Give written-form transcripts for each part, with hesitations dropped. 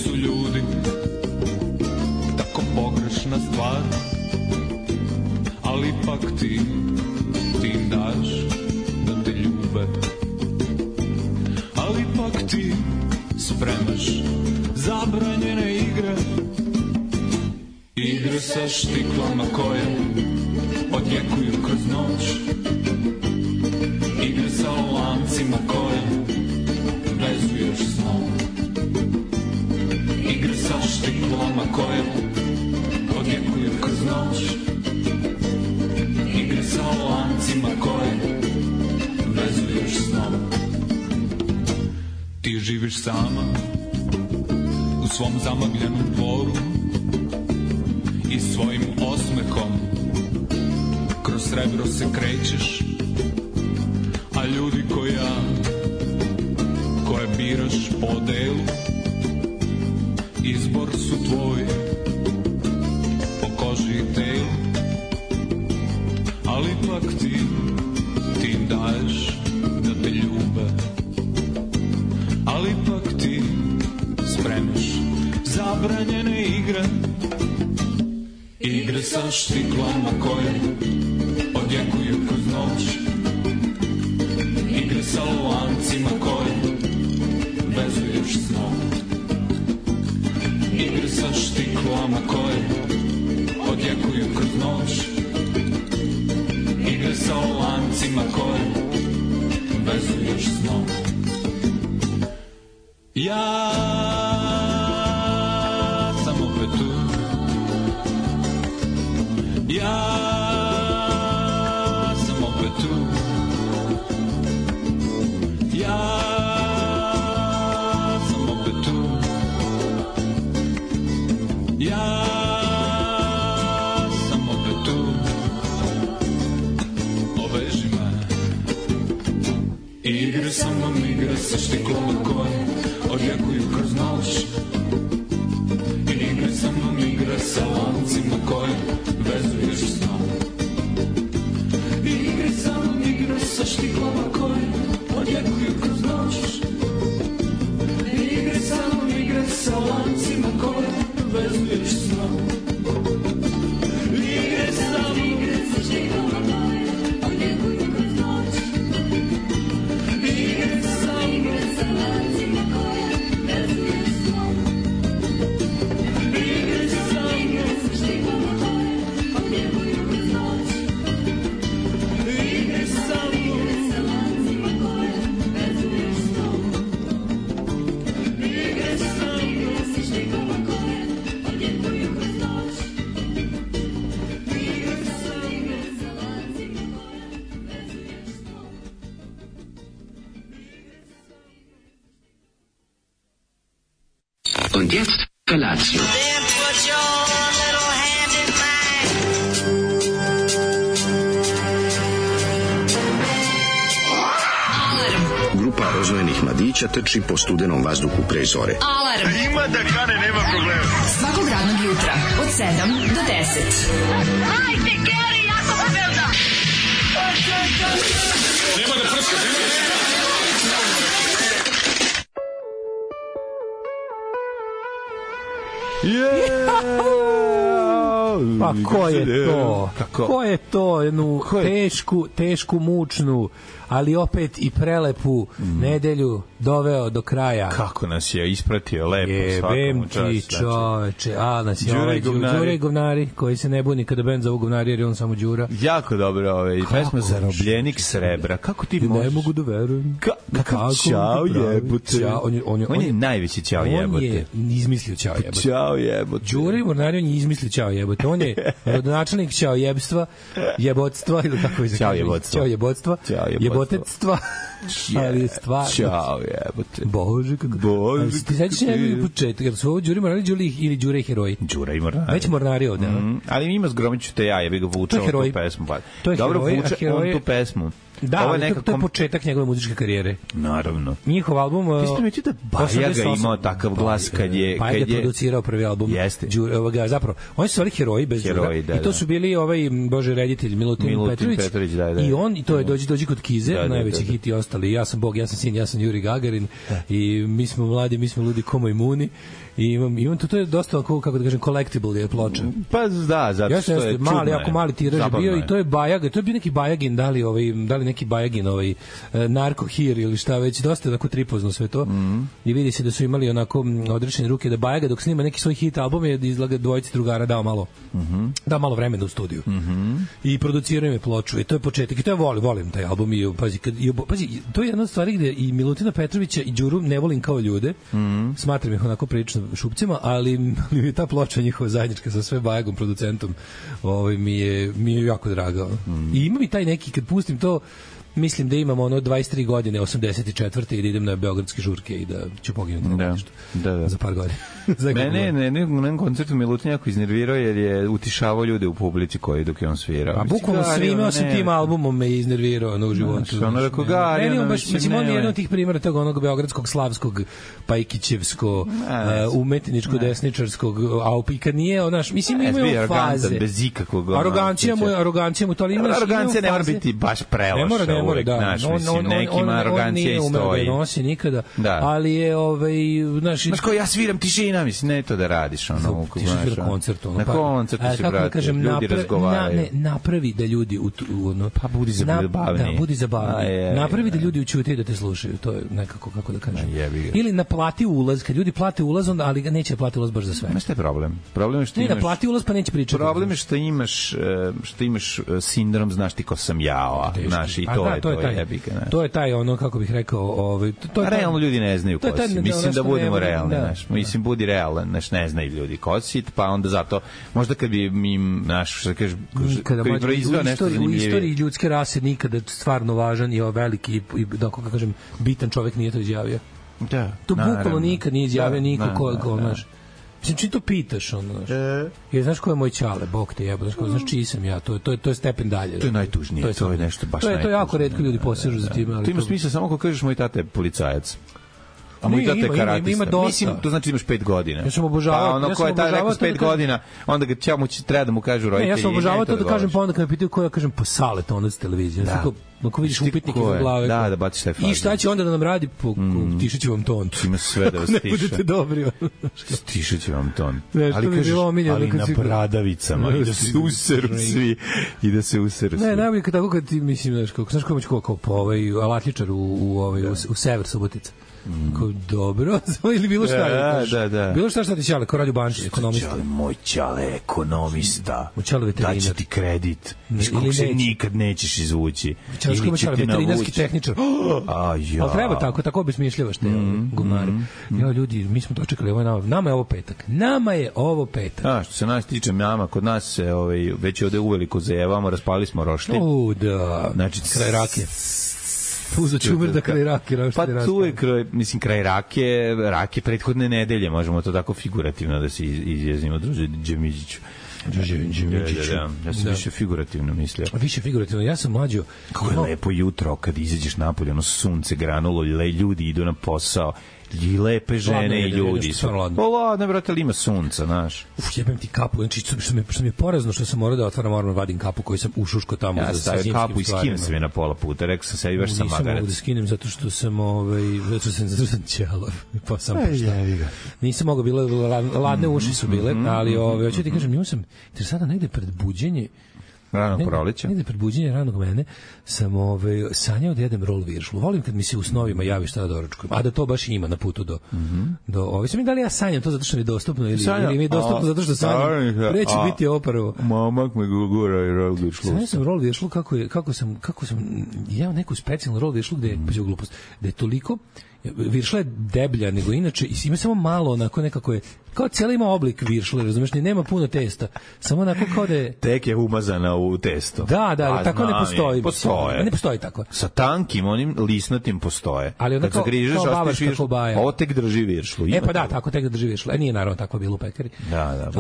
su ljudi tako pogrešna stvar, ali ipak ti im daš da te ljube, ali ipak ti spremaš zabranjene igre, igre sa štiklama koje odjekuju kroz noć, igre sa lancima koje vezuješ snom, igre sa štiklama koje odjekuju kroz noć, igre sa lancima koje vezuješ snom. Ti živiš sama u svom zamagljenom dvoru i svojim osmehom kroz srebro se krećeš, a ljudi koje biraš po delu, izbor su tvoj po koži i telu, ali ipak ti im daješ da te ljube, ali ipak ti spremaš zabranjene igre, igre sa štiklama koje odjekuju kroz noć, igre sa lancima koje vezuješ snom, igre sa štiklama koje odjekuju kroz noć, igre sa lancima koje vezuješ snom. Ja sam opet tu, ja sam opet tu, ja sam opet tu, ja sam opet tu, oveži me. Igre sa mnom, igre sa štiklama koje odjekuju kroz noć, igre sa mnom, igre sa lancima koje vezuješ snom, igre sa mnom, igre sa štiklama koje odjekuju kroz noć, igre sa mnom, igre sa lancima koje vezuješ snom, igre sa mnom, igre sa štiklama koje odjekuju kroz noć, igre sa mnom, igre sa lancima koje vezuješ snom, igre sa mnom, igre sa štiklama koje odjekuju kroz noć, igre sa mnom, igre sa lancima koje vezuješ snom, igre sa mnom, igre sa štiklama koje odjekuju kroz noć, igre sa mnom, igre sa lancima koje vezuješ snom. Und jetzt Felatio. Then put your little hand in mine. Grupa rozvojenih mladića trči po studenom vazduhu pre zore. Alarm. Ima da kane, nema problema. Svakog radnog jutra od 7 do 10. Hajde, Geri, jako se velda. Nema da prska, nema da... Pa ko je to? Kako? Ko je to? Jednu tešku, mučnu, ali opet i prelepu nedelju doveo do kraja. Kako nas je ispratio lepo, Jebem ti čoveče, a nas je ovaj Đure i govnari, koji se ne buni kada bend zovu govnari, jer je on samo Đura. Jako dobro, pesma Zarobljenik srebra. Kako ti možeš? Ne mogu da verujem. Kakav ćao jebote. On je najveći ćao jebote. On je izmislio ćao jebote. Ćao jebote. Đure i govnari, on je izmislio ćao jebote. On je rodonačelnik ćao jebstva, jebotstva, ili kako je ćao jebotstva. Ćao jebotstva. Jebotectva. Ali stvarno. Ćao jebote. Bože, kako... Bože. Ti sećaš njegovi početak, jer su ovo Đuri Mornari ili Đure i heroji? Đura i Mornari. Već Mornari ovde, ali ima Zgromiću te ja, jebi ga vučao tu pesmu. To je dobro heroj, vuče on tu pesmu. Da, ovo je to je početak njegove muzičke karijere. Naravno. Njihov album... Ti si primetio da Bajaga imao takav glas kad je... Bajaga je producirao prvi album. Jeste. Zapravo, oni su stvari heroji bez druga. I to su bili Bože reditelj Milutin Petrović. I on, i to je Dođi kod Kize, najveći hit i ostali. Ja sam Bog, ja sam sin, ja sam Juri Gagarin. I mi smo mladi, mi smo ludi ko majmuni. I imam to je dosta kako da kažem collectible je ploča. Pa da, zato što je mali, jako mali tiraž bio i to je Bajaga, to je bio neki Bajagin, da li neki Bajagin Narko Hir ili šta već, dosta onako tripozno sve to. I vidi se da su imali onako odrešene ruke da Bajaga dok snima neki svoj hit album je izlaga dvojici drugara dao malo vremena u studiju. I producirao im ploču i to je početak i to je volim taj album i pazi to je jedna od stvari gde i Milutina Petrovića i Đuru ne volim kao ljude. Smatram ih onako prilično šupcima, ali mi je ta ploča njihova zajednička sa sve Bajagom producentom mi je jako draga. I ima mi taj neki, kad pustim to, mislim da imam 23 godine, 84. i da idem na beogradske žurke i da ću poginuti za par godina. Mene na koncertu Milutin jako iznervirao jer je utišavao ljude u publici koji dok je on svirao. A bukvalno svime osim tim albumom me iznervirao u životu. Ono rekao mislim, on je jedan od tih primjera tog onog beogradskog, slavskog, pajkićevsko, umetničko-desničarskog, a i kad nije, mislim, imaju faze. Bez ikakvog. Arogancija mu to, ali imaš... Arogancija ne mora biti baš preloša uvek, znaš, mislim, nekima arogancija i stoji. On nije umeo da nosi nikada, ali je, znaš, kao ja sviram tišina, mislim, ne to da radiš, ti svira koncert, na koncertu si, brate, ljudi razgovaraju. Napravi da ljudi pa budi zabavniji. Da, budi zabavniji. Napravi da ljudi učute da te slušaju, to je nekako, kako da kažem. Ili naplati ulaz, kad ljudi plate ulaz, ali ga neće plati ulaz baš za sve. Znaš šta je problem? Problem je što imaš... Ne, naplati ulaz pa neće pričati. Problem je što imaš sindrom, znaš ti ko sam ja, znaš, i to je jebika. To je taj, kako bih rekao, realno ljudi ne znaju ko si. Mislim da budemo realni, znaš. Mislim, budi realan, znaš, ne znaju ljudi ko si, pa onda zato, možda kad bi im, znaš, što kažeš, kad bi proizveo nešto zanimljivije. U istoriji ljudske rase nikada stvarno važan i veliki i, da kako kažem, bitan čovjek nije to izjavio. Da. To bukvalno nikad nije izjavio niko ko, znaš. Mislim, čim to pitaš, znaš. Jer znaš ko je moj ćale, Bog te jebo, znaš čiji sam ja, to je stepen dalje. To je najtužnije, to je nešto baš najtužnije. To je jako retko ljudi posežu za time. To ima smisla samo ako kažeš moj tata je policajac. A moj tata je karatista. Mislim, to znači imaš 5 godina. Ja sam obožavao. Pa ono ko je taj neko s 5 godina, onda ga treba da mu kažu roditelji. Ja sam obožavao to da kažem, pa onda kad me pitaju ko ja kažem, pa Salet, onda s televizije. Ako vidiš upitnik iza glave. Da baciš taj fazon. I šta će onda da nam radi? Tišit će vam ton. Ima sve da vas tiša. Ne budete dobri. Stišit će vam ton. Ali kažeš, ali na bradavicama. I da se useru svi. I da se useru svi. Ne, najbolje tako kad ti, mislim, znaš ko moći kao alatličar u sever Subotica. Dobro, ili bilo šta. Da. Bilo šta ti ćale, kao radi u banci, ekonomista. Moj ćale je ekonomista. Moj ćale veterinar. Daće ti kredit. Iz kog se nikad nećeš izvući. Ili će te veterinarski tehničar. Ali treba tako bi smišljavaš te gumare. Ja, ljudi, mi smo dočekali, nama je ovo petak. Što se nas tiče, kod nas se već ovde uveliko zajevamo, raspali smo roštilj. Da. Znači, kraj rakije. Uzo čumer da kraj rake. Pa tu je kraj rake prethodne nedelje, možemo to tako figurativno da se izjasnimo, druže Džemiđiću. Ja sam više figurativno mislio. Više figurativno, ja sam mlađo. Kako je lepo jutro kad izađeš napolje, ono sunce granulo, ljudi idu na posao, i lepe žene i ljudi su. Ladno, brate, ali ima sunca, znaš. Jebem ti kapu, znači što mi je porazno što sam morao da otvaram, moram vadim kapu koju sam ušuško tamo za zimskim stvarima. Ja stavim kapu i skinem se na pola puta, rekao sam sebi, baš sam magarac. Nisam mogu da skinem zato što sam ćelav, pa sam poštao. Nisam mogao, ladne uši su bile, ali hoću ti kažem, imao sam, jer sada negde pred buđenje, ranog proleća. Negde pred buđenje ranog mene sam sanjao da jedem rol viršlu. Volim kad mi se u snovima javi šta da doručkujem. A da to baš ima na putu do sam mi da li ja sanjam to zato što mi je dostupno ili mi je dostupno zato što sanjam. Preći biti opravo. Momak me gura i rol viršlu. Sanjao sam rol viršlu kako sam jeo neku specijalnu rol viršlu gde je glupost. Da je toliko viršla je deblja nego inače i ima samo malo onako nekako je kao cijela ima oblik viršle, razumeš, nema puno testa, samo onako kao da je tek je umazana u testo. Da, tako ne postoji. Ne postoji tako. Sa tankim, onim lisnatim postoje. Ali onda kao bavarska kobaja. Ovo tek drži viršlu. Pa da, tako tek drži viršlu. Nije naravno tako bilo u pekari. Da.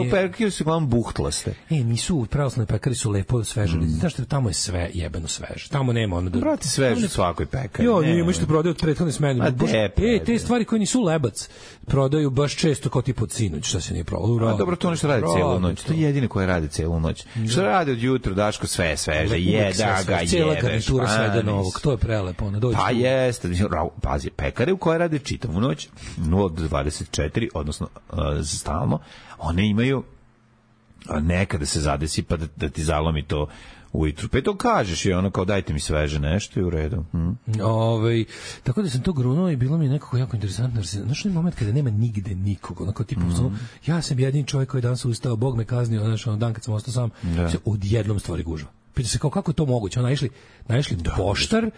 U pekari su uglavnom buhtlaste. Nisu, pravoslavne pekari su lepo sveže. Znaš što tamo je sve jebeno sveže. Tamo nema ono da... Brate, sveže u svakoj pekari. Ima što prodaju od prethodne smene. Te stvari koje nisu lebac prodaju baš često kao tipa od sinoć, šta se nije prodalo. Dobro, to nešto radi celu noć. To je jedino koje radi celu noć. Što radi od jutra, Daško, sve sveže, jeda ga, jebeš. Cijela garnitura svega novog, to je prelepo. Pa jeste, pazi, pekare u koje rade čitavu noć, 0 do 24, odnosno stalno, one imaju nekada se zadesi pa da ti zalomi to ujutru. Pa to kažeš i ono kao dajte mi sveže nešto i u redu. Tako da sam to grunuo i bilo mi nekako jako interesantno. Znaš onaj moment kada nema nigde nikog, onako tipu, ja sam jedini čovjek koji danas ustao, Bog me kaznio, znaš, dan kad sam ostao sam, se odjednom stvari gužva. Pita se kako je to moguće, naišli poštar,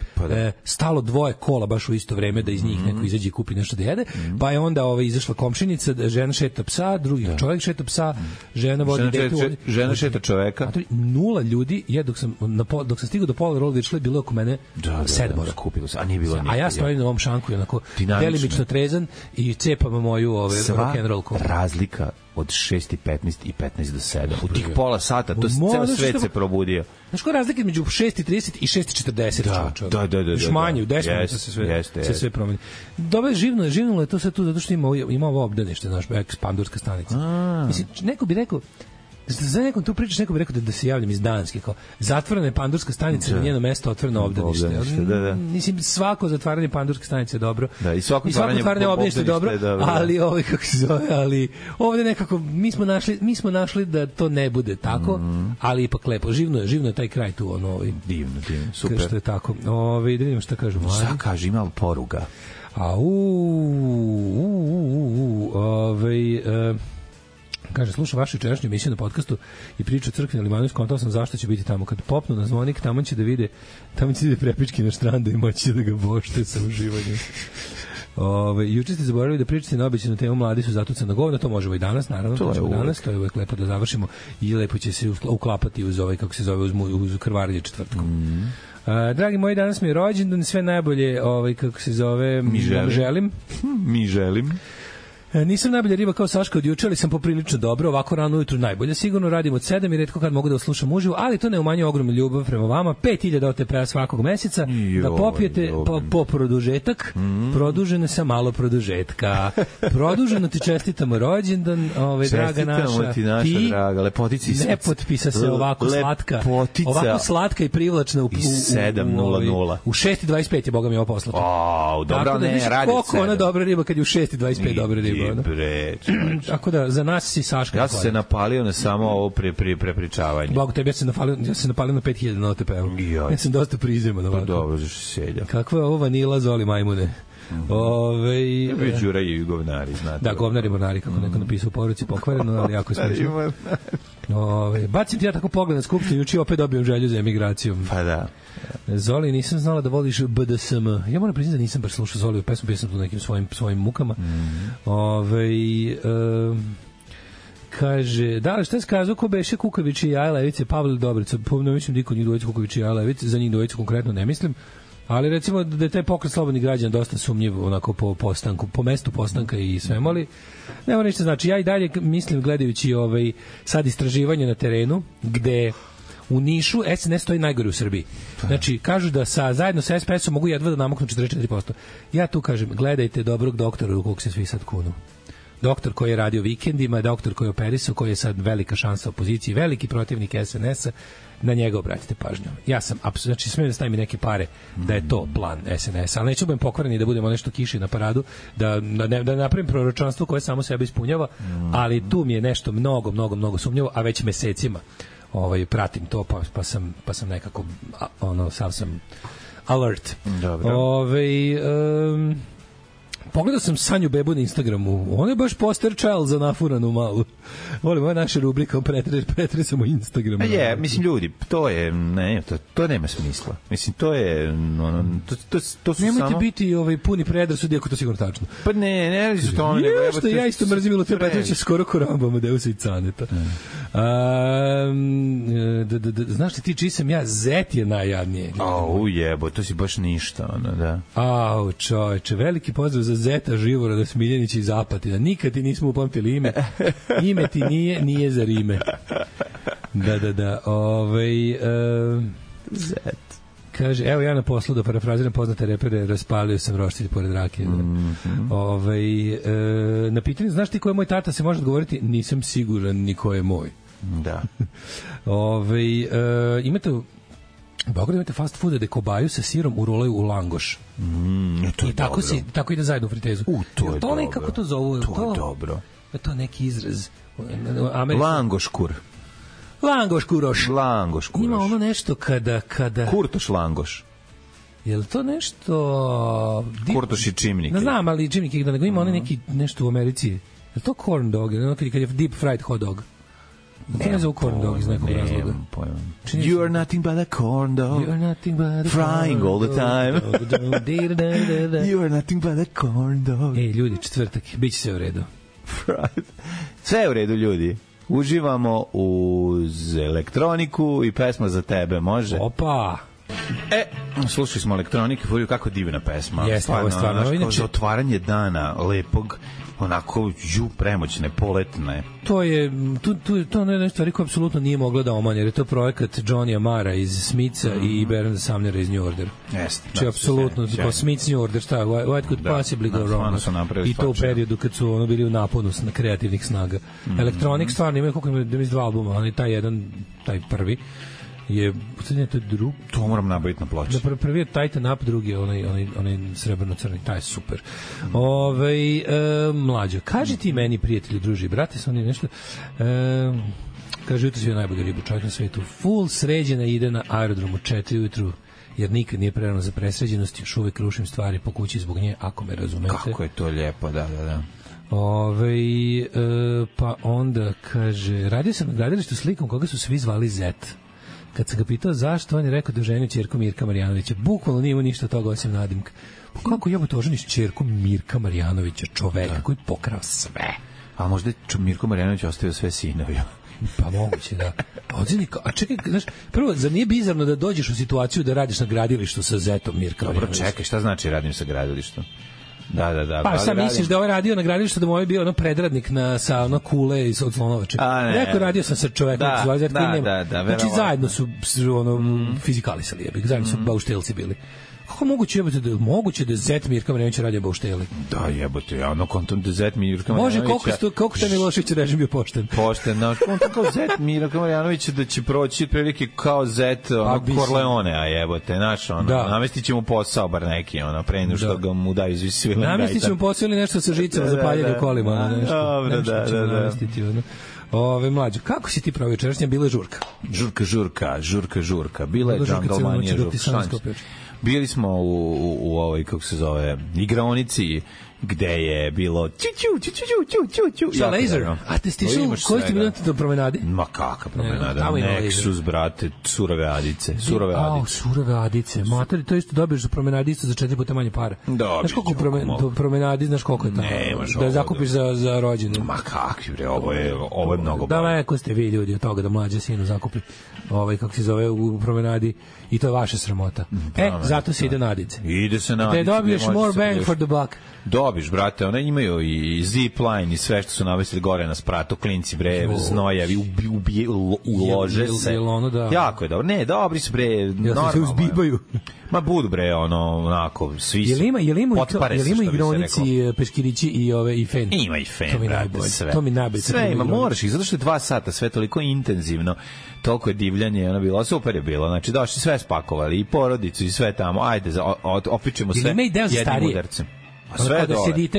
stalo dvoje kola baš u isto vreme da iz njih neko izađe i kupi nešto da jede, pa je onda izašla komšinica, žena šeta psa, drugi čovjek šeta psa, žena vodi dete, žena šeta čoveka. 0 ljudi, dok sam stigao do pola Rolvičle, bilo je oko mene 7 kupilo se, a nije bilo a ja stojim na ovom šanku i onako delimično trezan i cepam moju rock'n'roll kola. Razlika od 6:15 i 15 do 7. U tih pola sata, to ceo svet se probudio. Znaš koja je razlika između 6:30 i 6:40? Da. Još manje, u 10 minuta se sve promeni. Dobro, živnulo je to sve tu, zato što ima ovo obdanište, znaš, pandurska stanica. Mislim, neko bi rekao, za nekom tu pričaš, neko bi rekao da se javljam iz Danske, kao zatvorena je pandurska stanica, na njeno mesto otvoreno obdanište. Da. Mislim, svako zatvaranje pandurske stanice je dobro. Da, i svako zatvaranje obdanište je dobro, ali kako se zove, ali ovde nekako mi smo našli da to ne bude tako, ali ipak lepo. Živno je taj kraj tu, divno, super. Što je tako. Da vidimo šta kažu. Šta kaže, ima poruga? Kaže, slušam vašu jučerašnju emisiju na podcastu i priču o crkvi na Limanu, skontao sam zašto će biti tamo. Kad popnu na zvonik, tamo će da vide prepički na štrandu i moći da ga bošte sa uživanjem. Juče ste zaboravili da pričate na običajnu temu mladi su zatucana govna, to možemo i danas, naravno, to je uvek lepo da završimo i lepo će se uklapati uz kako se zove, uz krvarenje četvrtkom. Dragi moji, danas mi je rođendan, sve najbolje, kako se zove, Mi želim. Nisam najbolja riba kao Saška od juče, ali sam poprilično dobro, ovako rano ujutru najbolje. Sigurno radim od 7 i retko kad mogu da slušam uživo, ali to ne umanjuje ogromnu ljubav prema vama. 5000 OTP-a svakog meseca, da popijete po produžetak, produženo sa malo produžetka. Produženo ti čestitamo rođendan, draga naša. Ti naša draga, lepotici ne potpisa se ovako slatka. Ovako slatka i privlačna u 7:00. U 6:25 je, boga mi, ovo poslato. Dobro, ne, radi 7. Koliko ona dobra riba kad je u 6:25 dobra riba. Tako da za nas si Saška. Ja sam se napalio na samo ovo prepričavanje. Bog tebi, ja sam napalio na 5000 na OTP-u. Ja sam dosta prizeman ovako. Dobro, zašto si selja. Kakva je ovo vanila Zoli majmune? Ja bi Đura i govnari, znate. Da, govnari mornari, kako neko napisao u poruci, pokvareno, ali jako smiješno. Bacim ti ja tako pogled na skupštinu, juče opet dobijem želju za emigracijom. Pa da. Zoli, nisam znala da voliš BDSM. Ja moram priznati da nisam baš slušao Zoliju pesmu, bio sam tu nekim svojim mukama. Kaže, da li šta je skazao ko beše Kukavić i Jaja Levice, Pavle Dobrica, ne mislim niko njih dvojica Kukavić i Jaja Levice, za njih dvojicu konkretno ne mislim, ali recimo da je taj pokret slobodnih građana dosta sumnjiv onako po postanku, po mestu postanka i svemu, ali nema ništa znači. Ja i dalje mislim, gledajući sad istraživanje na terenu, gde u Nišu SNS stoji najgore u Srbiji. Znači, kažu da zajedno sa SPS-om mogu jedva da namaknu 44%. Ja tu kažem, gledajte dobrog doktora u kog se svi sad kunu. Doktor koji je radio vikendima, doktor koji je operisao, koji je sad velika šansa opoziciji, veliki protivnik SNS-a, na njega obratite pažnju. Ja sam, znači, smijem da stavim neke pare da je to plan SNS-a, ali neću budem pokvareni da budemo nešto kiši na paradu, da napravim proročanstvo koje samo sebe ispunjava, ali tu mi je nešto mnogo sumnjivo, a već mesecima pratim to, pa sam nekako sav sam alert. Dobro. Pogledao sam Sanju bebu na Instagramu. On je baš poster child za nafuranu malu. Volim, ovo je naša rubrika, pretresamo Instagram. Mislim, ljudi, to je, ne, to nema smisla. Mislim, to je, to su nemojte samo... biti puni predrasudi, ako to sigurno tačno. Pa ne su to oni. Što ja isto mrzim Milutina Petrovića skoro ko Rambo Amadeusa i Caneta. Znaš li ti čiji sam ja? Zet je najjadnije. Jebo, to si baš ništa, da. Čoveče, veliki pozdrav za Zeta Živoroda Smiljanića iz Apatina. Nikad ti nismo upamtili ime. Ime ti nije za rime. Da. Zet. Kaže, evo ja na poslu da parafraziram poznate repere, raspalio sam roštilj pored rake. Na pitanje, znaš ti ko je moj tata, se može odgovoriti, nisam siguran ni ko je moj. Da. Imate u Beogradu imate fast food da kobaju sa sirom urolaju u langoš. I tako ide zajedno u fritezu. To je dobro. Kako to zovu? To je dobro. To je neki izraz. Langoškur. Langoškuroš. Langoškuroš. Ima ono nešto kada... Kurtoš langoš. Je li to nešto... Kurtoš i čimnike. Ne znam, ali čimnike, da nego ima ono neki nešto u Americi. Je li to corn dog? Kad je deep fried hot dog? To ne zove corn dog iz nekog razloga. You are nothing but a corn dog. Frying all the time. You are nothing but a corn dog. Ej, ljudi, četvrtak, bit će sve u redu. Sve je u redu, ljudi. Uživamo uz elektroniku i pesma za tebe, može? Opa! Slušali smo elektronike, Furiju, kako divna pesma. Jeste, ovo je stvarno. Kao za otvaranje dana, lepog, onako, premoćne, poletne. To je jedna stvari koja apsolutno nije mogla da omanje, jer je to projekat Johnny Amara iz Smitha i Bernarda Sumnera iz New Order. Jeste. Znači, apsolutno, Smith's New Order, šta, what could possibly go wrong? I to u periodu kad su bili u naponu kreativnih snaga. Electronic stvarno imaju, koliko ima iz 2 albuma, ali taj prvi je, to je drugi. To moram nabaviti na ploči. Prvi je Titan Up, drugi je onaj srebrno-crni, taj je super. Mlađo, kaži ti meni, prijatelji, druži, brate, sam oni nešto... kaže, jutro si je najbolji ribu čovjek na svetu. Full sređena ide na aerodromu 4 ujutru, jer nikad nije prerano za presređenost, još uvek rušim stvari po kući zbog nje, ako me razumete. Kako je to lijepo, da. Pa onda, kaže, radio sam na gradilištu slikom koga su svi zvali Zet. Kad sam ga pitao zašto, on je rekao da je ženio ćerku Mirka Marjanovića. Bukvalno nije imao ništa toga osim nadimka. Pa kako jebote oženiš ćerku Mirka Marjanovića, čoveka koji pokrao sve? A možda je Mirko Marjanović ostavio sve sinovi? Pa moguće, da. A čekaj, znaš, prvo, zar nije bizarno da dođeš u situaciju da radiš na gradilištu sa Zetom Mirka Marjanovića? Dobro, čekaj, šta znači radim sa gradilištom? Da. Pa sam misliš da ovaj radio na gradilištu, da mu ovaj bio predradnik sa kule od Slonovače. Neko radio sam sa čovekom koji nema. Znači zajedno su fizikalisali, zajedno su bauštelci bili. Kako moguće da Zet Mirka Marjanovića radio baušteli? Da, jebote, ja kontom da Zet Mirka Marjanovića... Može, koliko te Milošević režim bio pošten? Pošten, znaš, kontom kao Zet Mirka Marjanovića da će proći prilike kao Zet Corleone, a jebote, znaš, namestit će mu posao bar neki, pre nego što ga mu daju svi. Namestit će mu posao ili nešto sa žicama za paljanje u kolima, nešto. Da. Mlađo, kako si ti pravio večerašnja? Bila je žurka. Žurka. Bila je džangalmanija žurka. Bili smo u ovoj, kako se zove, igraonici, gde je bilo Šta, laser? A te stišao, koji ste bili na promenadi? Ma kakva promenada? Nexus, brate, surove adice. Surove adice. Materi, to isto dobiješ za promenadi isto za 4 puta manje para. Znaš koliko promenadi, znaš koliko je tamo? Da zakupiš za rođenje. Ma kakvi bre, ovo je mnogo bolje. Daleko ste vi ljudi od toga da mlađe sinu zakupi kako se zove u promenadi i to je vaša sramota. Zato se ide na adice. Ide se na adice. Da dobiješ more bang for the buck. Dobiš, brate, one imaju i zipline i sve što su navesili gore na spratu, klinci, bre, znojavi, ulože se. Jako je dobro. Ne, dobri su, bre, normalno. Ja se uzbibaju. Ma budu, bre, onako, svi su. Jel ima igronici, peškirići i fen? Ima i fen, brate, sve. To mi najbolje. Sve ima, moraš ih, zato što je 2 sata, sve toliko intenzivno, toliko je divljanje, ono bilo, super je bilo, znači došli sve spakovali, i porodicu, i sve tamo, ajde, opičemo sve jednim udarcem. Sve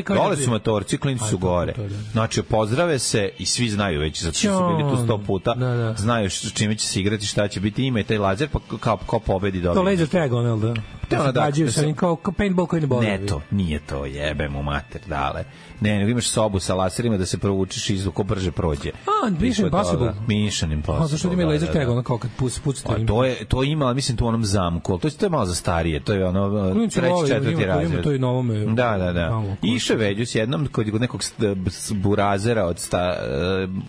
dole su motorci, klinci su gore. Znači, pozdrave se i svi znaju već, zato što su bili tu 100 puta, znaju čime će se igrati, šta će biti, ima i taj lazer, pa kao pobedi dobiti. To laser tag, ono, da? Da se gađaju sa njim kao paintball koji ne boli. Ne to, nije to, jebe mu mater, dale. Ne, nego imaš sobu sa laserima da se provučeš i ko brže prođe. Mission Impossible. Mission Impossible. Zašto ima laser tag, ono kao kad pucate. To ima, mislim, tu u onom zamku, to je malo za starije, to je ono treći, četvrti razred. To je novome. Da. Iše veđu s jednom kod nekog burazera od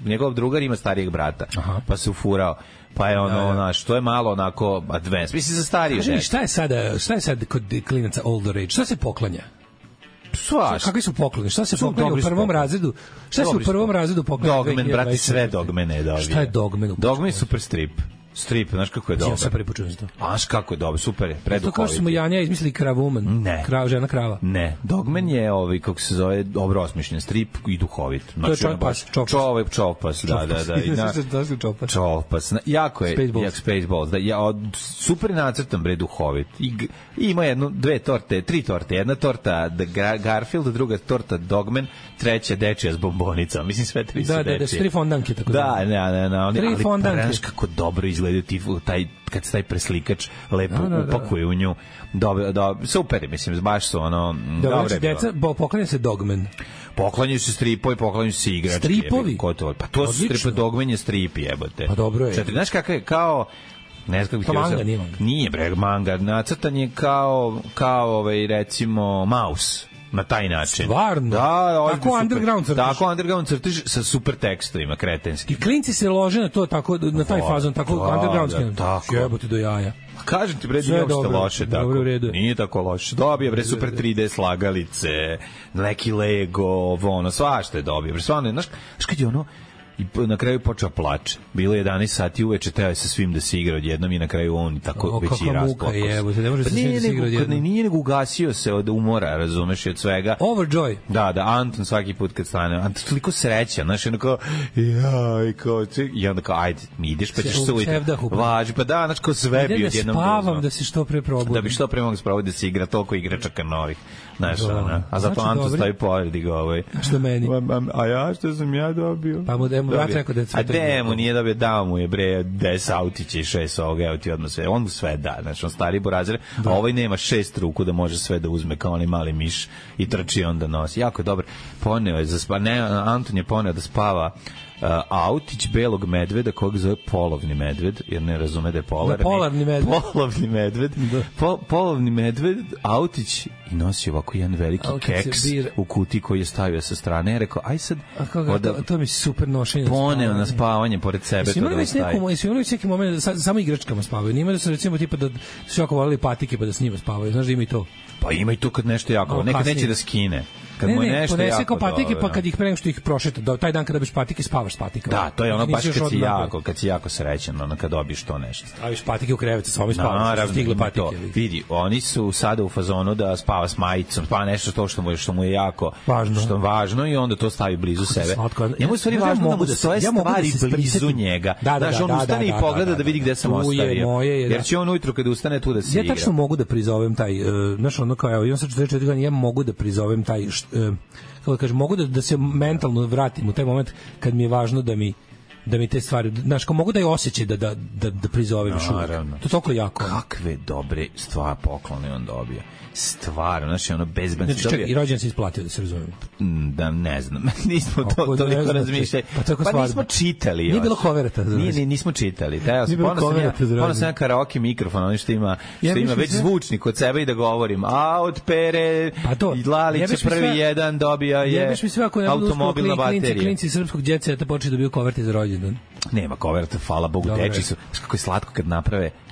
njegov drugar ima starijeg brata, pa se ufurao. Pa je znaš, to je malo onako advanced. Mislim, za starije žene. Šta je sad kod klinaca older age? Šta se poklanja? Kakvi su pokloni? Šta se poklanja u prvom razredu? Šta se u prvom razredu poklanja? Dogmen, brate, sve dogmene je dobio. Šta je Dogmen? Dogmen je super strip. Strip, znaš kako je dobar. Ja sam prvi počuo za to. Znaš kako je dobar, super je, preduhovit. To kao što smo Janja izmislili Kravuman. Ne. Žena krava. Ne, Dogman je kako se zove, dobro osmišljen strip i duhovit. To je Čovpas. Čovpas, da. Čovpas. Jako je, Spaceballs. Super je nacrtan, bre, duhovit. Ima tri torte. Jedna torta Garfield, druga torta Dogman, treća dečija s bombonicama. Mislim, sve tri su dečije. Da, tri fondanke, tako da. Da. Tri fondanke. Ali kako dobro izgleda kad se taj preslikač lepo upakuje u nju. Dobro, super, mislim, baš su ono... Dobro, deca, poklanja se Dogman. Poklanjaju se stripovi, poklanjaju se igračke. Stripovi? Pa to su stripovi, Dogman je strip, jebote. Pa dobro je. Znaš kakav je, kao... Ne znam kako bih manga, nije manga. Nije, bre, manga. Nacrtan je kao recimo, Maus. Na taj način. Stvarno? Da, tako underground crtiš. Tako underground crtiš sa super tekstovima kretenski. I klinci se lože na to, tako, na taj fazon, tako underground. Tako. Jebote do jaja. Kažem ti, bre, nije uopšte loše tako. Dobro, u redu. Nije tako loše. Dobije, bre, super 3D slagalice, neki Lego, svašta je dobije. Bre, stvarno, znaš kad je ono, i na kraju počeo plače. Bilo je 11 sati uveče, teo je sa svim da se igra odjednom i na kraju on tako već i rasplakao se. Ne može sa svim da se igra odjednom. Nije nego ugasio se od umora, razumeš, i od svega. Overjoy. Da, Anton svaki put kad stane. Anton toliko sreća, znaš, ono kao, i onda kao, ajde, mi ideš, pa ćeš se ujeti. Važi, pa da, znaš, kao sve bi odjednom dozno. Spavam da se što pre probudim. Da bi što pre mogu spraviti da se igra toliko igračaka novih. Znaš, a zato Anton stavi pored i ga Što meni? A ja, što sam ja dobio? Pa mu brat rekao da je a demo nije dobio, dao mu je bre 10 autića i 6 ovoga, evo ti odmah sve, on mu sve da, znači on stari burazer, a ovaj nema 6 ruku da može sve da uzme kao onaj mali miš i trči onda nosi, jako je dobro. Poneo je Anton je poneo da spava autić belog medveda kojeg zove polovni medved, jer ne razume da je polarni medved. Polovni medved, autić i nosi ovako jedan veliki keks u kutiji koji je stavio sa strane. Ja rekao, aj sad... To mi super nošenje. Poneo na spavanje pored sebe. Jesi imali već neki moment, samo igračkama spavaju. Nima da su recimo tipa da su jako volili patike pa da s njima spavaju. Znaš da ima i to? Pa ima i to kad nešto jako, nekad neće da skine. Kad mu je nešto ponese jako kao patike, pa kad ih pre nego što ih prošeta, taj dan kada dobiš patike, spavaš s patikama. Da, to je ono baš kad si jako srećan, ono kad dobiješ to nešto. Staviš patike u krevet, sa ovim spavaš, stigle patike. Vidi, oni su sada u fazonu da spava s majicom, spava nešto to što mu je jako važno i onda to stavi blizu sebe. Njemu je stvari važno da mu stoje stvari blizu njega. Znaš, on ustane i pogleda da vidi gde sam ostavio. Jer će on ujutru kada ustane tu da se igra. Ja tačno mogu da prizovem taj, znaš, ono kao, evo, imam sad 44 godina, ja mogu da prizovem taj, kako da kažem, mogu da se mentalno vratim u taj moment kad mi je važno da mi te stvari, znaš, kao mogu da je osjećaj da prizovem još uvijek. To je toliko jako. Kakve dobre stvari poklone on dobio. Stvarno, znači ono bezbanci. Znači, čekaj, i rođen se isplatio, da se razumemo. Da, ne znam. Nismo toliko razmišljali. Pa nismo čitali. Nije bilo koverata. Nismo čitali. Ponosno sam ja karaoke mikrofon, ono što ima već zvučnik kod sebe i da govorim. A od Pere i Lalića prvi jedan dobija je automobilna baterija. Klinci srpskog djeceta počeli da biju koverte za rođendan. Nema koverta, hvala Bogu, deči su. Kako je slatko kad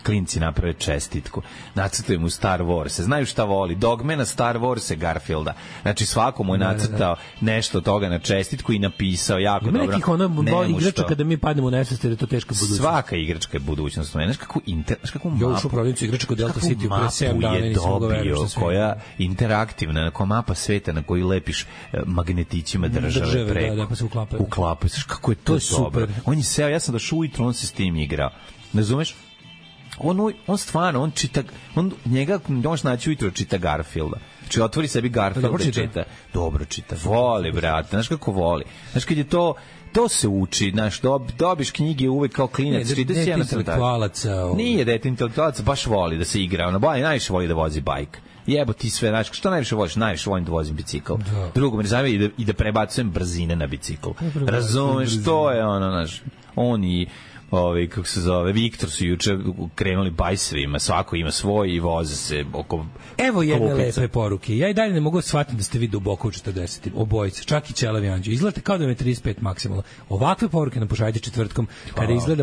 klinci naprave čestitku. Nacrtaju mu Star Wars. Znaju šta voli. Dogmana, Star Wars, Garfielda. Znači svako mu je nacrtao nešto od toga na čestitku i napisao jako dobro. Ima nekih ono igrača kada mi padnemo u nesvest, jer je to teška budućnost. Svaka igračka je budućnost. Znaš kakvu mapu. Ja ušao u prodavnicu igrača kod Delta City pre 7 dana i nisam mogao verujem što koja interaktivna, kao mapa sveta na koju lepiš magnetićima države preko. Da, pa se uklapaju. Znaš kako je to dobro. On je seo, ja sam došao ujutro, on se s tim igrao. Ne razumeš? on stvarno, njega možeš naći ujutro čita Garfielda. Znači, otvori sebi Garfielda i čita. Dobro čita. Voli, brate. Znaš kako voli. Znaš, kad je to se uči, znaš, dobiš knjige uvek kao klinac. Ne, dete intelektualaca. Nije dete intelektualaca, baš voli da se igra. Ono, najviše voli da vozi bajk. Jebo ti sve, znaš, što najviše voliš? Najviše volim da vozim bicikl. Drugo, me zanima i da prebacujem brzine na bicikl. Razumeš, to je ono, znaš, oni kako se zove, Viktor su juče krenuli bajsevima, svako ima svoj i voze se oko. Evo jedne lepe poruke. Ja i dalje ne mogu shvatiti da ste vi duboko u 40. Obojice, čak i Ćelavi Anđo. Izgledate kao da vam je 35 maksimalno. Ovakve poruke nam pošaljite četvrtkom,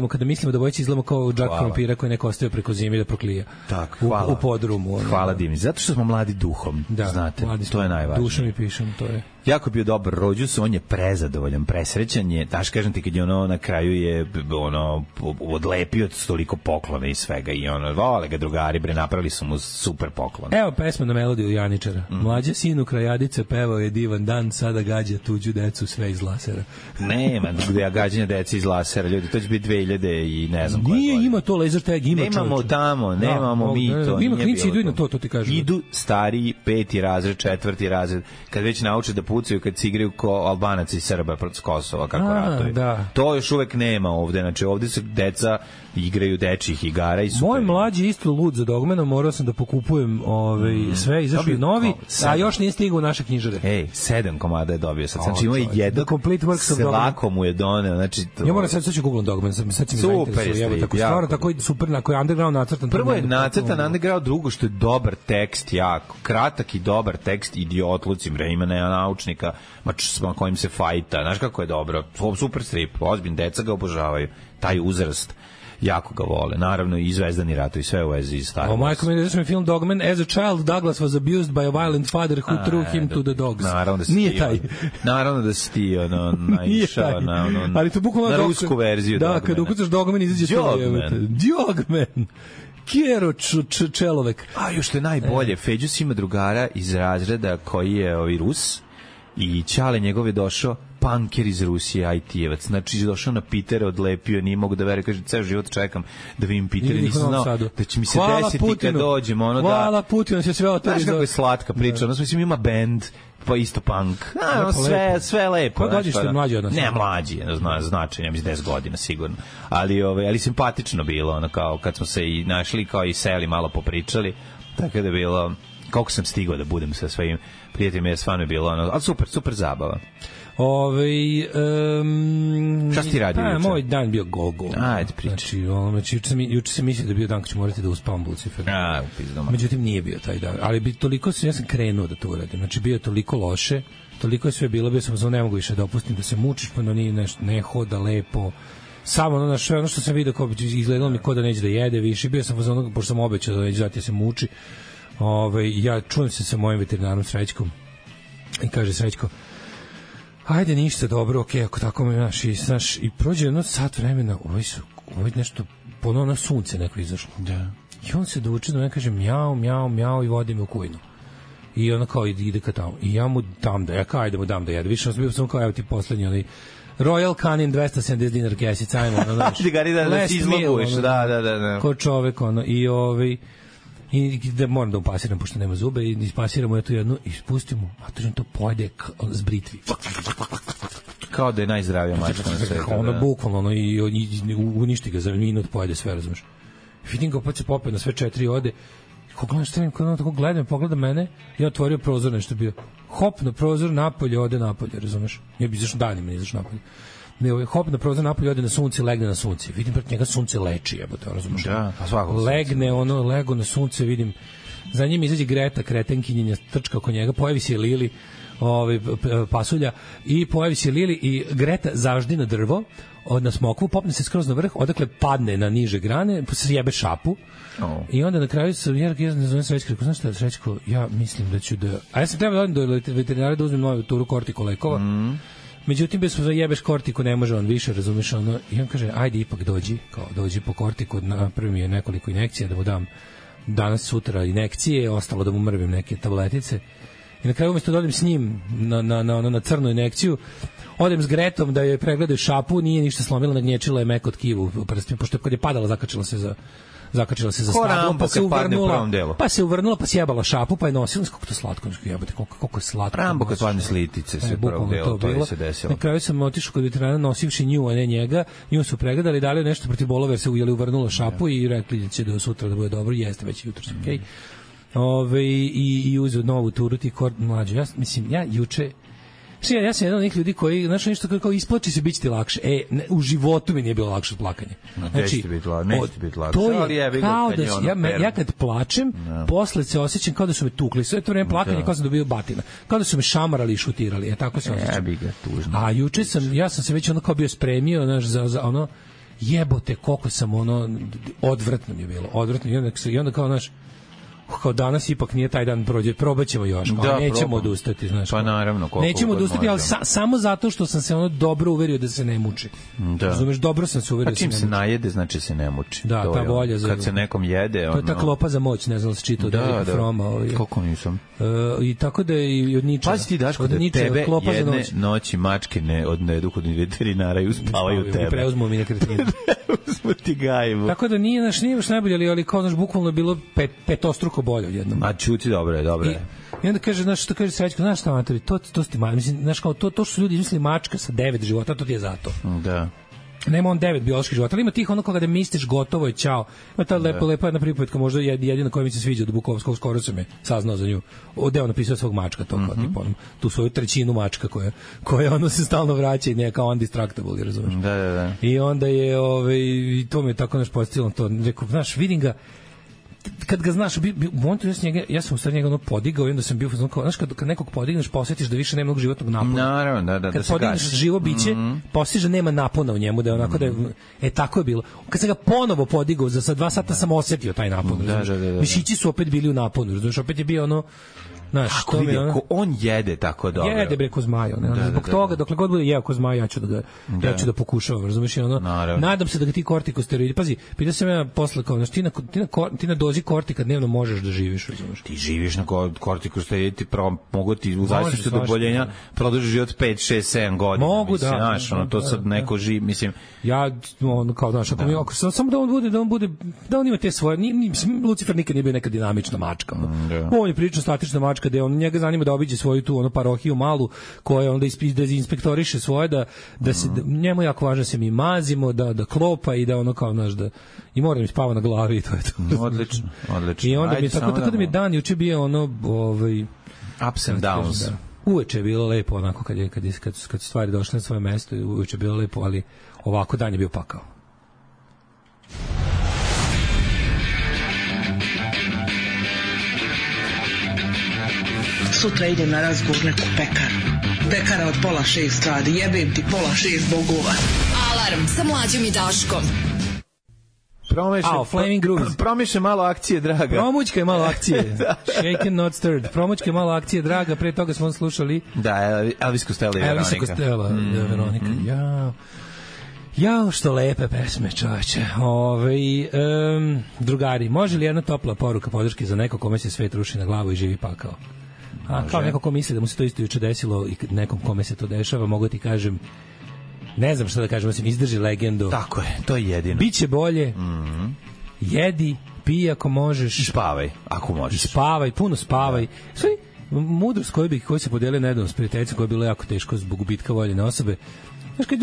kada mislimo da obojice izgledamo kao džak krompira koji neko ostavio preko zime da proklija. Tako, u podrumu. Hvala Dimi, zato što smo mladi duhom, znate, to je najvažnije. Dušom i pišem, to je. Jako bio dobar rođus, on je prezadovoljan, presrećan je, daš kažem ti kad je na kraju je odlepio toliko poklona i svega i vole ga drugari, napravili su mu super poklon. Evo pesma na melodiju Janičara. Mlađa sinu krajadice pevao je divan dan, sada gađa tuđu decu sve iz lasera. Nema gađanja dece iz lasera, ljudi, to će biti 2000 i ne znam koje. Nije, ima to laser tag, ima čovječe. Nemamo tamo, nemamo mi to. Ima klinici, idu i na to ti kažem. Idu stariji, 5. razred, 4. razred, kad već nauče da pucaju, kad se igraju ko Albanac i Srba protiv Kosova, kako ratuju. Da. To još uvek nema ovde, znači ovde se deca igraju dečjih igara i super. Moj mlađi isto lud za Dogmenom, morao sam da pokupujem sve, izašli novi, a još nije stigao u naše knjižare. 7 komada je dobio sad. Znači ima jedan, se lako mu je doneo. Znači, ja moram sad ću Google Dogman, sad će mi zainteresuje. Tako stvarno, tako super, na koji je underground nacrtan. Prvo je nacrtan underground, drugo što je dobar tekst, jako kratak i dobar tekst, idiotluci, ima naučnika, ma kojim se fajta, znaš kako je dobro, super strip, ozbiljno, deca ga obožavaju, taj uzrast jako ga vole. Naravno i Zvezdani ratovi, sve u vezi Star Wars. Majko mi je film Dogman. As a child, Douglas was abused by a violent father who threw him to the dogs. Nije taj. Naravno da si ti naišao na rusku verziju Dogmana. Da, kad ukucaš Dogman, izađe Dogman. Kjero Čelovek. A još što je najbolje, Feđus ima drugara iz razreda koji je Rus i Ćale njegov je došao punker iz Rusije, IT-evac. Znači, došao na Pitera, odlepio, nije mogu da vere, kaže, ceo život čekam da vidim Pitera, nisam znao da će mi se desiti kad dođem. Hvala Putinu, će sve otvori. Znaš kako je slatka priča, mislim, ima band, pa isto punk. Sve lepo. Koja godište mlađi od nas? Ne, mlađi, značajno, ja mislim 10 godina sigurno. Ali simpatično bilo, kao kad smo se i našli, kao i seli, malo popričali, tako da je bilo, koliko sam stigao da budem sa svojim prijateljima, je stvarno bilo, ali super zabava. Šta si ti radio juče? Moj dan bio go-go. Ajde, pričaj. Znači, juče sam mislio da bio dan kad ću morati da uspavam Lucifer. Međutim, nije bio taj dan. Ali ja sam krenuo da to uradim. Znači, bio je toliko loše, toliko je sve bilo, bio sam ne mogu više da opustim, da se mučiš, pa nije nešto, ne hoda lepo. Samo ono što sam vidio, kao izgledalo mi ko da neće da jede više. Bio sam pošto sam obećao da neće dati se muči. Ja čujem se sa mojim veterinarom Srećkom i kaže Srećko, ajde, ništa, dobro, okej, ako tako me znaš, i prođe jedno sat vremena, ovo je nešto, ponovno sunce neko izašlo. Da. I on se dovuče da me kaže mjau i vodi me u kujnu. I ona kao ide ka tamo. I ja mu dam da, ajde mu dam da jede. Više bio sam kao, evo ti poslednji, Royal Canin 270 dinar kesica, ajmo, da si izloguješ, da. Ko čovek, i da moram da upasiram, pošto nema zube, i ispasiramo je tu jednu i spustimo, a to pojede s britvi. Kao da je najzdravija mačka na svetu. Bukvalno, i uništi ga za minut, pojede sve, razumeš. Vidim ga, pa se popet na sve 4 ode, ko gledam, pogleda mene, ja otvorio prozor, nešto bio. Hop na prozor, napolje, ode napolje, razumeš. Ja bi izašao danima, izašao napolje. Hop na prozor, napolje, ode na sunce, legne na sunce. Vidim, preko njega sunce leči, jebote, razumeš. Da, pa svakako. Legne, lego na sunce, vidim. Za njim izađe Greta, kretenkinjenja, trčka oko njega, pojavi se Lili, pasulja, i pojavi se Lili i Greta zaždi na drvo, na smokvu, popne se skroz na vrh, odakle padne na niže grane, sjebe šapu. I onda na kraju ja ne zovem Srećko, znaš šta, Srećko, ja mislim da ću da... A ja sam trebao da odem do veterinara da uzmem novu turu kortiko lekova. Međutim, bez jebeš kortiku, ne može on više, razumiješ, i on kaže, ajde ipak dođi po kortiku, napravim je nekoliko injekcija da mu dam danas, sutra injekcije, ostalo da mu mrvim neke tabletice. I na kraju umesto da odem s njim na crnu injekciju, odem s Gretom da joj pregledaju šapu, nije ništa slomila, nagnječila je meko tkivu u prstima, pošto kad je padala zakačila se za stablom, pa se uvrnula, pa sjebala šapu, pa je nosila, kako to slatko, jebote, koliko je slatko. Rambo kad padne s litice se prvog dela, to je se desilo. Na kraju sam otišao kod veterana nosivši nju, a ne njega, nju su pregledali, dali nešto protiv bolova jer se uvrnula šapu i rekli da će do sutra da bude dobro, jeste već jutro, okej. I uzeo novu turu ti mlađu. Ja juče ja sam jedan od onih ljudi koji, znaš, nešto kao isplači se, biće ti lakše. U životu mi nije bilo lakše od plakanja. Znači, neće biti lakše. To je kao da ja kad plačem, posle se osjećam kao da su me tukli. Sve to vreme plakanje kao da sam dobio batina. Kao da su me šamarali i šutirali. Tako se osjećam. A juče ja sam se već ono kao bio spremio, znaš, za ono, jebote, koliko sam ono, odvratno mi je bilo. Odvratno. I onda kao, znaš, kao danas ipak nije taj dan prođe, probaćemo još, nećemo odustati, znaš. Pa naravno, nećemo odustati, ali samo zato što sam se ono dobro uverio da se ne muči. Razumeš, dobro sam se uverio da se ne muči. Pa čim se najede, znači se ne muči. Da, ta volja za... Kad se nekom jede, ono... To je ta klopa za moć, ne znam se čitao da Froma. Kako nisam? I tako da i od Ničeva. Pazi ti, Daško, da tebe jedne noći mačke ne odnedu kod veterinara i uspavaju tebe. I preuzmu mi nekretninu. Preuzmu ti gajbu. Tako da nije baš najbolje, ali kao naš bukvalno bilo petostruko bolje odjednom. A čuti, dobro je. I onda kaže, znaš, što kaže Srećko, znaš šta, Matori, to ste mali, mislim, znaš, kao, to što su ljudi izmislili mačka sa 9 života, to ti je zato. Da. Nema on 9 bioloških života, ali ima tih ono kada misliš gotovo je, čao. Ima ta lepa jedna pripovetka, možda jedina koja mi se sviđa od Bukovskog, skoro sam je saznao za nju. Ovde on napisao svog mačka, to kao tipa, tu svoju trećinu mačka koja ono se stalno vraća i neka undistractable, razumeš? Da. I onda je, i to mi je tako naš postavilo to, rekao, znaš, vidim ga, kad ga znaš, u momentu ja sam u stvari njega ono podigao i onda sam bio, znaš, kad nekog podigneš, posjetiš da više nema mnogo životnog napona. Naravno, da kad podigneš živo biće, posjetiš da nema napona u njemu, da je onako da je, tako je bilo. Kad sam ga ponovo podigao, za 2 sata sam osjetio taj napon. Mišići su opet bili u naponu, razumiješ, opet je bio ono, znaš, ako vidi, ako on jede tako dobro. Jede bre ko zmajo, ne? Zbog toga, dokle god bude jeo ko zmaj, ja ću da pokušavam, razumiješ, ono. Nadam se da ga ti kortikosteroidi, pazi, pitao sam ja posle kao, znaš, ti na dozi kortika dnevno možeš da živiš, razumiješ. Ti živiš na kortikosteroidi, ti mogu ti u zavisnosti od oboljenja produžiš život 5, 6, 7 godina. Mogu, mislim, znaš, ono, to sad neko živi, mislim. Ja, ono, kao, znaš, ako samo da on ima te svoje, Lucifer nikad nije bio neka dinamična mačka. On je prilično statična mačka, kada on njega zanima da obiđe svoju tu ono parohiju malu koja onda inspektoriše svoje da se njemu jako važno se mi mazimo da klopa i da ono kao naš da i mora mi spava na glavi i to je to. Odlično. I onda mi tako da mi dan juče bio ono ups and downs. Uveče je bilo lepo onako kad stvari došle na svoje mesto, uveče je bilo lepo, ali ovako dan je bio pakao. Sutra idem na razgovor neku pekaru. Pekara od 5:30 radi, jebem ti 5:30 bogova. Alarm sa Mlađom i Daškom. Promiše malo akcije, draga. Promućka je malo akcije. Shaken not stirred. Promućka je malo akcije, draga. Pre toga smo slušali. Da, Elvis Costello i Veronika. Elvis Costello i Veronika. Jao, što lepe pesme, čoveče. Drugari, može li jedna topla poruka podrške za neko kome se svet ruši na glavu i živi pakao? Kao neko ko misli da mu se to isto juče desilo i nekom kome se to dešava, mogu ti kažem, ne znam šta da kažem, osim izdrži legendu. Tako je, to je jedino. Biće bolje, jedi, pij ako možeš. I spavaj, ako možeš. Spavaj, puno spavaj. Sve, mudrost koju se podelio nedavno s prijateljicom koja je bilo jako teško zbog gubitka voljene osobe. Znaš, kad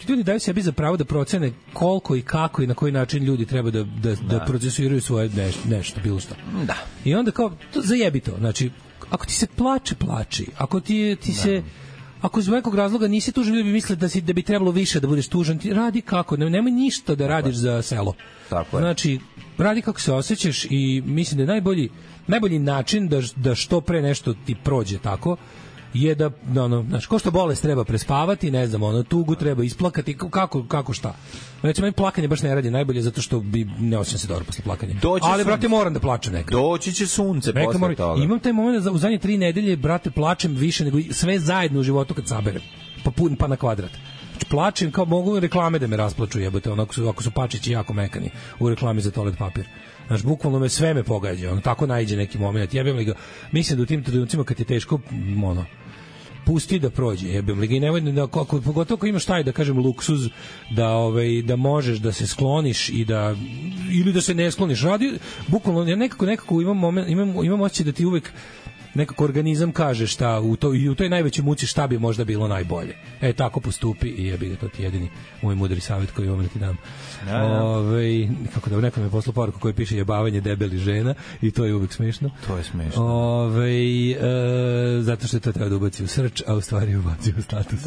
ljudi daju sebi za pravo da procene koliko i kako i na koji način ljudi treba da procesuiraju svoje nešto, bilo šta. Da. I onda kao, zajebi to, znači, ako ti se plači. Ako ti se ako iz nekog razloga nisi tužan, ljudi bi mislili da bi trebalo više da budeš tužan, ti radi kako, nemoj ništa da radiš za selo. Tako je. Znači, radi kako se osjećaš i mislim da je najbolji način da što pre nešto ti prođe tako je da, znaš, ko što bolest treba prespavati, ne znam, tugu treba isplakati, kako šta. Recimo, meni plakanje baš ne radi najbolje zato što ne osjećam se dobro posle plakanja. Ali, brate, moram da plačem nekad. Doći će sunce posle toga. Imam taj moment da u zadnje 3 nedelje, brate, plačem više nego sve zajedno u životu kad saberem. Pa na kvadrat. Znači, rasplačem, kao mogu reklame da me rasplaču, jebote, ako su pačići jako mekani u reklami za toalet papir. Znaš, bukvalno sve me pogađa, tako naiđe neki moment, jebem li ga. Mislim da u tim trenucima kad je teško, pusti da prođe, jebem li ga, i nemoj da, pogotovo ako imaš taj, da kažem, luksuz da možeš da se skloniš i da, ili da se ne skloniš, radi, bukvalno, ja nekako imam osjećaj da ti uvek nekako organizam kaže šta u toj najvećoj muci šta bi možda bilo najbolje. Tako postupi i jebi ga, to ti jedini moj mudri savjet koji imam da ti dam. Kako da neko mi je poslao poruku koji piše jebavanje debeli žena i to je uvek smešno. To je smešno. Zato što to treba da ubaci u srč, a u stvari ubaci u status.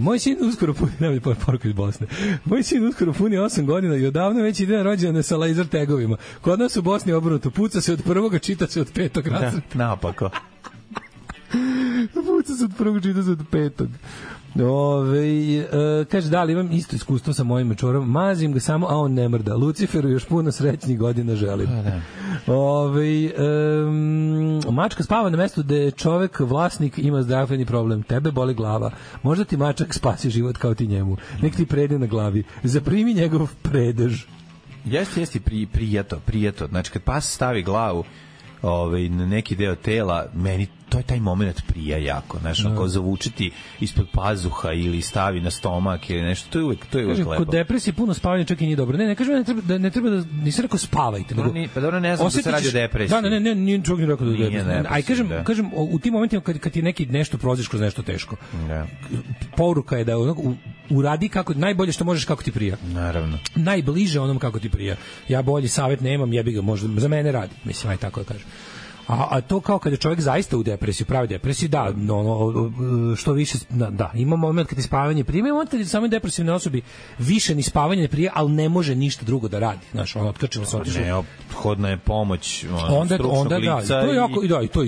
Moj sin uskoro puni, nema poruku iz Bosne. Moj sin uskoro puni 8 godina i odavno već ide na rođendane sa laser tagovima. Kod nas u Bosni obrnuto, puca se od prvoga, čita se od 5. razreda. Napako. Puca se od prvog, čita se od 5. Kaže, da li imam isto iskustvo sa mojim mečorom, mazim ga samo, a on ne mrda. Luciferu još puno srećnih godina želim. Mačka spava na mestu gde čovek, vlasnik, ima zdravstveni problem. Tebe boli glava. Možda ti mačak spasi život kao ti njemu. Nek ti prede na glavi. Zaprimi njegov predež. Jeste prijeto. Znači, kad pas stavi glavu na neki deo tela, meni to je taj moment prija jako, znaš, ako zavučiti ispod pazuha ili stavi na stomak ili nešto, to je uvek lepo. Kod depresije puno spavanja čak i nije dobro. Ne kažem ne treba da, nisam rekao spavajte, nego pa dobro, ne znam da se radi o depresiji. Da, nije čovjek rekao da je depresija. Aj kažem u tim momentima kad ti neki nešto prođeš kroz nešto teško. Poruka je da uradi kako najbolje što možeš, kako ti prija. Naravno. Najbliže onom kako ti prija. Ja bolji savet nemam, jebi ga, možda za mene radi. Mislim, aj tako da kažem. A to kao kada čovjek zaista u depresiji, pravi depresiji, da, što više, da, ima moment kad je spavanje prije, ima moment kad je samoj depresivnoj osobi više ni spavanje ne prije, ali ne može ništa drugo da radi. Znaš, otkačilo se, otišlo. Neophodna je pomoć stručnog lica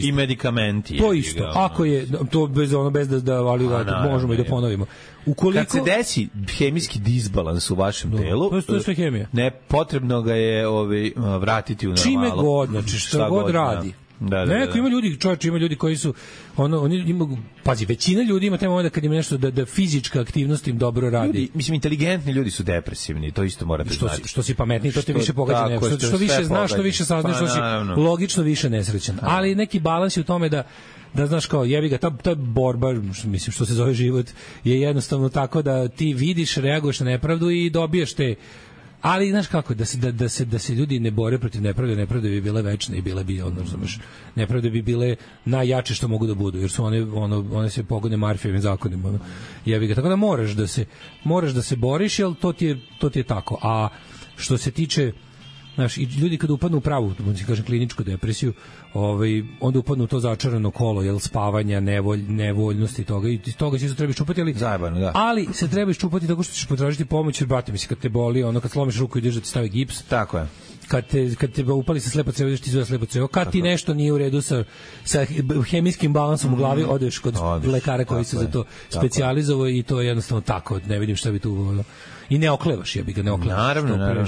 i medikamenti. To isto, ako je, to bez da ali možemo i da ponovimo. Kad se desi hemijski disbalans u vašem telu, to je sve hemija. Ne, potrebno ga je vratiti u normalu. Čime god, znači što god radi. Neko ima ljudi, čovječe, ima ljudi koji su oni imaju, pazi, većina ljudi ima taj moment kad ima nešto da fizička aktivnost im dobro radi. Mislim, inteligentni ljudi su depresivni, to isto morate znati. Što si pametniji, to te više pogađa. Što više znaš, što više saznaš, što si logično više nesrećan. Ali neki balans je u tome da znaš kao, jebi ga, ta je borba, mislim, što se zove život, je jednostavno tako da ti vidiš, reaguješ na nepravdu i dobiješ te. Ali znaš kako, da se ljudi ne bore protiv nepravde, nepravde bi bile večne i bile bi, nepravde bi bile najjače što mogu da budu, jer su one se pogone Marfijevim zakonima. Jebi ga, tako da moraš da se boriš, jer to ti je tako. A što se tiče, znaš, i ljudi kada upadnu u pravu, kažem, kliničku depresiju, onda upadnu u to začarano kolo, jel, spavanja, nevoljnosti toga, i toga se treba iščupati, ali se treba iščupati tako što ćeš potražiti pomoć, jer, brate, misli, kad te boli, kad slomiš ruku i ideš da ti stavi gips, tako je. Kad te upali sa slepo crevo, ideš ti izveda slepo crevo, kad ti nešto nije u redu sa hemijskim balansom u glavi, odeš kod lekara koji se za to specijalizovao, i to je jednostavno tako, ne vidim šta bi tu. I ne oklevaš, jebi ga, ne oklevaš. Naravno.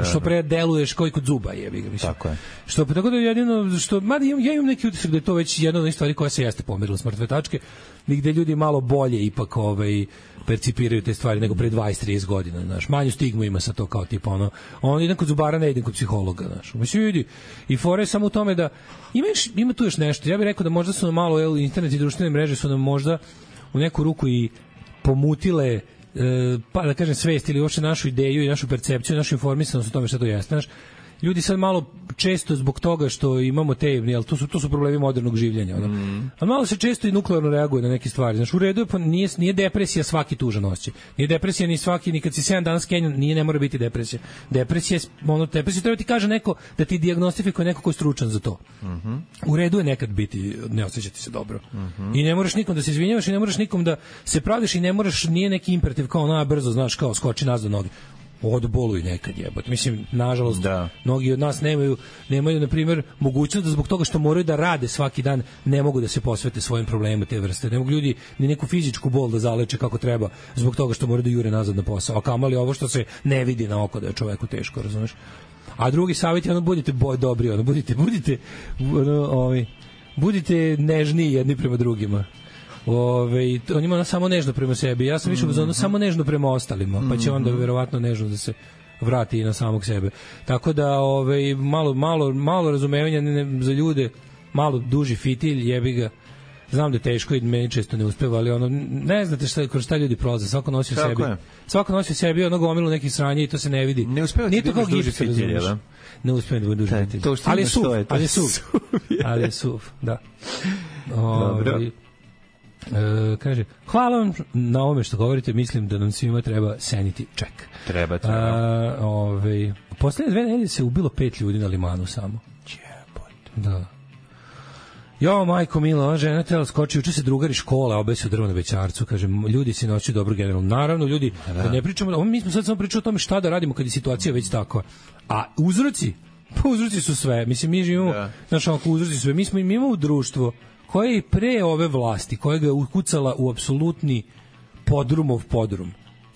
Što pre deluješ kao i kod zuba, jebi ga, mislim. Tako je. Tako da jedino, mada ja imam neki utisak da je to već jedna od stvari koja se jeste pomerila s mrtve tačke, gde ljudi malo bolje ipak percipiraju te stvari nego pre 20-30 godina, znaš. Manju stigmu ima sa to, kao tipa on idem kod zubara, ne idem kod psihologa, znaš. Mislim, vidi, i fore samo u tome da ima tu još nešto. Ja bih rekao da možda su nam malo, internet i društvene mreže su nam možda u neku ruku i pomutile, pa da kažem, svest ili uopšte našu ideju i našu percepciju, našu informisanost o tome šta to jeste. Znaš, ljudi sad malo često zbog toga što imamo jel, to su problemi modernog življenja. A malo se često i nuklearno reaguje na neke stvari. Znaš, u redu je, nije depresija svaki tužan osjećaj. Nije depresija ni kad si 7 dana skenjan, ne mora biti depresija. Depresija treba ti kaže neko, da ti dijagnostifikuje neko ko je stručan za to. U redu je nekad biti, ne osjećati se dobro. I ne moraš nikom da se izvinjavaš i ne moraš nikom da se pravdiš i ne moraš, nije neki imperativ kao brzo, znaš, kao skoči nazad noge. Odboluj nekad, jebote. Mislim, nažalost, mnogi od nas nemaju, na primjer, mogućnost da zbog toga što moraju da rade svaki dan, ne mogu da se posvete svojim problemima te vrste. Ne mogu ljudi ni neku fizičku bol da zaleče kako treba zbog toga što moraju da jure nazad na posao. A kamali ovo što se ne vidi na oko da je čoveku teško, razumeš? A drugi savjet je budite dobri, budite nežniji jedni prema drugima. on ima samo nežno prema sebi. Ja sam više ono samo nežno prema ostalima, pa će onda verovatno nežno da se vrati i na samog sebe. Tako da malo razumevanja za ljude, malo duži fitilj, jebi ga. Znam da je teško i meni često ne uspeva, ali ono, ne znate kroz šta ljudi prolaze, svako nosi u sebi. Svako nosi u sebi ono gomilu nekih sranja i to se ne vidi. Ne uspeva ti da duži fitilj, da? Ne uspeva da bude duži fitilj. Ali je suv, da. Dobro. Kaže, hvala vam na ovome što govorite, mislim da nam svima treba sanity check. Treba. Poslednje 2 nedelje se ubilo 5 ljudi na limanu samo. Da. Jo, majko mila, ona žena tela skoči, uče se drugari škola, obesio drvo na Bećarcu, kaže, ljudi se noći dobro generalno. Naravno, ljudi, da ne pričamo, mi smo sad samo pričali o tome šta da radimo kad je situacija već takva. A uzroci su sve. Mislim, mi živimo, uzroci su sve. Mi imamo društvo koje je i pre ove vlasti, koja ga je ukucala u apsolutni podrumov podrum.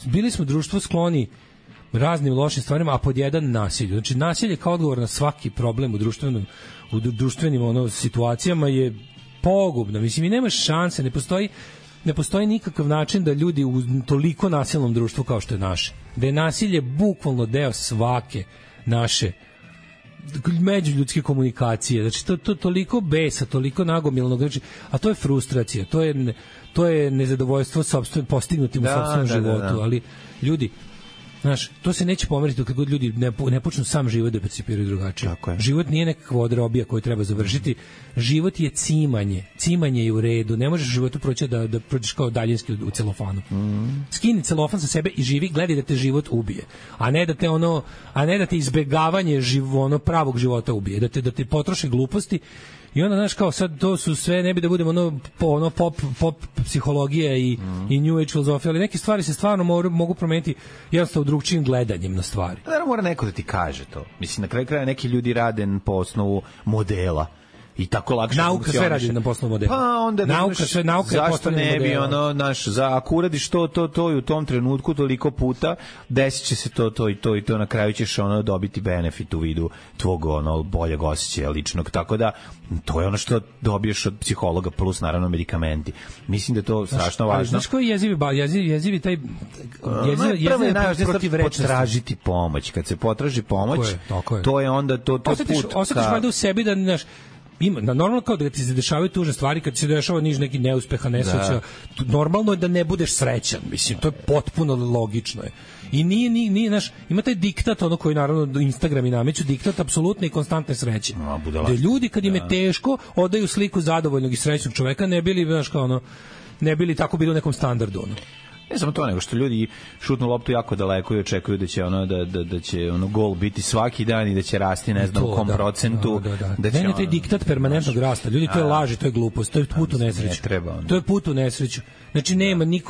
Bili smo društvo skloni raznim lošim stvarima, a pod jedan nasilju. Znači, nasilje kao odgovor na svaki problem u društvenim situacijama je pogubno. Mislim, i nema šanse, ne postoji nikakav način da ljudi u toliko nasilnom društvu kao što je naše. Da je nasilje bukvalno deo svake naše međuljudske komunikacije. Znači, to toliko besa, toliko nagomilnog, znači, a to je frustracija, to je nezadovoljstvo postignutim u sopstvenom životu, ali ljudi, znaš, to se neće pomeriti dok god ljudi ne počnu sam život da percipiraju drugačije. Život nije nekakva odrobija koju treba završiti. Život je cimanje. Cimanje je u redu. Ne možeš u životu proći da prođeš kao daljinski u celofanu. Skini celofan sa sebe i živi, gledaj da te život ubije. A ne da te izbegavanje pravog života ubije. Da te potroši gluposti. I onda, znaš, kao sad to su sve, ne bi da budemo pop psihologija i New Age filozofija, ali neke stvari se stvarno mogu promeniti jednostavno drugčijim gledanjem na stvari. Da, mora neko da ti kaže to. Mislim, na kraju kraja neki ljudi rade po osnovu modela. I tako lakše nauka sve radi na poslovnom modelu. Pa onda zašto ne bi ako uradiš to i u tom trenutku toliko puta, desit će se to i to, na kraju ćeš dobiti benefit u vidu tvog boljeg osjećaja ličnog, tako da to je ono što dobiješ od psihologa plus naravno medikamenti. Mislim da je to strašno važno. Znaš koji jezivi taj potražiti pomoć. Kad se potraži pomoć, to je onda to put. Osjetiš valjda u sebi da, znaš, normalno kao da ti se dešavaju tužne stvari, kad se dešava neki neuspeha, nesreća, normalno je da ne budeš srećan, mislim, to je potpuno logično je. I nije, znaš, ima taj diktat, koji naravno Instagram i nameću, diktat apsolutne i konstantne sreće. Da ljudi kad im je teško, odaju sliku zadovoljnog i srećnog čoveka, ne bili, znaš, kao ne bili tako bili u nekom standardu, Ne samo to, nego što ljudi šutnu loptu jako daleko i očekuju da će da će gol biti svaki dan i da će rasti ne znam u kom procentu. Ne, taj diktat permanentnog rasta. Ljudi, to je laž, to je glupost, to je put u nesreću. To je put u nesreću. Znači,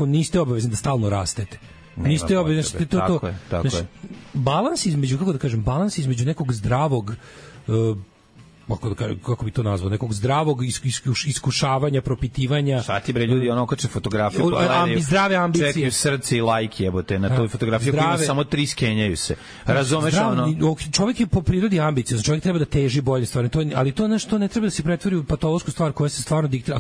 niste obavezni da stalno rastete. Niste obavezni, tako je. Balans između, kako da kažem, balans između nekog zdravog kako bi to nazvao, nekog zdravog iskušavanja, propitivanja. Šta ti bre ljudi okače fotografiju, zdrave ambicije, čekaju srce i like jebote na toj fotografiji koja ima samo 3 skenjaju se. Razumeš čovjek je po prirodi ambiciozan, čovjek treba da teži bolje stvari, ali to nešto ne treba da se pretvori u patološku stvar koja se stvarno diktira. A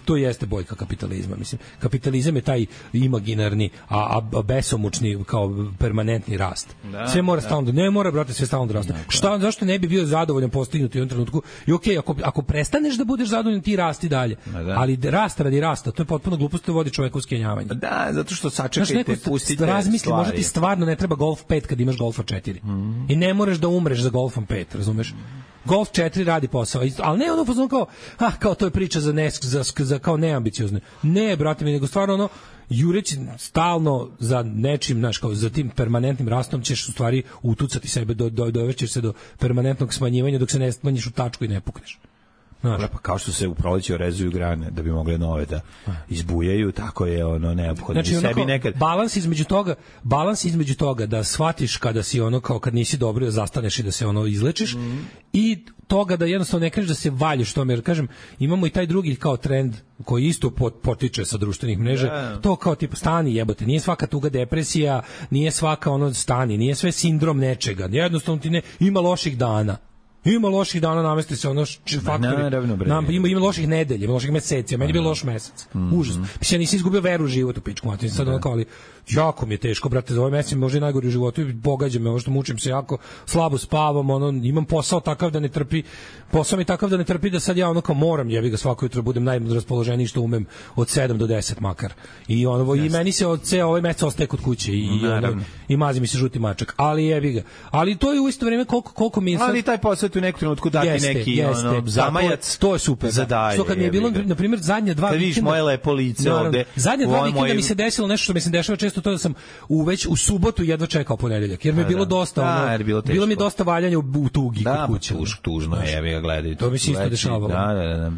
to jeste boljka kapitalizma, mislim. Kapitalizam je taj imaginarni, a besomučni kao permanentni rast. Sve mora stalno, ne mora brate sve stalno da raste. Zašto ne bi bio zadovoljan postignuti u trenutku? I okej, ako prestaneš da budeš zadovoljan, ti rasti dalje. Ali rast radi rasta, to je potpuno glupost, to vodi čoveka u skenjavanje. Da, zato što sačekajte, pustite razmisli, možda ti stvarno ne treba Golf 5 kad imaš Golfa 4. I ne moraš da umreš za Golfom 5, razumeš? Golf 4 radi posao, ali ne ono kao to je priča za kao neambiciozne. Ne, brate mi, nego stvarno jureći stalno za nečim, znaš, kao za tim permanentnim rastom ćeš u stvari utucati sebe, dovešćeš se do permanentnog smanjivanja dok se ne smanjiš u tačku i ne pukneš. Pa kao što se u proleću rezuju grane da bi mogle nove da izbujaju, tako je neophodno. Znači, sebi nekad balans između toga da shvatiš kada si kao kad nisi dobro, da zastaneš i da se izlečiš i toga da jednostavno ne kažeš da se valjiš tome, jer kažem, imamo i taj drugi kao trend koji isto potiče sa društvenih mreža, to kao tipa stani jebote, nije svaka tuga depresija, nije svaka stani, nije sve sindrom nečega, jednostavno ti ima loših dana. Ima loših dana, namesti se ono faktori. Ima loših nedelja, ima loših meseci, a meni je bio loš mesec. Užasno. Mislim, ja nisam izgubio veru u život u pičku materinu. Sad onako, ali jako mi je teško, brate, za ovaj mesec možda i najgori u životu i pogađa me, ovo što mučim se jako, slabo spavam, imam posao takav da ne trpi, da sad ja ono kao moram, jebi ga, svako jutro budem najraspoloženiji što umem od 7 do 10 makar. I i meni se od ovaj mesec ostaje kod kuće i mazi mi se žuti mačak, ali jebi ga. Ali to je u isto vrijeme koliko mi je sad... Ali taj posao u nekom trenutku dati neki zamajac. To je super. Što kad mi je bilo, na primjer, zadnja 2 vikenda... Kad vidiš moje lepo lice ovde... Zadnja 2 vikenda mi se desilo nešto što mi se dešava često, to da sam već u subotu jedva čekao ponedeljak, jer mi je bilo dosta, bilo mi dosta valjanja u tugi kod kuće. Tužno je, jebi ga, gledaj. To mi se isto dešavalo. Da.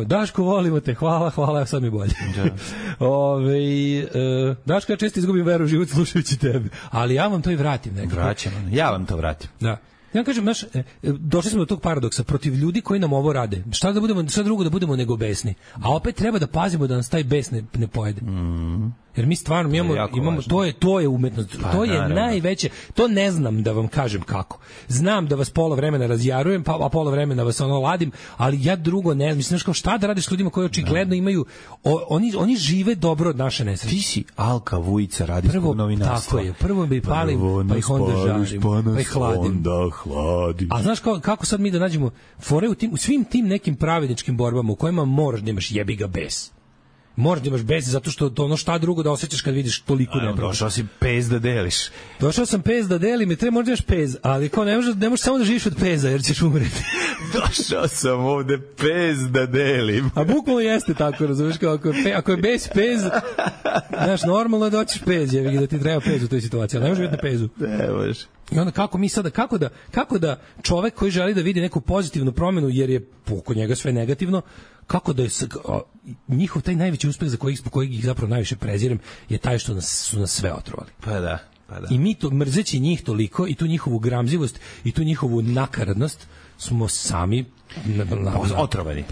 Daško, volimo te, hvala, sad mi bolje. Daško, ja često izgubim veru u život slušajući tebe, ali ja vam to i vratim nekako. Ja vam to vratim. Da. Ja kažem, došli smo do tog paradoksa protiv ljudi koji nam ovo rade. Šta drugo da budemo nego besni. A opet treba da pazimo da nas taj bes ne pojede. Jer mi stvarno imamo to je umetnost. To je najveće. To ne znam da vam kažem kako. Znam da vas pola vremena razjarujem, a pola vremena vas ladim, ali ja drugo ne znam. Mislim, kao šta da radiš s ljudima koji očigledno imaju, oni žive dobro od naše nesreće. Ti si Alka Vujica radijskog novinarstva. Tako je. Prvo bi palim, pa ih onda žarim, pa ih hladim. A znaš kako sad mi da nađemo fore u svim tim nekim pravedničkim borbama u kojima moraš da imaš jebi ga bes. Moraš da imaš bes zato što to šta drugo da osjećaš kad vidiš toliko nepravde. Došao si pez da deliš. Došao sam pez da delim i treba možda još pez, ali kao ne možeš samo da živiš od peza jer ćeš umreti. Došao sam ovde pez da delim. A bukvalno jeste tako, razumiješ, kao ako je bez pez, znaš, normalno je da hoćeš pez, da ti treba pez u toj situaciji, ali ne možeš biti na pezu. Ne možeš. I onda kako da čovek koji želi da vidi neku pozitivnu promenu jer je oko njega sve negativno, kako da je njihov taj najveći uspeh za kojeg ih zapravo najviše prezirem je taj što su nas sve otrovali. Pa da. I mi to, mrzeći njih toliko i tu njihovu gramzivost i tu njihovu nakaradnost smo sami otrovani.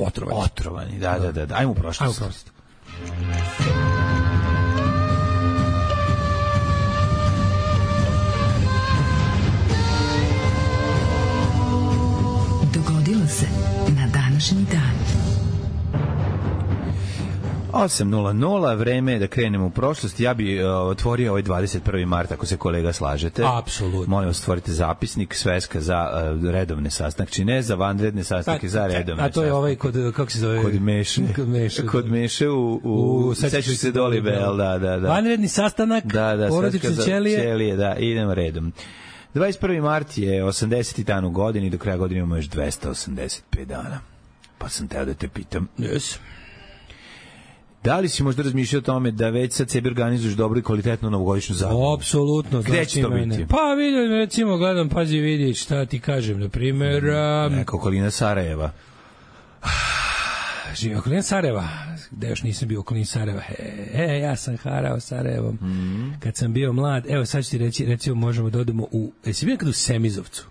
Da. Ajmo u prošlost. Dogodilo se na današnji dan. 8:00, vreme je da krenemo u prošlost. Ja bi otvorio ovaj 21. mart, ako se kolega slažete. Apsolutno. Molim vas, stvorite zapisnik, sveska za redovne sastanke, ne za vanredne sastanke, za redovne. A to je ovaj kako se zove? Kod Meše u sećaš se Doli Bel, da. Vanredni sastanak, porodične ćelije. Da, idemo redom. 21. mart je 80. dan u godini, do kraja godine imamo još 285 dana. Pa sam teo da te pitam. Yes. Da li si možda razmišljao o tome da već sad sebi organizuješ dobro i kvalitetnu novogodišnju zabavu? Apsolutno. Gde će to biti? Pa vidim, recimo, gledam, pazi, vidi, šta ti kažem, na primjer... Neka okolina Sarajeva. Živim okolina Sarajeva. Gde još nisam bio okolina Sarajeva? Ja sam harao Sarajevom. Kad sam bio mlad, evo sad ću ti reći, recimo možemo da odemo u... Jesi bio nekad u Semizovcu?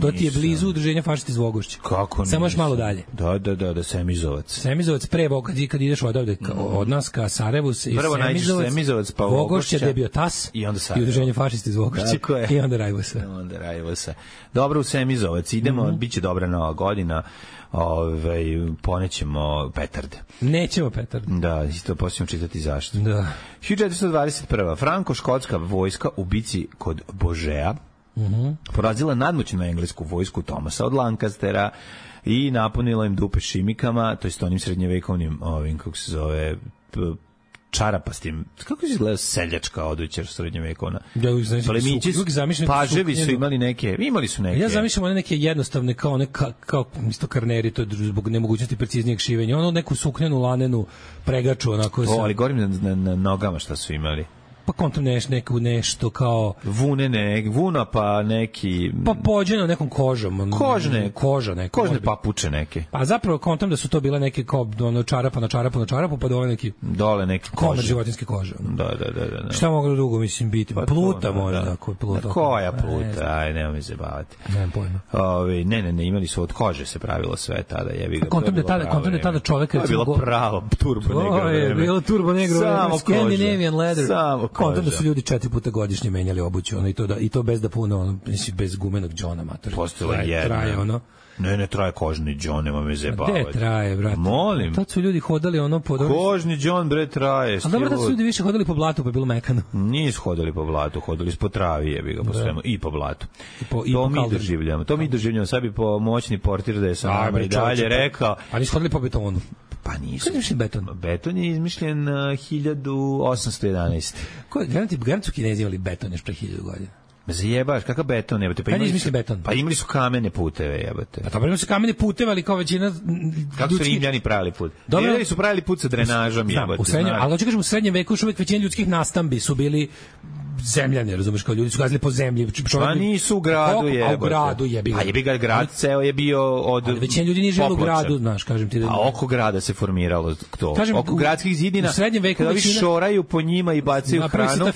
To ti je blizu udruženja fašisti iz Vogošća. Kako nisam? Samo još malo dalje. Da, Semizovac. Semizovac pre kad ideš odavde od nas ka Sarajevu. Prvo nađeš Semizovac, pa Vogošća, gde je bio TAS i udruženje fašisti iz Vogošća. I onda Rajvosa. Dobro, u Semizovac idemo, bit će dobra nova godina. Ponećemo petarde. Nećemo petarde. Da, isto posljedno čitati zašto. Da. 1421. Franko-škotska vojska u bici kod Božea porazila nadmoćnu englesku vojsku Thomasa od Lancastera i napunila im dupe šimikama, to jest onim srednjevekovnim kako se zove, čarapastim, kako se izgleda seljačka oduća srednjevekovna. Plemići, paževi su imali neke. Ja zamišljam one neke jednostavne kao isto karneri, to je zbog nemogućnosti preciznijeg šivenja. Ono neku suknenu lanenu pregaču onako. Ali govorim na nogama šta su imali. Pa kontam nešto kao... Vuna pa neki... Pa pođeno nekom kožom. Koža neka. Kožne papuče neke. Pa zapravo kontam da su to bile neke kao čarapa na čarapu, pa dole neki... Dole neki koža. Komer životinske kože. Da. Šta moglo drugo, mislim, biti? Pa pluta možda. Koja pluta? Aj, nema mi se bavati. Nemam pojma. Ne, imali su od kože se pravilo sve tada. Kontam da tada čovek... To je bilo pravo turbo negro vreme. Bilo turbo negro vreme. Scandinavian leather. Samo konta da su ljudi 4 puta godišnje menjali obuću, ono, i to bez da puno, ono, bez gumenog džona, mater. Postojala jedna. Traje, ono. Ne traje kožni džon, nema me zajebavati. Gde traje, brate? Molim. Tad su ljudi hodali ono po... Kožni džon, bre, traje. A dobro da su ljudi više hodali po blatu, pa je bilo mekano. Nisu hodali po blatu, hodali su po travi, jebi ga, po svemu, i po blatu. To mi doživljamo. Sad bi po moćni portir da je sa nama i dalje rekao... A nisu hodali po betonu? Pa nisu. Kada je izmišljen beton? Beton je izmišljen 1811. Garanti su Kinezi imali beton još pre 1000 godina. Zajebaš, kakav beton, jebate? Kad je izmišljen beton? Pa imali su kamene puteve, jebate. Pa dobro, imali su kamene puteve, ali kao većina... Kako su Rimljani pravili put? Rimljani su pravili put sa drenažom, jebate. Ali hoću kažem, u srednjem veku još uvek većina ljudskih nastambi su bili zemljani, razumeš, kao ljudi su gazili po zemlji. Pa nisu u gradu, jebate. A u gradu jebi ga. A jebi ga, grad ceo je bio od... Ali većina ljudi nije živjela u gradu, znaš, kažem ti da... A oko grada se formiralo to. Oko gradskih zidina, u srednjem veku kada većina... šoraju po njima i bacaju hranu,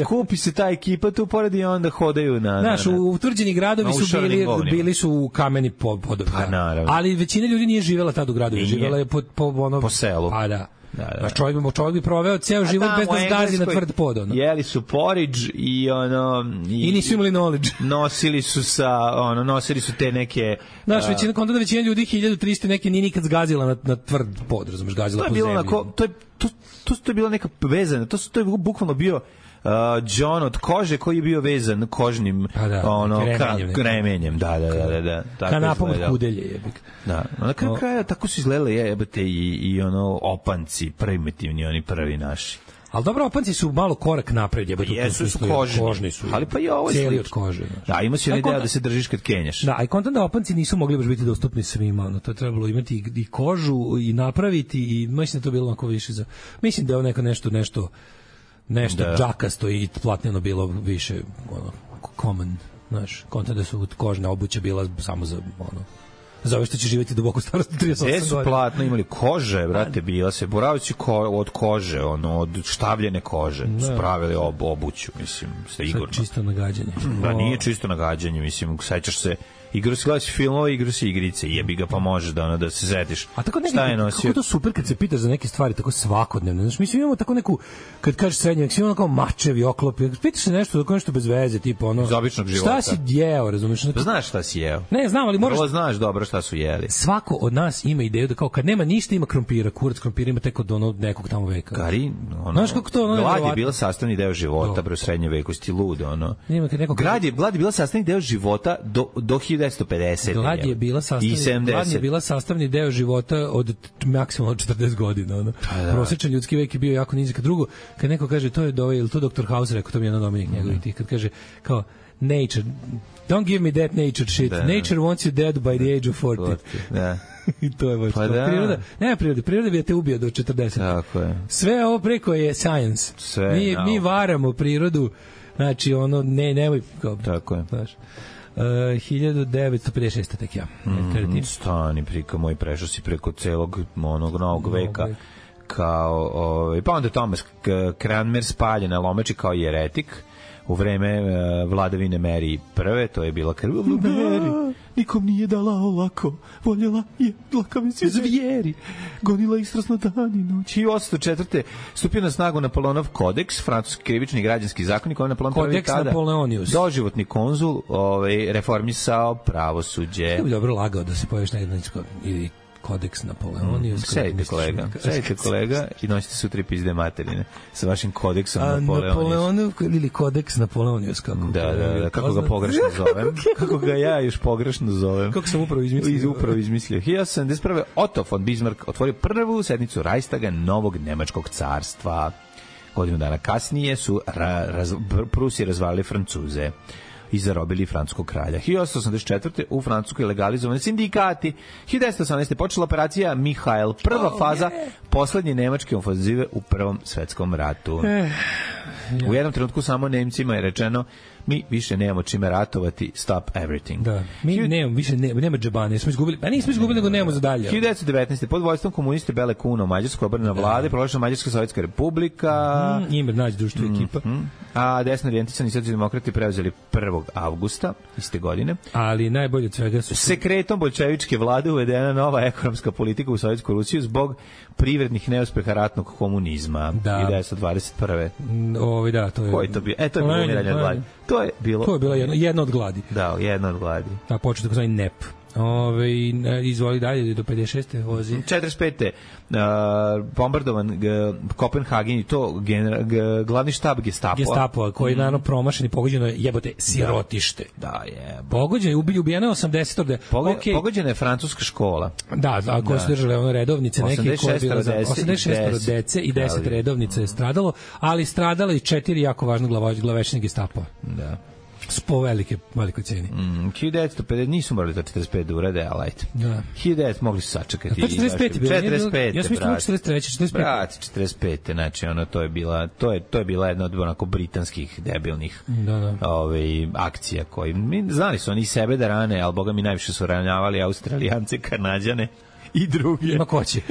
skupi se ta ekipa tu pored i onda hodaju na... Znaš, utvrđeni gradovi su bili su kameni podovi. Pa naravno. Ali većina ljudi nije živjela tad u gradu, živjela je po selu. Pa da. Da. Čovjek bi proveo ceo život bez da zgazi na tvrd pod. Ono. Jeli su porridge i ono... I nisu imali knowledge. Nosili su te neke... Znaš, većina ljudi 1300 neke nije nikad zgazila na tvrd pod, razumeš, gazila po zemlji. To je bila neka vezana, to je bukvalno bio džon od kože koji je bio vezan kožnim remenjem. Da. Kanapom od kudelje, jebik. Da, na kraju tako su izgledali jebate i ono opanci, primitivni, oni prvi naši. Ali dobro, opanci su malo korak napred, jebate. Jesu su kožni su. Ali pa i ovo je cijeli od kože. Da, ima si ideja da se držiš kad kenjaš. Da, a i kontent da opanci nisu mogli baš biti dostupni svima, ono, to je trebalo imati i kožu i napraviti i mislim da to bilo onako više za... Mislim da je neko nešto džakasto i platneno bilo više ono common, znaš, kontent da su kožna obuća bila samo za ono za ove što će živjeti duboko starosti 38 godina. Su platno imali kože, brate, bila se boravci od kože, ono, od štavljene kože, su pravili obuću, mislim, sa Igorno. Čisto nagađanje. Da, nije čisto nagađanje, mislim, sećaš se, gledaš filmove, igraš se igrice, jebi ga, pa možeš da se setiš. A tako kako to super kad se pitaš za neke stvari tako svakodnevne. Znaš, mi imamo tako neku, kad kažeš srednjak, svi imamo kao mačevi, oklopi, pitaš se nešto bez veze, tipa ono... Iz običnog života. Šta si jeo, razumiješ? Pa znaš šta si jeo. Ne, znam, ali moraš... Znaš dobro šta su jeli. Svako od nas ima ideju da kao kad nema ništa ima krompira, kurac krompira ima tek od nekog tamo veka. Gari, ono... Znaš kako to... Glad je bila sastavni deo života, bre, u srednjem veku, sti lud, ono. Glad je bila sastavni deo života do 1950. Glad je bila sastavni deo života od maksimalno 40 godina. Ono. Prosječan ljudski vek je bio jako nizak. Drugo, kad neko kaže, to je Dr. House rekao, to mi je jedan domenik njegovih tih, kad kaže, kao, nature, don't give me that nature shit. Nature wants you dead by the age of 40. Da. I to je baš. Priroda, nema prirode. Priroda bi te ubio do 40. Tako je. Sve ovo preko je science. Mi varamo prirodu, znači, ono, nemoj... Tako je. Znaš. 1956. tek ja. Stani, prika moj, prešao si preko celog onog novog veka. Kao, pa onda Thomas Cranmer spaljen na Lomeči kao jeretik u vreme vladavine Mary I. To je bila Mary. Nikom nije dala olako, voljela je dlakavi svi zvijeri, gonila ih strasno dan i noć. I 804. stupio na snagu Napoleonov kodeks, francuski krivični i građanski zakonik, koji Napoleon prvi tada doživotni konzul reformisao pravosuđe. Ja bi dobro lagao da se pojaviš na ili kodeks Napoleonijus. Sedite kolega i nosite sutra pizde materine sa vašim kodeksom Napoleonijus. Ili kodeks Napoleonijus, kako? Da, kako ga pogrešno zovem. Kako ga ja još pogrešno zovem. Kako sam upravo izmislio. 1871. Otto von Bismarck otvorio prvu sednicu Reichstaga novog nemačkog carstva. Godinu dana kasnije su Prusi razvalili Francuze i zarobili francuskog kralja. 1884. u Francuskoj legalizovani sindikati. 1918. počela operacija Mihael, prva faza poslednje nemačke ofenzive u Prvom svetskom ratu. U jednom trenutku samo Nemcima je rečeno, mi više nemamo čime ratovati, stop everything. Da. Nema džabane, nismo izgubili, nego nemamo za dalje. 1919. pod vojstvom komuniste Bele Kuno, Mađarska obrana vlade, proglašena Mađarska sovjetska republika. Imer nađe društvo ekipa. A desno orijentisani socijaldemokrati preuzeli 1. avgusta iste godine. Ali najbolje od svega su... Sekretom bolševičke vlade uvedena nova ekonomska politika u Sovjetsku Rusiju zbog privrednih neuspeha ratnog komunizma. 1921. Da, to je. Koji to bio? To je bilo umiranje od gladi. To je bila jedna od gladi. Da, jedna od gladi. Da, počeo tako zvani NEP. Izvoli dalje do 56. vozi. 45. Bombardovan Kopenhagen i to glavni štab Gestapoa koji je naravno promašen i pogođeno je jebote sirotište. Da, je. Pogođeno je, ubijeno je 80. Pogođena je francuska škola. Da, koje su držale redovnice neke koje je bilo 86 dece i 10 redovnica je stradalo, ali stradalo i 4 jako važno glavešine Gestapoa. Da. Po velikoj ceni. 1950 nisu morali to 45 da urade, ali ajte. Da. 1900 mogli su sačekati. 45. Ja sam mislio 43. 45. Brat, 45. Znači, to je bila jedna od onako britanskih debilnih akcija koji znali su oni sebe da rane, ali boga mi najviše su ranjavali Australijance, Kanadjane i drugi. Ima koće.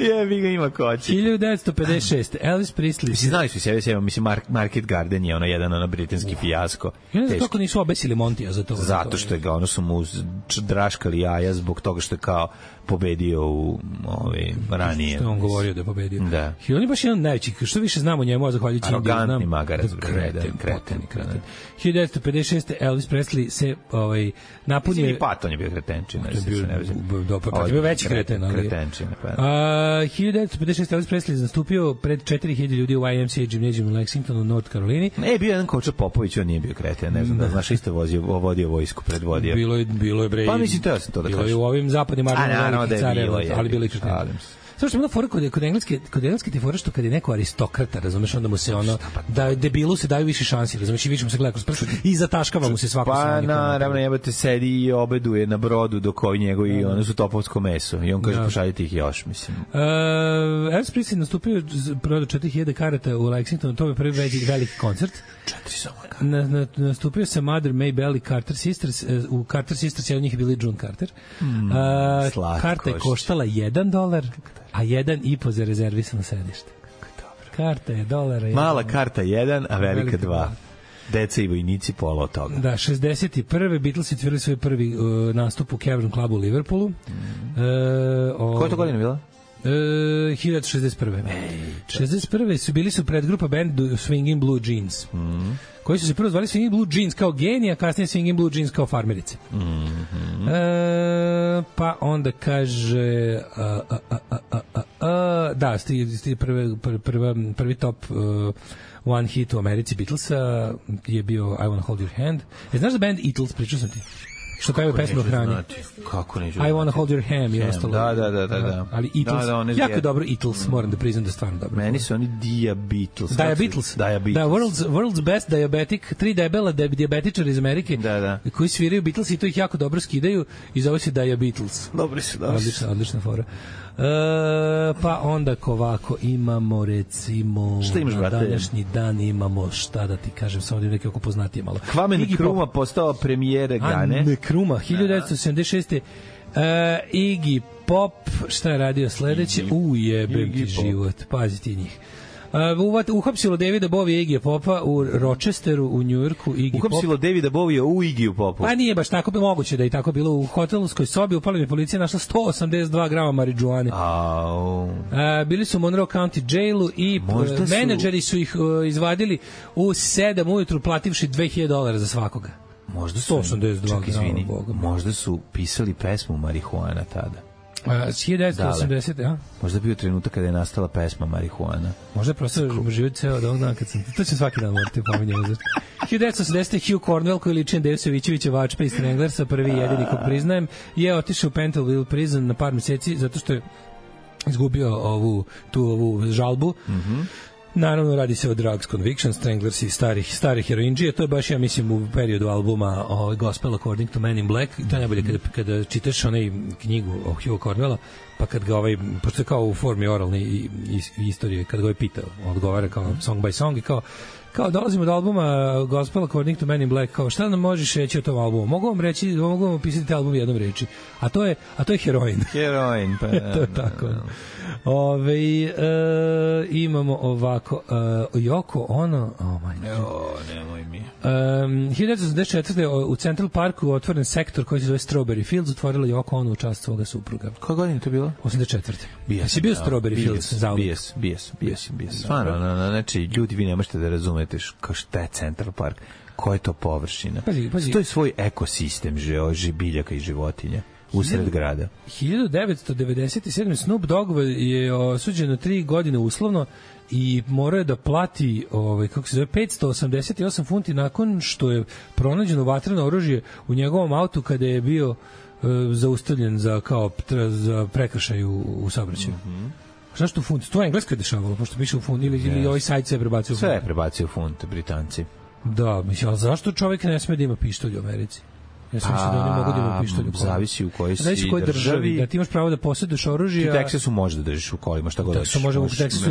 Ima koće. 1956. Elvis Presley. Znali su sebe, Market Garden je jedan britanski fijasko. Ja ne znam kako nisu obesili Montija za to. Zato što je su mu draškali jaja zbog toga što je kao pobedio u ranije. Što je on govorio da je pobedio. Da. I on je baš jedan najveći, što više znamo njemu, a zahvaljujući arogantni magarac. Kreten. 1956. Elvis Presley se napunio... I Patton je bio kretenčina. Je bio veći kreten, ali... Kretenčina, pa. 1956. Elvis Presley je nastupio pred 4000 ljudi u YMCA gimnazijum u Lexingtonu, North Carolini. Bio jedan Koča Popović, on nije bio kreten, ne znam, znaš, isto vodio vojsku, predvodio. Bilo je bre. Pa mislim, to ja sam to da kažem. Bilo je u ovim zapadnim armijama velikih careva, ali bilo i kreten. Samo što je bila fora kod engleske ti fora što kad je neko aristokrata, razumeš, onda mu se da debilu se daju više šansi, razumeš, i više mu se gleda kroz prst i zataškava mu se svako sanje. Pa naravno, jebate, sedi i obeduje na brodu dok ovi njegovi, one su topovsko meso i on kaže pošaljite ih još, mislim. Elvis Presley nastupio, prodao 4000 karata u Lexingtonu, to je prvi veliki koncert. 4 samo. Nastupio se Mother May Bell i Carter Sisters, u Carter Sisters jedan od njih je bili June Carter. Karta je koštala $1, a 1,5 za rezervisano sedište. Karta je $1. Mala karta 1, a velika 2. Deca i vojnici, pola od toga. Da, 61. Beatles otvorili svoj prvi nastup u Cavern Clubu u Liverpoolu. Koja to godina bila? 1961. 61. Bili su predgrupa band Swingin' Blue Jeans, koji su se prvo zvali Swingin' Blue Jeans kao genija, a kasnije Swingin' Blue Jeans kao farmerice. Pa onda kaže da, prvi top one hit u Americi Beatlesa je bio I Wanna Hold Your Hand. Znaš da band Eatles, pričao sam ti? Što pevaju pesmu o hrani. Kako neću I Wanna Hold Your Ham i ostalo. Da. Ali Eatles, jako dobro Eatles, moram da priznam da je stvarno dobro. Meni su oni Diabeatles. Da, World's Best Diabetic, 3 debela dijabetičara iz Amerike, koji sviraju Beatles i to ih jako dobro skidaju i zove se Diabeatles. Dobri su. Odlična fora. Pa onda ovako imamo recimo na današnji dan imamo šta da ti kažem, samo da neke oko poznatije malo. Kwame Nkrumah postao premijer Gane. Nkrumah 1976. Iggy Pop, šta je radio sledeće? Jebem ti život, pazi ti njih. Uhapsilo Davida Bovija i Iggy Popa u Rochesteru u Njujorku. Uhapsilo Davida Bovija u Iggy Popu. Pa nije baš tako, moguće da je tako bilo. U hotelskoj sobi upala mi policija, našla 182 grama marijuane. Bili su u Monroe County jailu i menadžeri su ih izvadili u 7 ujutru plativši $2.000 za svakoga. Možda su 182 grama. Možda su pisali pesmu Marihuana tada. 1980, ja? Možda bio trenutak kada je nastala pesma Marihuana. Možda je prosto život ceo od ovog dana kad sam... To će svaki dan morati pominjati. 1980. Hugh Cornwell, koji liči na Deju Savićevića Vačpa iz Stranglersa, prvi i jedini kog priznajem, je otišao u Pentonville prison na par meseci zato što je izgubio ovu žalbu. Naravno, radi se o Drugs Conviction, Stranglers i stari heroinđije. To je baš, ja mislim, u periodu albuma Gospel According to Men in Black. To je najbolje kada čitaš onaj knjigu o Hugh Cornwella, pa kad ga pošto je kao u formi oralne istorije, kad ga je pitao, odgovara kao song by song i kao dolazimo do albuma Gospel According to Men in Black, kao šta nam možeš reći o tom albumu? Mogu vam opisati album jednom reči, a to je heroin. Heroin, pa to je tako. Imamo ovako Yoko Ono, mi je. 1984. u Central Parku otvoren sektor koji se zove Strawberry Fields, otvorila Yoko Ono u čast svoga supruga. Koje godine to bilo? 84. Si bio Strawberry Fields zauvijek? Bijes. Stvarno, znači, ljudi, vi ne možete da razumete šta je Central Park, koja je to površina. Pazi. To je svoj ekosistem biljaka i životinja usred grada. 1997. Snoop Dogg je osuđen na 3 godine uslovno i morao je da plati 588 funti nakon što je pronađeno vatreno oružje u njegovom autu kada je bio zaustavljen za prekršaj u saobraćaju. Zašto funt? To je englesko je dešavalo, pošto piše u funt ili ovaj sajt se prebacio u funt. Sve je prebacio u funt, Britanci. Da, mislim, ali zašto čovjek ne sme da ima pištolj u Americi? Ja sam mislio da oni mogu da imaju pištolj u kolima. Zavisi u kojoj si državi. Da ti imaš pravo da posjeduješ oružje. U Teksasu možeš da držiš u kolima, šta god hoćeš.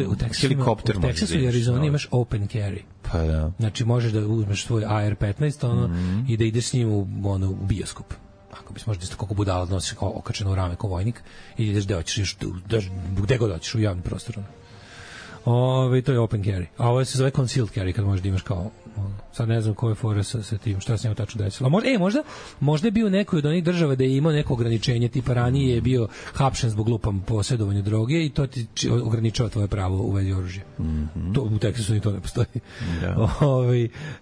U Teksasu i Arizoni imaš open carry. Pa da. Znači možeš da uzmeš svoj AR-15 i da ideš s njim u bioskop. Ako bi možeš da koliko budala nosiš kao okačeno u rame kao vojnik i ideš gde hoćeš, gde god hoćeš u javnom prostoru. To je open carry. A ovo se zove concealed carry kad možeš da imaš kao sad ne znam koje je fora sa tim, šta se njemu tačno desilo. Možda je bio neko od onih država da je imao neko ograničenje, tipa ranije je bio hapšen zbog glupam posjedovanja droge i to ti ograničava tvoje pravo u vezi oružja. To, u Teksasu ni to ne postoji. Da.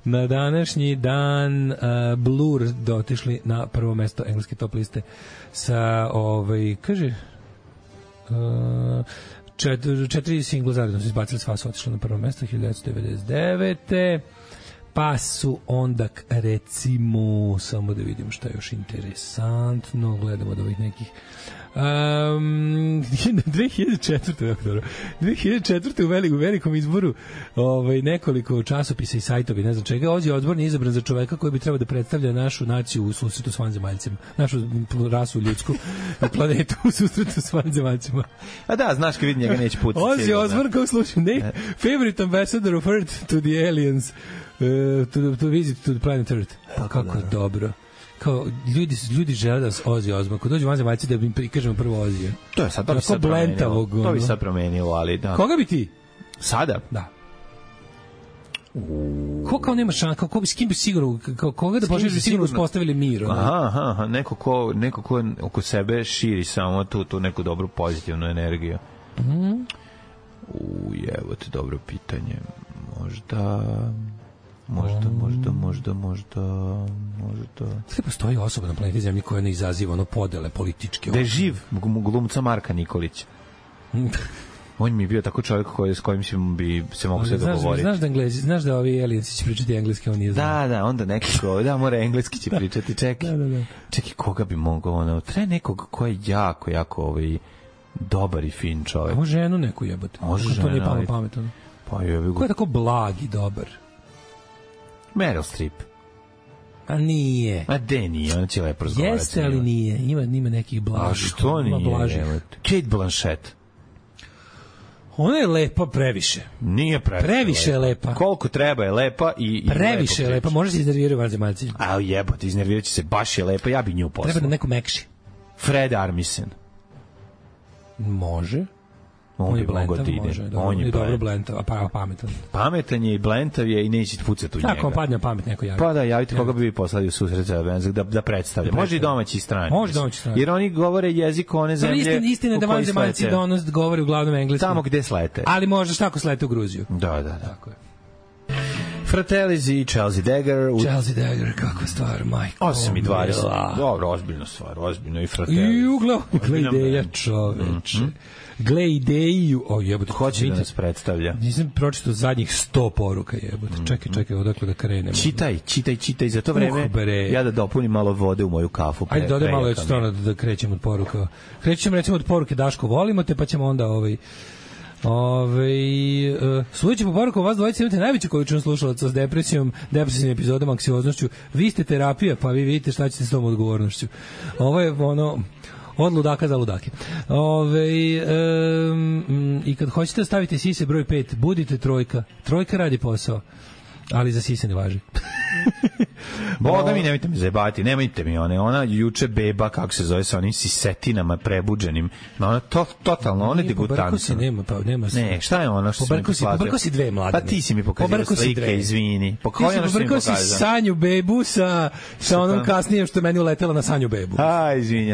Na današnji dan Blur dotišli na prvo mesto engleske top liste sa kaže 4 singla zaredno su izbacili, sva su otišli na prvo mesto 1999. Pa su onda, recimo, samo da vidim šta je još interesantno, gledamo od ovih nekih 2004. u velikom izboru nekoliko časopisa i sajtovi, ne znam čega, Ozzy Osbourne je izabran za čoveka koji bi trebao da predstavlja našu naciju u susretu s vanzemaljcima, našu rasu ljudsku planetu u susretu s vanzemaljcima. A da, znaš kad vidi njega neće pucati. Ozzy Osbourne, kao slušam, favorite ambassador of Earth to the aliens, to visit to the planet Earth. Pa kako dobro. Kao ljudi žele da Ozzy Osbourne, kad dođu vanzemaljci da im prikažemo prvo Ozzy. To bi sad promenilo, ali da. Koga bi ti? Sada? Da. Ko kao nema šans, kao s kim bi sigurno, koga da pošliš bi sigurno uspostavili mir. Aha, neko ko oko sebe širi samo tu neku dobru pozitivnu energiju. Evo te dobro pitanje. Možda... Sve postoji osoba na planeti Zemlji koja ne izaziva podele političke. Da je živ glumca Marka Nikolića. On mi je bio tako čovjek s kojim bi se mogu sve dogovoriti. Znaš da ovi alijenci će pričati engleski, on nije znam. Da, onda nekako, mora engleski će pričati. Čekaj, koga bi mogao, treba nekog ko je jako dobar i fin čovjek. Može ženu neku jebati. Može to nije pametno. Pa je ko je tako blag i dobar? Meryl Streep. A nije. A de nije, ona će lepo razgovarati. Jeste, ali nije. Ima nekih blagih. A što nije? Kate Blanchett. Ona je lepa previše. Nije previše je lepa. Koliko treba je lepa i previše je lepa. Može se iznervirati vanzemaljci. A jebote, iznervirat će se, baš je lepa, ja bi nju poslao. Treba da neko mekši. Fred Armisen. Može. On bi mogao da ide. On je dobro blentav, a pametan. Pametan je i blentav je i neće pucati u njega. Tako, padne pamet neko javi. Pa da, javite koga bi vi poslali u susret da predstavlja. Može i domaći i strani. Može domaći i strani. Jer oni govore jezik one zemlje. Istina da vanzemaljci govore uglavnom engleski. Tamo gde slete. Ali možda šta ako slete u Gruziju. Da. Tako je. Fratellis i Chelsea Dagger. Chelsea Dagger, kakva stvar, majko. 8:20. Dobro, ozbiljna stvar, ozbiljno i Fratellis. Gle ideja, čoveče. Gle ideju, jebote. Hoće da nas predstavlja. Nisam pročitao zadnjih 100 poruka, jebote. Čekaj, odakle da krenemo. Čitaj, za to vreme ja da dopunim malo vode u moju kafu. Ajde, dodaj malo, ja ću stvarno da krećem od poruka. Krećemo recimo od poruke Daško, volimo te, pa ćemo onda sudeći po poruku, vas dvojice imate najveću količinu slušalaca s depresijom, depresivnim epizodom, anksioznošću. Vi ste terapija, pa vi vidite šta ćete s tom odgovornošću. Ovo je od ludaka za ludake. I kad hoćete da stavite sise broj 5, budite trojka. Trojka radi posao, ali za sise ne važi. Boga mi, nemojte me zajebati, nemojte mi ona juče beba, kako se zove, sa onim sisetinama prebuđenim, ona totalno, ona je degutantna. Ne, šta je ona što Pobrko si dve mlade. Pa ti si mi pokazala slike, izvini. Pobrko si Sanju bebu sa onom kasnijem što je meni uletela na Sanju bebu.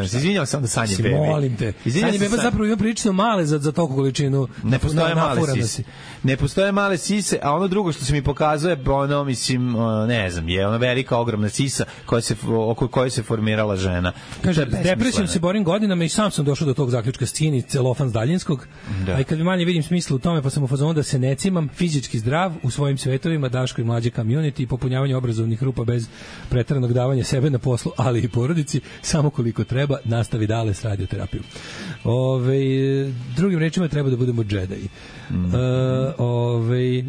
Izvinjam se onda Sanje bebi. Molim te. Sanje beba zapravo ima prilično male za toliko količinu. Ne postoje male sise. Ne postoje male sise, a ono drugo što se mi pokazuje, ono, mislim, ne znam, je ona velika, ogromna sisa oko koje se formirala žena. Kaže, depresijom se borim godinama i sam sam došao do tog zaključka, stini celofan s daljinskog, a i kad manje vidim smisla u tome, pa sam u fazonu da se ne cimam, fizički zdrav u svojim svetovima, Daško i mlađe community, popunjavanje obrazovnih rupa bez preteranog davanja sebe na poslu, ali i porodici, samo koliko treba, nastavi dale s radioterapijom. Drugim rečima treba da budemo džedaji.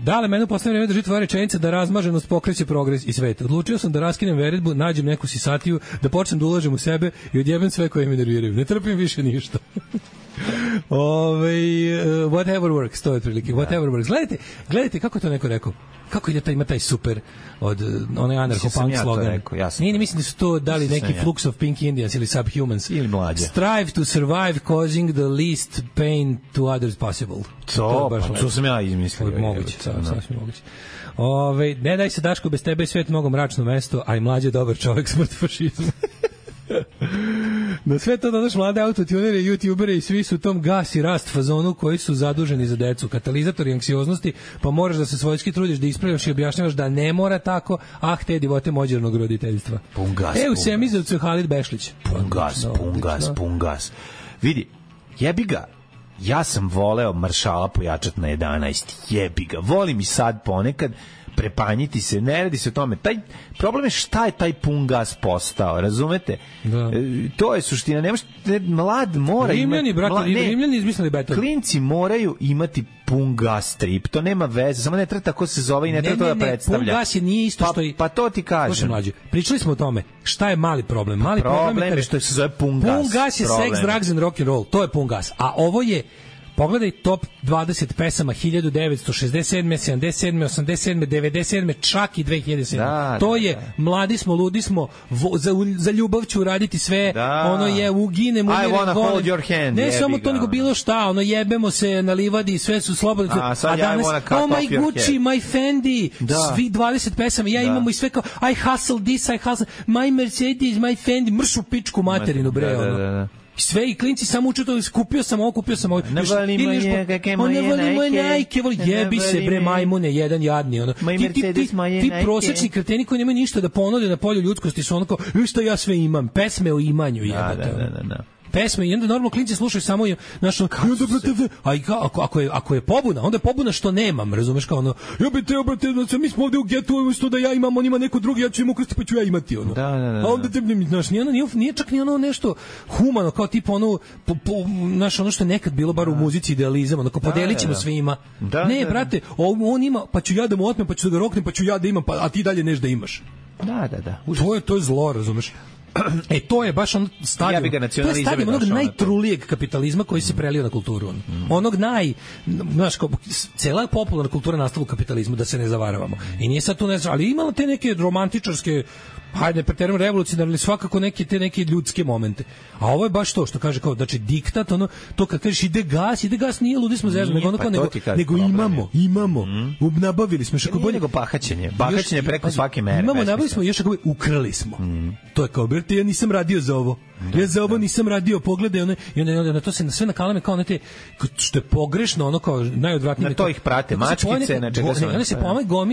Dale, mene u poslednje vreme drži tvoja rečenica da razmaženost pokreće progres i svet. Odlučio sam da raskinem veredbu, nađem neku sisatiju, da počnem da ulažem u sebe i odjebem sve koje me nerviraju. Ne trpim više ništa. Whatever works, to je otprilike. Whatever works. Gledajte kako je to neko rekao. Kako ide ima taj super od onaj anarcho-punk slogan. Nije, mislim da su to dali neki Flux of Pink Indians ili Subhumans. Ili mlađe. Strive to survive causing the least pain to others possible. To sam ja izmislio. Moguće, sasvim moguće. Ne daj se Daško, bez tebe je svet mnogo mračno mesto, a i mlađe dobar čovjek, smrt fašizmu. Na sve to dodaš mlade autotunere, youtubere i svi su u tom gas i rast fazonu koji su zaduženi za decu, katalizatori anksioznosti, pa moraš da se svojski trudiš da ispravljaš i objašnjavaš da ne mora tako, te divote mođernog roditeljstva. Pun gas. U Semizovcu je Halid Bešlić. Pun gas. Vidi, jebi ga. Ja sam voleo maršala pojačat na 11. Jebi ga. Volim i sad ponekad prepanjiti se, ne radi se o tome. Taj problem je šta je taj pun gas postao, razumete? Da. To je suština. Mlad mora imati... Rimljani izmislili beton. Klinci moraju imati pun gas trip. To nema veze, samo ne treba tako se zove i ne treba to da predstavlja. Pun gas je nije isto što i... Pa to ti kažem. Pričali smo o tome. Šta je mali problem? Mali problem je što se zove pun gas. Pun gas je sex, drugs and rock and roll. To je pun gas. A ovo je pogledaj top 20 pesama 1967, 77, 87, 97, čak i 2007. To je mladi smo, ludi smo, za ljubav ću raditi sve, ono je uginem, I wanna hold your hand. Ne samo to, nego bilo šta, ono jebemo se na livadi, sve su slobodno. A danas, oh my Gucci, my Fendi, svi 20 pesama, ja imamo i sve kao, I hustle this, I hustle, my Mercedes, my Fendi, mršu pičku materinu, bre, ono. Sve i klinci samo uče to, kupio sam ovo. Ne volim moje najke, jebi se bre majmune, jedan jadni. Ono. Ti prosečni kreteni koji nemaju ništa da ponude na polju ljudskosti su ono kao, šta ja sve imam, pesme o imanju, jebate. Pesme i onda normalno klinci slušaju samo našo ako je pobuna, onda je pobuna što nemam, razumeš, kao ono jebite, mi smo ovde u getu, umesto da ja imam, on ima neko drugi, ja ću im ukrasti pa ću ja imati ono. A onda te znaš, nije čak ni ono nešto humano, kao tipa ono naš ono što je nekad bilo bar u muzici idealizam, ono kao podelićemo svima. Ne, brate, on ima, pa ću ja da mu otmem, pa ću da ga roknem, pa ću ja da imam, a ti dalje neš da imaš. To je zlo, razumeš. To je baš on stadion onog najtrulijeg kapitalizma koji se prelio na kulturu. Onog znaš, cela popularna kultura nastala u kapitalizmu, da se ne zavaravamo. I nije sad tu ali imala te neke romantičarske, hajde, preterano revolucionarne, svakako te neke ljudske momente. A ovo je baš to što kaže kao, znači diktat, ono, to kad kažeš ide gas nije ludi smo zezno, nego imamo. Nabavili smo što bolje nego bahaćenje preko svake mere. Nabavili smo još ako ukrali smo. To je kao, brate, ja nisam radio za ovo. Ja za ovo nisam radio, pogledaj ono, i onda na to se sve nakalame kao nete, što je pogrešno, ono kao najodvratnije. Na to ih prate mačkice, na čega su. Onda se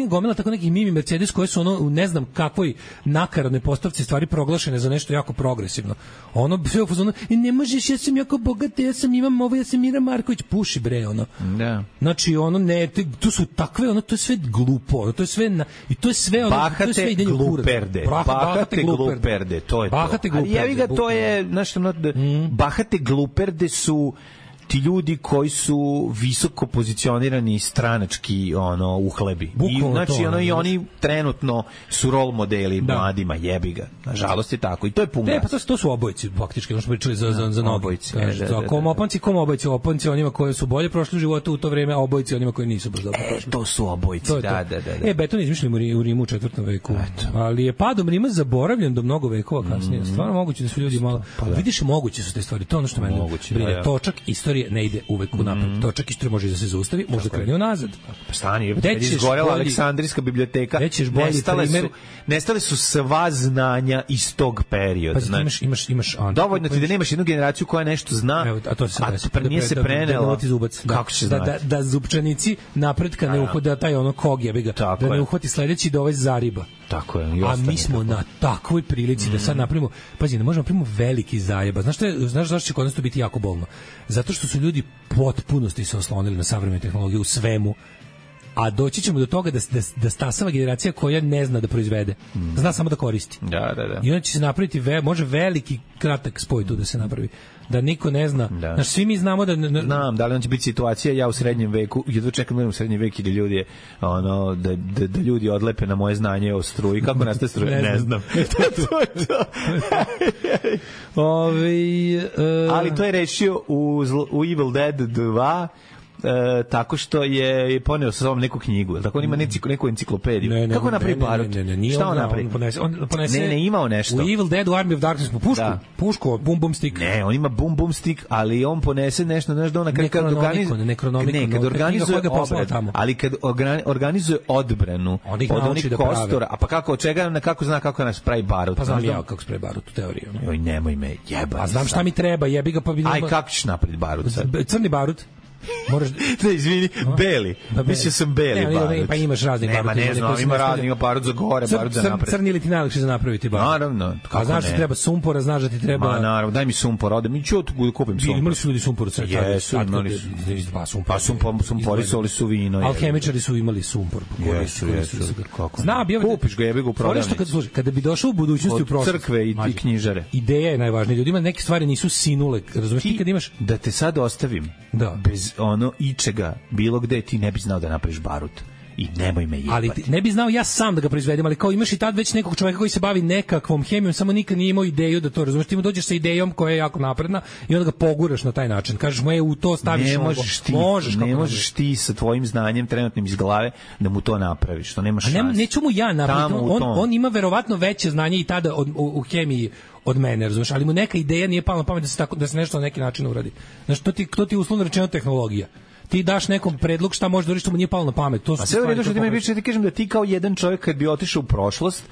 gomila tako neki Mimi Mercedes koje su ono u ne znam kakvoj nakaradnoj postavci stvari proglašene za nešto jako progresivno. Ono sve u fazonu, ne možeš, ja sam jako bogat, ja imam ovo, ja sam Mira Marković, puši bre, ono. Da. Znači ono ne, to su takve, ono, to je sve glupo, ono, to je sve i to je sve ono, to je sve idenje u kurac. Bahate gluperde, to je to. Bahate gluperde. Ali jevi ga, to je, znaš, bahate gluperde su ti ljudi koji su visoko pozicionirani stranački uhlebi. Bukvalno I znači to, i oni trenutno su rol modeli mladima, jebi ga. Nažalost je tako i to je pun gas. Pa to su obojci faktički, ono što pričali za obojci. Kom opanci onima koji su bolje prošli u životu u to vreme, a obojci onima koji nisu baš dobro prošli. To su obojci, da. Beton izmišljen u Rimu u 4. veku. Ali je padom Rima zaboravljen do mnogo vekova kasnije. Stvarno moguće da su ljudi malo vidiš, moguće su te stvari. To je ono što mene brine. Točak istorije ne ide uvek u napred. Točak istorije može da se zaustavi, može da krene unazad. Pa stani, kad izgorela Aleksandrijska biblioteka, nestale su sva znanja iz tog perioda. Pa imaš dovoljno ti da nemaš jednu generaciju koja nešto zna, a nije se prenela. Kako će znati? Da zupčanici napredka ne uhode, da taj kog je, da ne uhvati sledeći da ovaj zariba. Tako je. A mi smo na takvoj prilici da sad napravimo, pazi, ne možemo napravimo veliki zajeba. Znaš zašto će kod nas to biti jako bolno? Zato što su ljudi potpunosti se oslonili na savremene tehnologije u svemu. A doći ćemo do toga da stasava generacija koja ne zna da proizvede. Zna samo da koristi. Da. I onda će se napraviti, može veliki kratak spoj tu da se napravi. Da niko ne zna. Znaš, svi mi znamo da... Znam, da li on će biti situacija, ja u srednjem veku, jedva čekam u srednjem veku da ljudi da ljudi odlepe na moje znanje o struji. Kako nastaje struja? Ne znam. To je to. Ali to je rešio u Evil Dead 2, tako što je poneo sa sobom neku knjigu, tako on ima neku enciklopediju. Kako napravi barut? Šta on napravi? Ne, imao nešto. U Evil Dead, u Army of Darkness smo pušku, bum stick. Ne, on ima bum stick, ali on ponese nešto, znaš da on kad organizuje obrad, ali kad organizuje odbranu od onih kostora, a pa kako, kako zna kako nas pravi barut? Pa znam ja kako se pravi barut u teoriji. Joj, nemoj me jebati. A znam šta mi treba, jebi ga pa bi... Aj, kako ćeš napraviti barut sad? Crni barut. Moraš da izvini, beli. Mislio sam beli barut. Pa imaš raznih baruta. Ne znam, ima raznih, ima barut za gore, barut za napred. Crni ili ti najlakše za napraviti barut? Naravno. A znaš da ti treba sumpora, znaš da ti treba... Ma naravno, daj mi sumpor, ode mi ću kupim sumpor. Imali su ljudi sumpor u crtu. Jesu, imali su. Pa sumpori soli su vino. Alhemičari su imali sumpor. Jesu. Zna, kupiš ga, jebi ga u prodavnici. Kada bi došao u budućnosti u prošlost. Od crkve i knjižare. Ideja je najvažnija. Ljudima neke stvari nisu sinule. Razumeš, ti kad imaš... Da te sad ostavim bez ičega, bilo gde, ti ne bi znao da napraviš barut. I nemoj me jebati. Ali ne bi znao ja sam da ga proizvedem, ali kao imaš i tad već nekog čoveka koji se bavi nekakvom hemijom, samo nikad nije imao ideju da to razumeš. Ti mu dođeš sa idejom koja je jako napredna i onda ga poguraš na taj način. Kažeš mu u to staviš ne možeš ti sa tvojim znanjem trenutnim iz glave da mu to napraviš. To nemaš šanse. Neću mu ja napraviti. On ima verovatno veće znanje i tada u hemiji od mene, razumeš, ali mu neka ideja nije pala na pamet da se nešto na neki način uradi. Znaš, to ti uslovno rečeno tehnologija. Ti daš nekom predlog šta može da uradi što mu nije palo na pamet. To su sve u redu što ti mi pričate, kažem da ti kao jedan čovjek kad bi otišao u prošlost,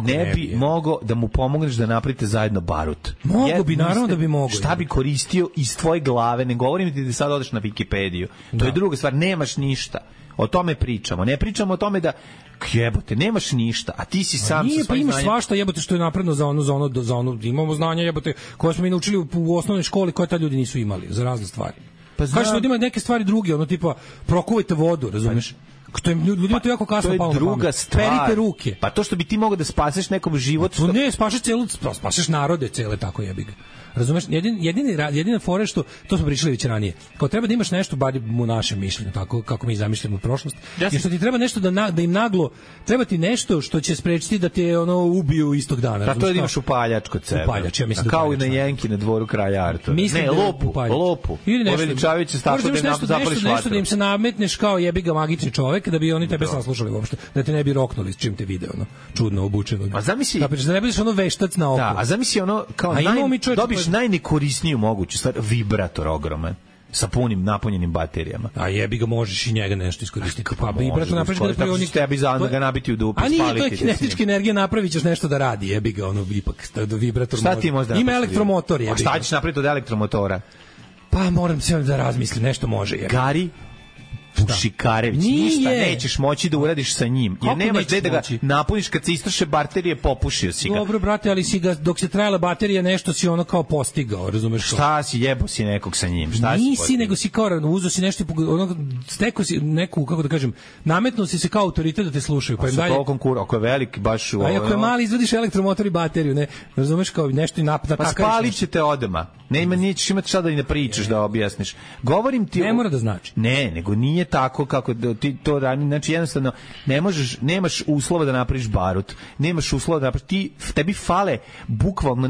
ne bi mogao da mu pomogneš da napravite zajedno barut. Mogu bi, naravno da bi mogao. Šta bi koristio iz tvoje glave, ne govorim ti da sad odeš na Wikipediju. To je druga stvar, nemaš ništa. O tome pričamo. Ne pričamo o tome da jebote, nemaš ništa, a ti si sam sa svojim znanjem. Nije, pa imaš svašta, jebote, što je napredno za ono, imamo znanja, jebote, koje smo mi naučili u osnovnoj školi, koje ta ljudi nisu imali, za razne stvari. Pa kažeš ljudima neke stvari druge, ono tipa prokuvajte vodu, razumeš? Ljudima to jako kasno palo na pamet. To je druga stvar. Perite ruke. Pa to što bi ti mogao da spaseš nekom život... Ne, spašeš narode cele, tako jebi ga. Razumeš, jedina fora što, to smo pričali već ranije, kao treba da imaš nešto, bar u našem mišljenju, tako kako mi zamišljamo prošlost, i što ti treba nešto da im naglo, treba ti nešto što će sprečiti da te ubiju istog dana. Da, to je da imaš upaljač kod sebe. Upaljač, ja mislim da kao i na Jenki na dvoru kralja Artura. Ne, lopu. Poveličavajući se tako da nam zapališ vatru. Nešto da im se nametneš kao jebi ga magični čovek, da bi oni tebe saslušali uopšte, da te ne bi roknuli s čim te video, čudno obučeno. A zamisli, da ne budeš veštac na oko. Da, a zamisli kao dobiš najnekorisniju moguću stvar, vibrator ogroman sa punim napunjenim baterijama. A jebi ga, možeš i njega nešto iskoristiti. Pa vibrator napraviš da prionik tebi da ga nabiti u dupe, spaliti. A nije, to je kinetička energija, napravićeš nešto da radi, jebi ga, ipak da vibrator. Šta ti možda? Ima elektromotor, jebi ga. A šta ćeš napraviti od elektromotora? Pa moram se da razmislim, nešto može, jebi. Gari? Pušikarević, ništa nećeš moći da uradiš sa njim. Jer nemaš gde da ga napuniš kad se istroše baterije, popušio si ga. Dobro, brate, ali si ga, dok se trajala baterija, nešto si ono kao postigao, razumeš? Šta si, jebo si nekog sa njim? Šta nisi, nego si kao, uzo si nešto, ono, stekao si neku, kako da kažem, nametnuo si se kao autoritet da te slušaju. Pa im dalje... Ako je veliki, baš... A ako je mali, izvadiš elektromotor i bateriju, ne? Razumeš, kao nešto i napad. Pa spalit će te odma. Nećeš imati šta da i ne pričaš, da objasniš. Govorim ti... Ne mora da znači. Ne, nego nije tako kako ti to radi. Znači, jednostavno, nemaš uslova da napraviš barut. Nemaš uslova da napraviš... Tebi fale bukvalno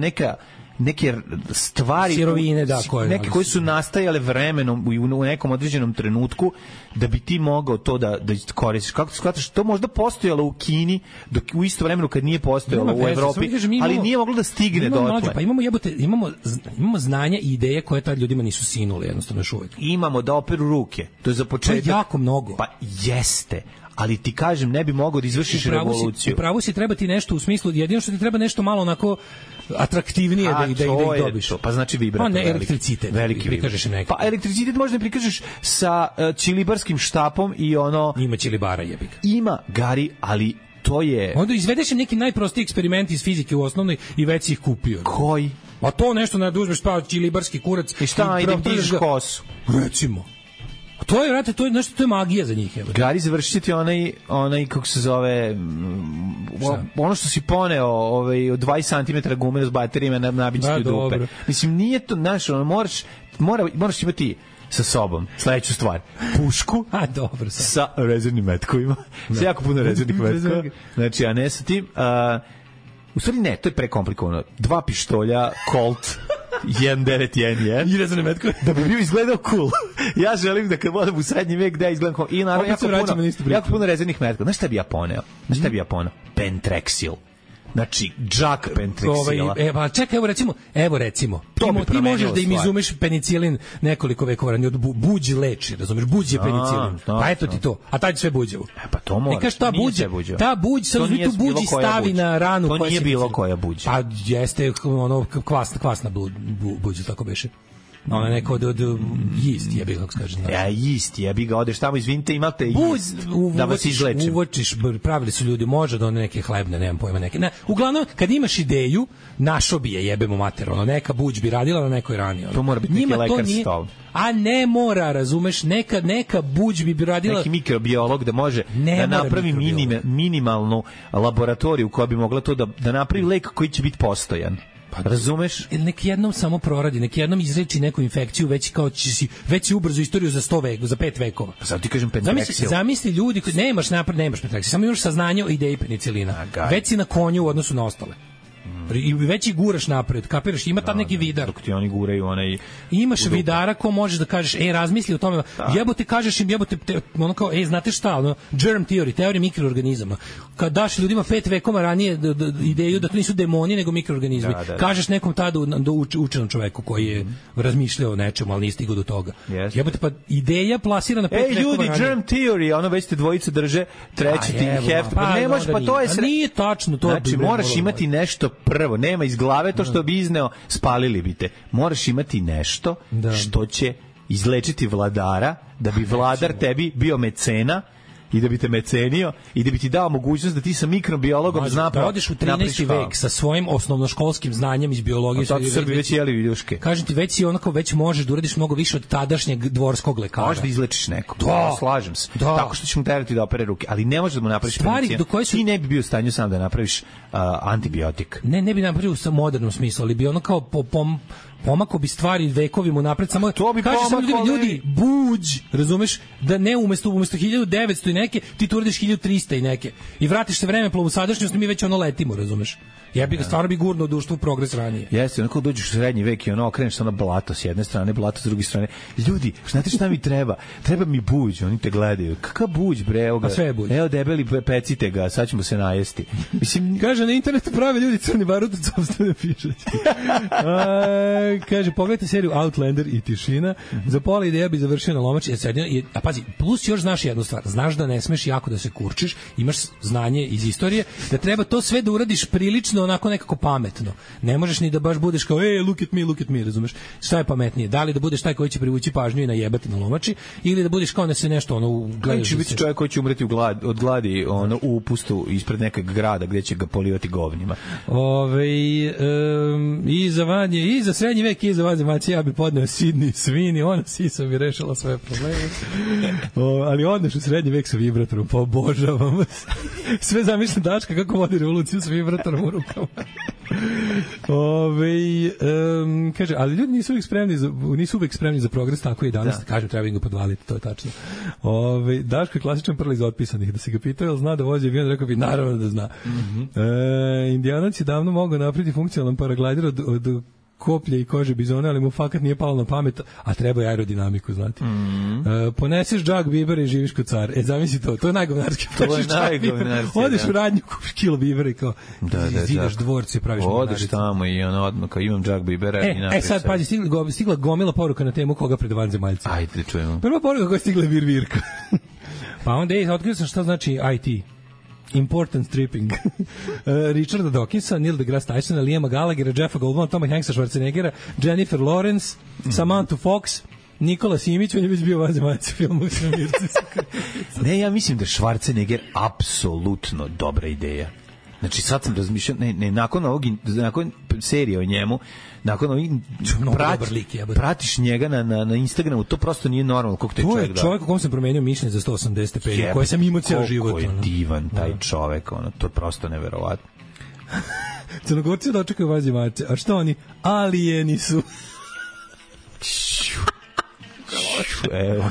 neke stvari, sirovine, da, neke koje su nastajale vremenom u nekom određenom trenutku da bi ti mogao to da koristiš. Kako ti shvataš? To možda postojalo u Kini dok u isto vremenu kad nije postojalo u Evropi, ali nije moglo da stigne dotle. Pa imamo znanja i ideje koje tad ljudima nisu sinule, jednostavno još uvijek. Imamo da operu ruke. To je za početak. To je jako mnogo. Pa jeste. Ali ti kažem, ne bi mogao da izvršiš revoluciju. Upravo si treba ti nešto u smislu, jedino što ti treba nešto malo onako atraktivnije da ih dobiš. Pa znači vibrator. Ne, elektricitet. Veliki vibrator. Pa elektricitet možda prikažeš sa ćilibarskim štapom i ono... Ima ćilibara, jebik. Ima, Gari, ali to je... Onda izvedeš neki najprostiji eksperiment iz fizike u osnovnoj i već si ih kupio. Koji? A to nešto ne uzmeš pa ćilibarski kurac. I šta, idem dižeš kosu? Recimo. To je, vrate, to je magija za njih. Gari, završit ti onaj, kako se zove, ono što si poneo od 20 cm gume s baterijama nabići ti u dupe. Dobro. Mislim, nije to, znaš, moraš imati sa sobom sledeću stvar. Pušku dobro, sa rezervnim metkovima. Sa jako puno rezervnih metkova. Znači, a ne sa tim... U stvari ne, to je prekomplikovano. 2 pištolja, Colt, 1911. I rezane metkove. Da bi bio izgledao cool. Ja želim da kad vodam u srednji vek da izgledam cool. I naravno jako puno rezervnih metkova. Znaš šta bi ja poneo? Pentrexil. Znači, džak Pentrexila. Pa čekaj, evo recimo. Ti možeš da im izumeš penicilin nekoliko vekova ranije, od buđ leči, razumeš, buđ je penicilin. Pa eto ti to. A taj sve buđevo. Pa to mora. Nekaš ta buđ, sad uzmi tu buđ i stavi na ranu. To nije bilo koja buđ. Pa jeste ono kvasna buđ, tako beše. Ona neko od jist, jebi ga, kako se kaže. Ja, jist, jebi ga, odeš tamo, izvinite, imate jist da vas izlečim. Uvočiš, pravili su ljudi, može da neke hlebne, nemam pojma neke. Ne, uglavnom, kad imaš ideju, našo bi je, jebemo mater, neka buđ bi radila na nekoj rani. To mora biti neki lekar stol. A ne mora, razumeš, neka buđ bi radila... Neki mikrobiolog da može da napravi minimalnu laboratoriju koja bi mogla to da napravi lek koji će biti postojan. Pa razumeš? Nek jednom samo proradi, nek jednom izreči neku infekciju, već kao već ubrzo istoriju za 100 vekova, za 5 vekova. Pa sad ti kažem Pentrexil. Zamisli ljudi koji nemaš Pentrexil, samo imaš saznanje o ideji penicilina. Već si na konju u odnosu na ostale. I već i guraš napred, kapiraš, ima tad neki vidar. Dok ti oni guraju onaj... Imaš vidara ko možeš da kažeš, razmisli o tome, jebote, kažeš im, ono kao, znate šta, germ theory, teorija mikroorganizama. Kad daš ljudima 5 vekova ranije ideju da to nisu demoni, nego mikroorganizmi, kažeš nekom tada učenom čoveku koji je razmišljao o nečemu, ali nije stigao do toga. Jebote, pa ideja plasirana 5 vekova ranije. Ljudi, germ theory, ono već te dvojice drže, treći ti heft, ne možeš, pa to je... Nije tačno to. Znači, moraš imati nešto prvo, nema iz glave to što bi izneo, spalili bi te. Moraš imati nešto što će izlečiti vladara, da bi vladar tebi bio mecena i da bi te mecenio i da bi ti dao mogućnost da ti sa mikrobiologom da odeš u 13. vek sa svojim osnovnoškolskim znanjem iz biologije. A to Srbi već jeli viljuške. Kažem ti, već možeš da uradiš mnogo više od tadašnjeg dvorskog lekara. Možeš da izlečiš nekog. Slažem se. Tako što ćeš mu terati da opere ruke, ali ne možeš da mu napraviš penicilin. Ti ne bi bio u stanju sam da napraviš antibiotik. Ne bi napravio u modernom smislu, ali bi ono kao pomako bi stvari vekovima napred, samo kaže samo ljudi buđ, razumeš, da ne umesto 1900 i neke ti tu uradiš 1300 i neke i vratiš se vremeplovu sadašnjost, mi već letimo, razumeš. Jebi ga, stvarno bi gurno društvo u progres ranije. Jeste, onako dođeš u srednji vek i okreneš se blato s jedne strane, blato s druge strane. Ljudi, znate šta mi treba? Treba mi buđ, oni te gledaju. Kakav buđ, bre, evo ga. Evo debeli, pecite ga, sad ćemo se najesti. Mislim, kaže na internetu prave ljudi crni barut od sopstvene pišaće. Kaže, pogledajte seriju Outlander i Tišina. Za pola ideja bi završio na lomači. A pazi, plus još znaš jednu stvar. Znaš da ne smeš jako da se kurčiš, imaš znanje iz istorije, da treba to sve da uradiš prilično onako nekako pametno. Ne možeš ni da baš budeš kao look at me, razumeš? Šta je pametnije? Da li da budeš taj koji će privući pažnju i najebati na lomači ili da budeš kao da se nešto gledaš. Će biti čovjek koji će umreti od gladi u upustu ispred nekog grada gdje će ga polivati govnima. I za srednji vek i za vanzemaljce ja bi podneo Sidney Sweeney, ona sisa bi rešila sve probleme. Ali odneš u srednji vek sa vibratorom, pa obožavam. Sve zamišljam Daška kako vodi revoluciju sa vibratorom u rukama. Kaže, ali ljudi nisu uvek spremni za progres, tako i danas, kažem, treba im ga podvaliti, to je tačno. Daško je klasičan prl iz otpisanih, da si ga pitao, jel zna da vozi avion, rekao bi, naravno da zna. Indijanac je davno mogao napraviti funkcionalan paraglider od koplje i kože bizona, ali mu fakat nije palo na pamet, a treba je aerodinamiku, znati. Poneseš džak bibera i živiš kod car. Zamisli to je najgovnarski. To je najgovnarski. Odeš u radnju, kupiš kilo bibera i kao zidaš dvorce, praviš govnaricu. Odeš tamo i odmah kao imam džak bibera i napriš. Sad, pazi, stigla gomila poruka na temu koga pred vanzemaljci. Ajde, čujemo. Prva poruka koja je stigla je virvirka. Pa onda otkrio sam šta znači IT. Important stripping. Richarda Dawkinsa, Neil deGrasse Tysona, Liama Gallaghera, Jeffa Goldbluma, Toma Hanksa, Schwarzeneggera, Jennifer Lawrence, Samantha Fox, Nikola Simić, on je već bio vanzemaljci filmu. Ne, ja mislim da je Schwarzenegger apsolutno dobra ideja. Znači sad sam razmišljao, nakon serije o njemu, nakon ovih pratiš njega na Instagramu, to prosto nije normalno. To je čovjek u kom sam promenio mišljenje za 180 stepeni, koje sam imao cijel život. Koliko je divan taj čovjek, to je prosto neverovatno. Crnogorci dočekaju vanzemaljce, a što oni? Alijeni su. Evo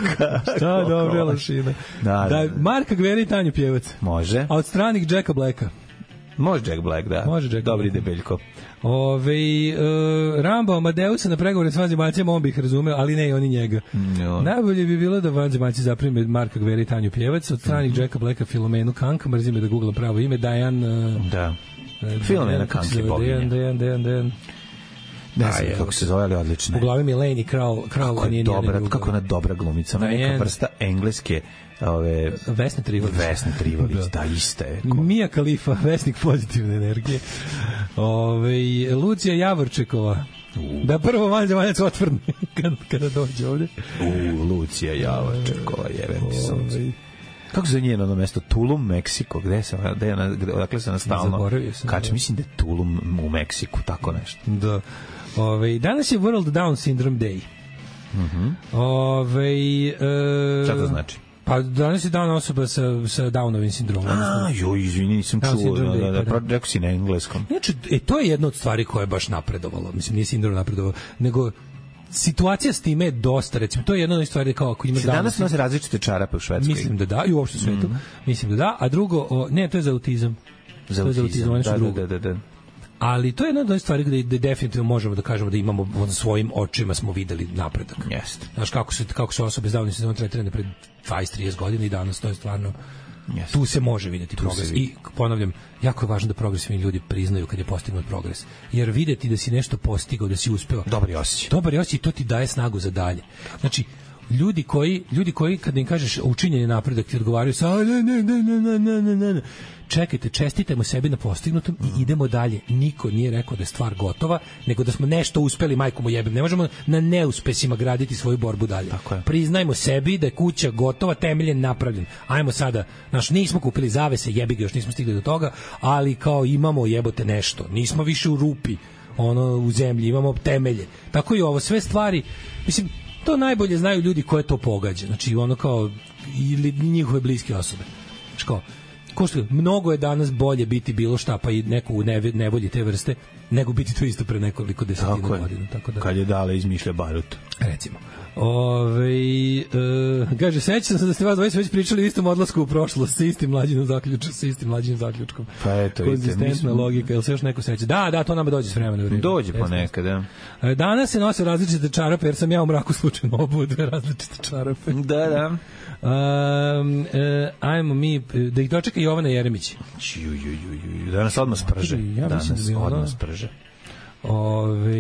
šta dobra lašina. Da, Marka Gvera i Tanju Pjevac. Može. A od stranih Jacka Blacka. Može Jack Black, da. Može Jack Dobri Black. debeljko. Rambo Amadeusa na pregovore s vanzemaljcima, on bi ih razumeo, ali ne i oni njega. Najbolje bi bilo da vanzemaljci zaprime Marka Gvera i Tanju Pjevac, od stranih Jacka Blacka Filomenu Kank, mrzim me da googlam pravo ime, Filomena Kank je boginja. Ne znam kako se zove, ali odlično. U glavi mi je Leni Krau. Kako ona dobra glumica, neka vrsta engleske Vesna Trivalić, da, ista je. Mija Khalifa, vesnik pozitivne energije. Lucija Javorčekova. Da prvo vanzemaljac otvrne kada dođe ovde. Lucija Javorčekova, jebem ti sunce. Kako se njeno mesto? Tulum, Meksiko. Odakle se ona stalno kače? Mislim da je Tulum u Meksiku, tako nešto. Da. Danas je World Down Syndrome Day. Šta to znači? Pa danas je dan osoba sa Downovim sindromom. Izvini, nisam čuo. Rekao si na engleskom. Znači, to je jedna od stvari koja je baš napredovalo. Mislim, nije sindrom napredovalo, nego situacija s time je dosta, recimo, to je jedna od stvari kao ako imaš danas nose različite čarape u Švedskoj. Mislim da da, i uopšte u svetu. Mislim da da, a drugo, ne, to je za autizam. Za autizam, da. Ali to je jedna od stvari gde definitivno možemo da kažemo da imamo na svojim očima smo videli napredak. Jeste. Znaš kako se osobe s Downovim sindromom tretirane pred 20-30 godina i danas to je stvarno tu se može videti progres. I ponavljam, jako je važno da progresivni ljudi priznaju kad je postignut progres. Jer videti da si nešto postigao, da si uspeo. Dobar je osjećaj, to ti daje snagu za dalje. Znači, ljudi koji kad im kažeš učinjen je napredak, ti odgovaraju sa ne. Čekajte, čestitajmo sebi na postignutom i idemo dalje. Niko nije rekao da je stvar gotova, nego da smo nešto uspeli, majku mu jebem. Ne možemo na neuspesima graditi svoju borbu dalje. Priznajmo sebi da je kuća gotova, temeljen, napravljen. Ajmo sada, nismo kupili zavese, jebi ga, još nismo stigli do toga, ali kao imamo jebote nešto. Nismo više u rupi, u zemlji, imamo temelje. Tako i ovo, sve stvari, mislim, to najbolje znaju ljudi koje to pogađa. Znači, ili njihove bliske osobe. Mnogo je danas bolje biti bilo šta, pa i neko u nevolji te vrste, nego biti to isto pre nekoliko desetina godina. Tako da, kad je Dale izmišlja barut. Recimo. Kaže, sećam se da ste vas već pričali o istom odlasku u prošlost sa istim mlađim zaključkom. Pa eto, konzistentna logika, jel se još neko seća? Da, to nama dođe s vremena. Dođe ponekad, da. Danas se nose različite čarape, jer sam ja u mraku slučajno obuo dve različite čarape. Da. Ajmo mi, da ih dočeka Jovana Jeremić. Danas odmah sprže.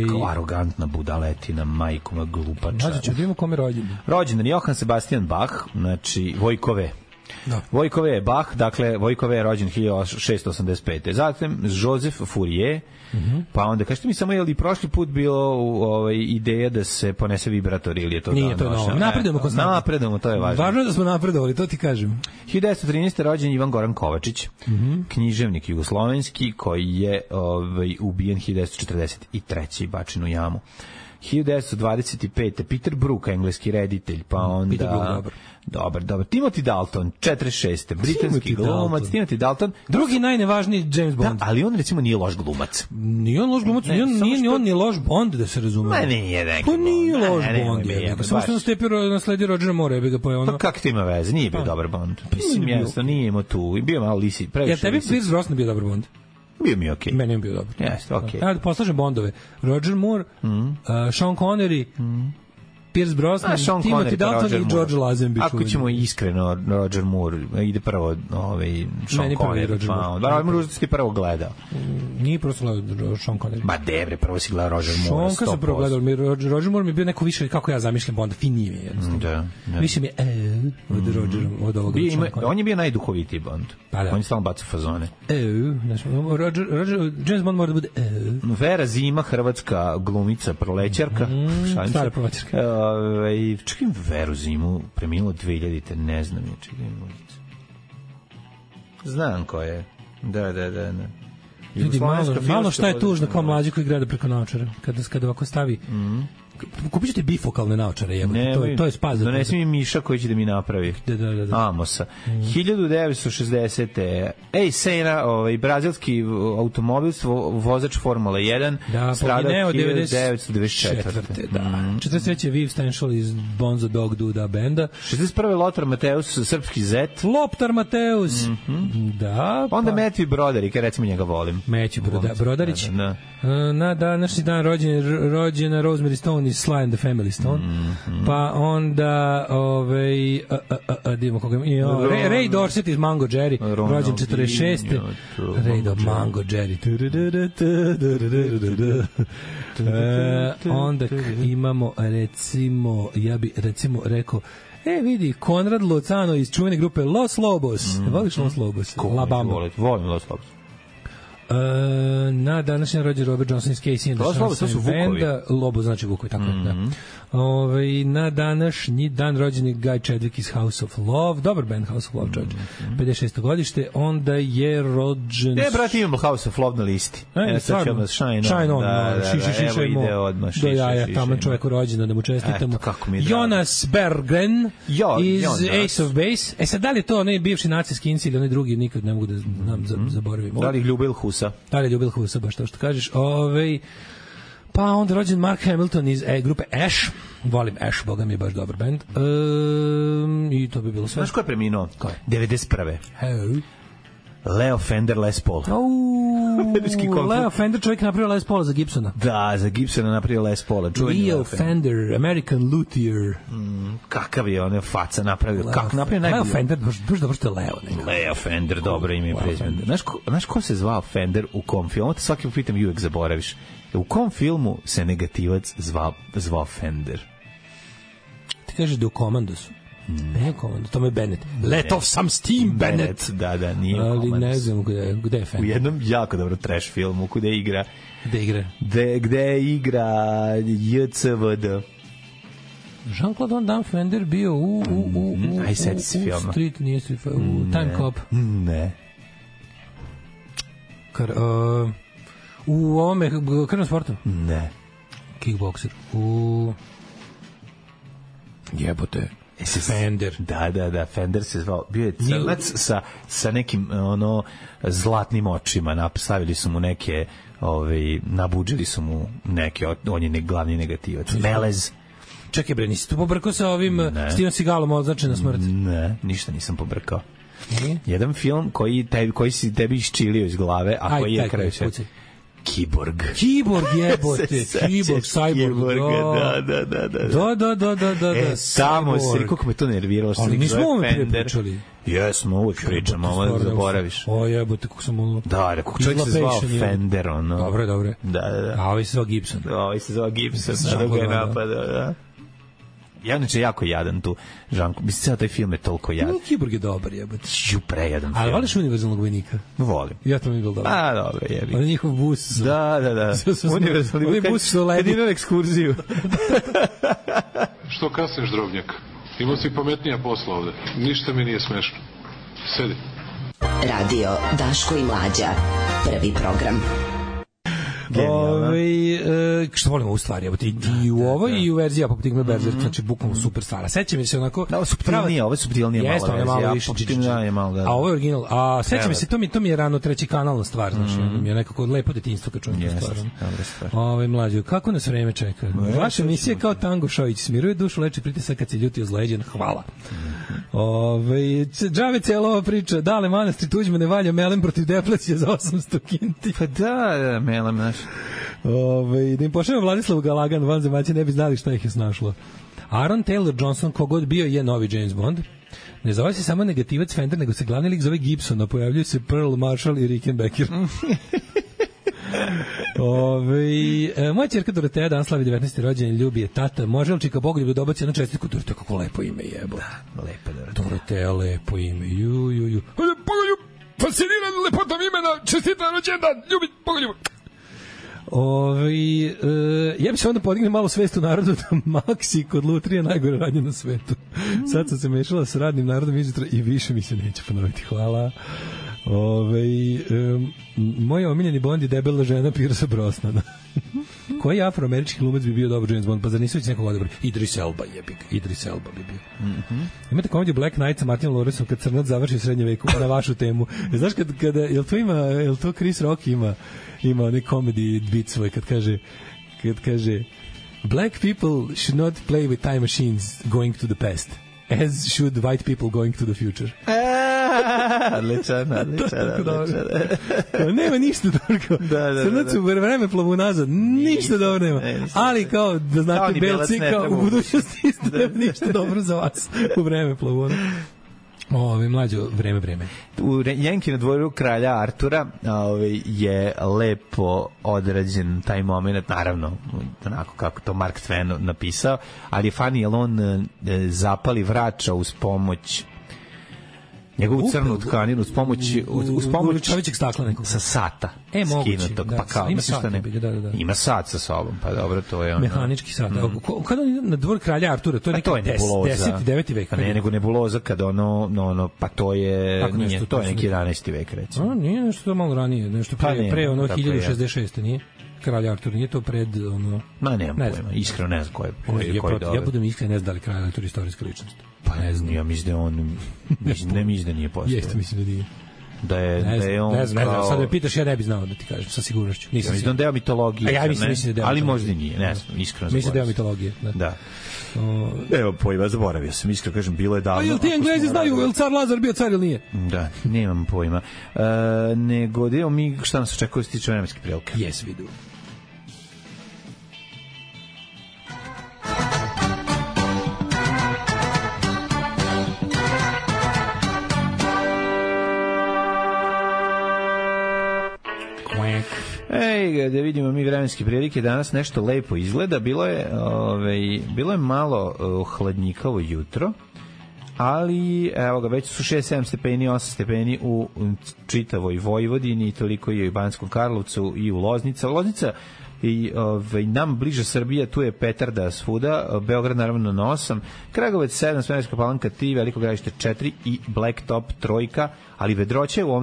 Kao arogantna budaletina, majkuma, glupača. Znači, ću da imamo kome rođendan. Rođendan Johann Sebastian Bach, znači Vojkove. Da. Vojkove je Bach, dakle, Vojkove je rođen 1685. Zatim Joseph Fourier, pa onda, kažete mi samo, je li prošli put bilo ideja da se ponese vibrator ili je to nije, to je novo. Napredujemo konstantno. Napredujemo, to je važno. Važno je da smo napredovali, to ti kažem. 1913. rođen Ivan Goran Kovačić, književnik jugoslovenski koji je ubijen 1943. i bačen u jamu. 1925. Peter Brook, engleski reditelj, pa onda... Peter Brook, dobar. Timothy Dalton, 46. britanski glumac. Timothy Dalton. Drugi najnevažniji James Bond. Da, ali on recimo nije loš glumac. Nije on loš glumac, nije on ni loš Bond, da se razume. Ma nije neki. Pa nije loš Bond. Samo što nasledio Rodgera Moore, bi ga pojao. Pa kako to ima veze? Nije bio dobar Bond. Mislim, jasno, nije imao tu. Bio malo lisi, previše lisi. Ja, tebi Pierce Brosnan bio dobar Bond? Bio mi okej. Meni je bio dobar. Jeste, okej. Ajde, poslažem Bondove. Roger Moore, Sean Connery, Pierce Brosnan, Timothy Dalton i George Lazenby. Ako ćemo iskreno, Roger Moore ide prvo Sean Connery. Pa možda si ti prvo gledao. Nije prosto gledao Sean Connery. Ma debre, prvo si gledao Roger Moore. Sean sam prvo gledao, Roger Moore mi je bio neko više kako ja zamišljam Bonda, finije mi je jednostavno. Više mi je od Rogerom, od ovoga. On je bio najduhovitiji Bond. On je stalno bacao fazone. James Bond mora da bude Vera Zima, hrvatska glumica, prolećarka. Stara prolećarka. Čekaj, Veru Zimu preminulo 2000-te, ne znam je, čekaj ulicu. Znam ko je. Da. Ljudi, malo šta je tužno kao mlađi koji gleda preko naočara. Kada ovako stavi... Kupit ćete bifokalne naočare, to je spas. Donesi mi Miša koji će da mi napravi. Da. Amosa. 1960. Senna, brazilski automobilstvo, vozač Formula 1, stradao 1924. Da. 43. Viv Stenšal iz Bonzo Dog Duda benda. 61. Lothar Mateus, srpski zet. Loptar Mateus. Da. Onda Matthew Broderick, recimo njega volim. Matthew Broderić. Na današnji dan rođena Rosemary Stone iz Sly and the Family Stone. Pa onda divimo koga Ray Dorset iz Mango Jerry, rođen 46. Ray Mango Jerry. Onda imamo recimo rekao vidi, Konrad Lozano iz čuvene grupe Los Lobos. Voliš Los Lobos? La Bamba. Volim Los Lobos. Na današnji rođen Robert Johnson iz Casey and the Sunshine Banda. Lobo znači Vukovi, tako da. Na današnji dan rođen je Guy Chadwick iz House of Love. Dobar band House of Love, čovječ. 56. godište. Onda je rođen... brate, imamo House of Love na listi. Stvarno. Shine on. Šiša do jaja. Tamo čovjeku rođena, da mu čestitamo. Jonas Berggren iz Ace of Base. Sad, da li je to onaj bivši nacijski inci ili onaj drugi, nikad ne mogu da zaboravim. Da li Ljubil Husa? Da li Ljubil Husa, baš to što kažeš. Pa onda rođen Mark Hamilton iz grupe Ash. Volim Ash, boga mi je baš dobar band. I to bi bilo sve. Znaš ko je preminuo? Ko je? 91. Leo Fender Les Paul. Leo Fender, čovjek napravio Les Paula za Gibsona. Da, za Gibsona napravio Les Paula. Leo Fender, American Luthier. Kakav je on faca napravio? Leo Fender, baš dobro što je Leo. Leo Fender, dobro ime i prezime. Znaš ko se zvao Fender u kom filmu? Te svaki pitam i uvek zaboraviš. U kom filmu se negativac zvao Fender? Ti kažeš da u Commandosu. Ne, Commando, to je Bennett. Let off some steam, Bennett. Da, nije ali ne znam gde je Fender. U jednom jako dobro trash filmu, gde igra JCVD. Jean-Claude Van Damme Fender bio u Street, nije Street, u Time Cop. Ne. U ovome krvnom sportu? Ne. Kickboxer. Jebote. Fender. Da, Fender se zvao. Bio je crnac sa nekim zlatnim očima. Stavili su mu neke, nabuđili su mu neke, on je glavni negativac. Melez. Čekaj bre, nisi tu pobrkao sa ovim Steven Seagalom označen na smrt? Ne, ništa nisam pobrkao. Jedan film koji si tebi iščilio iz glave, a koji je kraju sve. Kiborg jebote, Kiborg, Cyborg, da. Samo si, kako me to nerviralo. Ali nismo ove pričali. Jesmo, uvijek pričamo, ovo zaboraviš. O jebote, kako sam ono... Da, kako čovjek se zvao Fender, ono. Dobre. Da. A ovaj se zvao Gibson. Sada ga je napadao, da. Ja inače jako jadan tu Žanko. Mislim, ceo taj film je toliko jadan. Kiborg je dobar, jebate. Prejadan film. Ali voliš Univerzalnog vojnika? Volim. Ja to mi je bilo dobro. A, dobro, jebi. On je njihov bus. Da. Univerzalni bus. Oni bus su lepi. Kad ide na ekskurziju. Što kasniš, drobnjak? Imao si pametnija posla ovde. Ništa mi nije smešno. Sedi. Radio Daško i Mlađa. Prvi program. Što volimo u stvari, i u ovoj i u verziji Apoptigme Berserk, znači bukvalno super stvar. Seća mi se onako... Da, ovo je subtilnije malo verzija. Jeste, malo više. A ovo je original. A seća mi se, to mi je rano treći kanalna stvar, znači, mi je nekako lepo detinjstvo kad čujem tu stvar. Mlađo, kako nas vreme čeka? Vaša emisija kao Tango Šojić, smiruje dušu, leči pritisak kad se ljuti ozleđen. Hvala. Džave cijela ova priča, Dale Manastri Tuđmane valja melem protiv deflacije za 800 kinti. Pa da, melem naš. Da im pošaljamo Vladislavu Galagan, vanzemaljci ne bi znali šta ih je snašlo. Aaron Taylor Johnson, kogod bio, je novi James Bond. Ne zove se samo negativac Fender, nego se glavni lik zove Gibson, a pojavljuju se Pearl Marshall i Rickenbacker. Moja ćerka Doroteja dan slavi 19. rođendan, ljubi je tata. Može li čika Bogoljub da dobaci jednu čestitku? Doroteja, kako lepo ime jebo. Da, lepo Doroteja, lepo ime. Bogoljub, fasciniran lepotom imena, čestitan rođendan, ljubi Bogoljub. Ja bi se onda podigli malo svest u narodu da Maksi kod lutrije najgore radnje na svetu. Sad sam se mešala sa radnim narodom izjutra i više mi se neće ponoviti. Hvala. Moj omiljeni Bond je debela žena Piersa Brosnana. Koji afroamerički glumac bi bio dobar James Bond? Pa zar nisu već nekog odabra? Idris Elba jebik. Idris Elba bi bio. Imate komediju Black Knight sa Martinom Lawrenceom kad crnac završi u srednje veku na vašu temu. Znaš kada jel to Chris Rock ima onaj comedy bit svoj kad kaže Black people should not play with time machines going to the past, as should white people going to the future. Odličan. Nema ništa dobro. Crnac u vreme plavu nazad, ništa dobro nema. Ali kao da znate belci, kao u budućnosti ništa dobro za vas u vreme plavu. Mlađo, vreme. U Jenki na dvoru kralja Artura je lepo odrađen taj moment, naravno, onako kako to Mark Twain napisao, ali je funny, jer on zapali vrača uz pomoć njegovu crnu tkaninu uz pomoć čovječeg stakla nekog sa sata skinutog, pa kao ima sat, ima sat sa sobom, pa dobro, to je ono mehanički sat. Kada na dvor kralja Artura, to je neki 10. 9. vek, ne, nego nebuloza kad ono pa to je nije, to je neki 11. vek recimo. Nije nešto to malo ranije, nešto pre ono 1066. nije kralj Artur, nije to pred ono... Ma nemam pojma, iskreno ne znam ko je dobro. Ja budem iskren, ne znam da li kralj Artur istorijska ličnost. Pa ne znam, ja mislim da je on... ne mislim da nije postao. Jeste, mislim da nije. Da je on ne znam, sad me pitaš, ja ne bi znao da ti kažem, sa sigurnošću. Ja mislim da on deo mitologije. Ja mislim da deo ali možda nije, ne znam, iskreno. Mislim da deo mitologije. Da. Evo, pojma, zaboravio sam, iskreno kažem, bilo je davno. A jel ti Englezi znaju, jel car Lazar bio car ili nije? Da, nemam pojma. Nego, evo mi, šta nas očekuje se tiče vremenske prilike? Jes, vidu. Da vidimo mi vremenske prilike, danas nešto lepo izgleda, bilo je malo hladnjikavo jutro, ali evo ga, već su 6-7 stepeni, 8 stepeni u čitavoj Vojvodini, toliko je i u Banskom Karlovcu i u Loznica i nam bliže Srbija, tu je petarda svuda, Beograd naravno na 8, Kragovec 7, Smederevska Palanka 3, Veliko Gradište 4 i Blacktop 3, ali vedroće u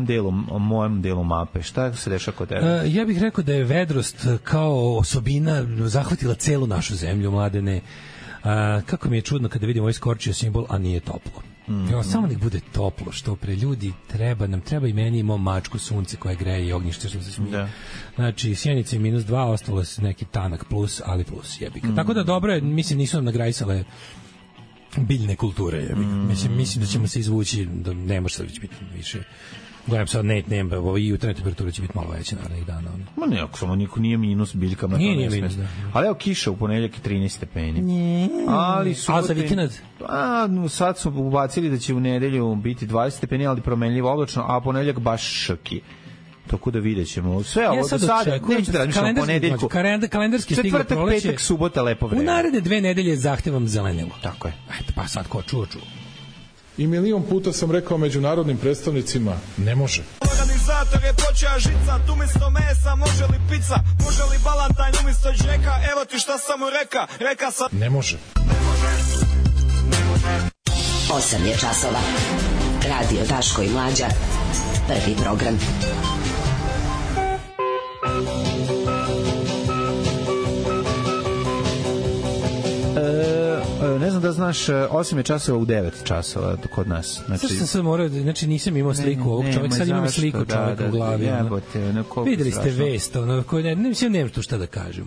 mojem delu mape. Šta se dešava kod tebe? Ja bih rekao da je vedrost kao osobina zahvatila celu našu zemlju, Mladene. Kako mi je čudno kada vidimo ovaj skorčio simbol, a nije toplo. Samo nek bude toplo, što pre ljudi treba i meni, imao mačku sunce koje greje i ognjište što se smije. Znači, Sjenica je -2, ostalo se neki tanak plus, ali plus jebika. Tako da dobro je, mislim, nisu nam nagrajsale biljne kulture jebika. Mislim da ćemo se izvući, da ne može sad biti više. Gledam sad, i jutarnja temperatura će biti malo veća narednih dana. Ma ne, ako samo niko nije minus biljkama. Nije minus, da. Ali evo kiša u ponedeljak je 13 stepeni. A za vikend? Sad su ubacili da će u nedelju biti 20 stepeni, ali promenljivo oblačno, a ponedeljak baš šrki. Tako da videćemo. Sve ovo do sada, neću da razmišljam o ponedeljku. Kalendarski stiglo proleće. Četvrtak, petak, subota, lepo vreme. U naredne 2 nedelje zahtevam zelenilo. Tako je. Eto, pa sad ko čuo. I milion puta sam rekao međunarodnim predstavnicima, ne može. Organizator je počeo žicat, umjesto mesa može li pizza, može li balantajn umjesto džeka, evo ti šta sam mu reka sam... Ne može. 8 je časova. Radio Daško i Mlađa. Prvi program. Ne znam da znaš, 8 je časova u 9 časova kod nas. Znači sam morao, znači nisam imao sliku ovog čovjeka, sad imam sliku čovjeka u glavi. Videli ste vest, nema tu šta da kažem.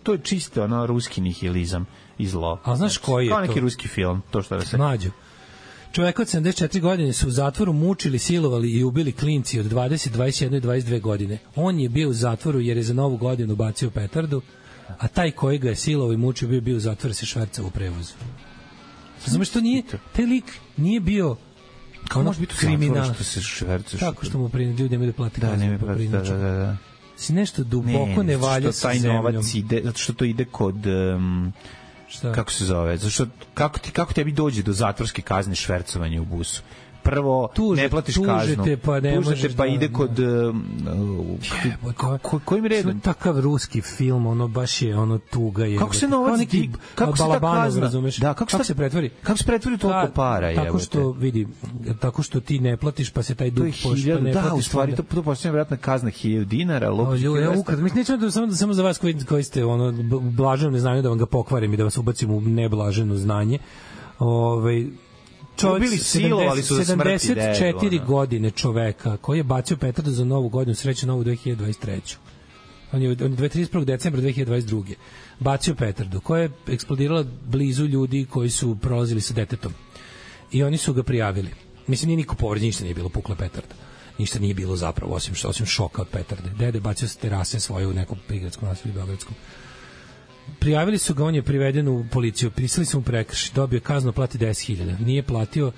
To je čisto ruski nihilizam i zlo. A znaš koji je to? Kao neki ruski film, to što da se... Mlađo. Čovjek od 74 godine su u zatvoru mučili, silovali i ubili klinci od 20, 21 i 22 godine. On je bio u zatvoru jer je za Novu godinu bacio petardu, a taj koji ga je silovao i mučio bio u zatvoru se švercao u prevozu. Razumeš, to nije, taj lik nije bio kao može biti kriminal što se šverca. Tako što mu ljudi nemaju da plati kaznu. Da. Si nešto duboko ne valja sa zemljom. Taj novac ide, zato što to ide kod... kako se zove? Zašto, kako tebi dođe do zatvorske kazne švercovanja u busu? Prvo, ne platiš kaznu. Tužete pa ide kod... Kojim redom? Takav ruski film, ono baš je ono tuga. Kako se novac... Kako se ta kazna... Kako se pretvori? Kako se pretvori toliko para? Tako što ti ne platiš, pa se taj dug pošta ne platiš. Da, u stvari, to postoje vjerojatno kazna 1000 dinara. Mislim, samo za vas koji ste u blaženom neznanju da vam ga pokvarim i da vas ubacim u neblaženo znanje. Čovjek 74 godine čoveka koji je bacio petardu za Novu godinu, sreću Novu 2023. On je 31. decembra 2022. bacio petardu koja je eksplodirala blizu ljudi koji su prolazili sa detetom. I oni su ga prijavili. Mislim, nije niko povređen, ništa nije bilo, pukla petarda. Ništa nije bilo zapravo, osim šoka od petarde. Dede bacio sa terase svoje u nekom prigradskom naselju beogradskom. Prijavili su ga, on je priveden u policiju, prisili su mu prekršaj, dobio kaznu, plati 10.000. Nije platio,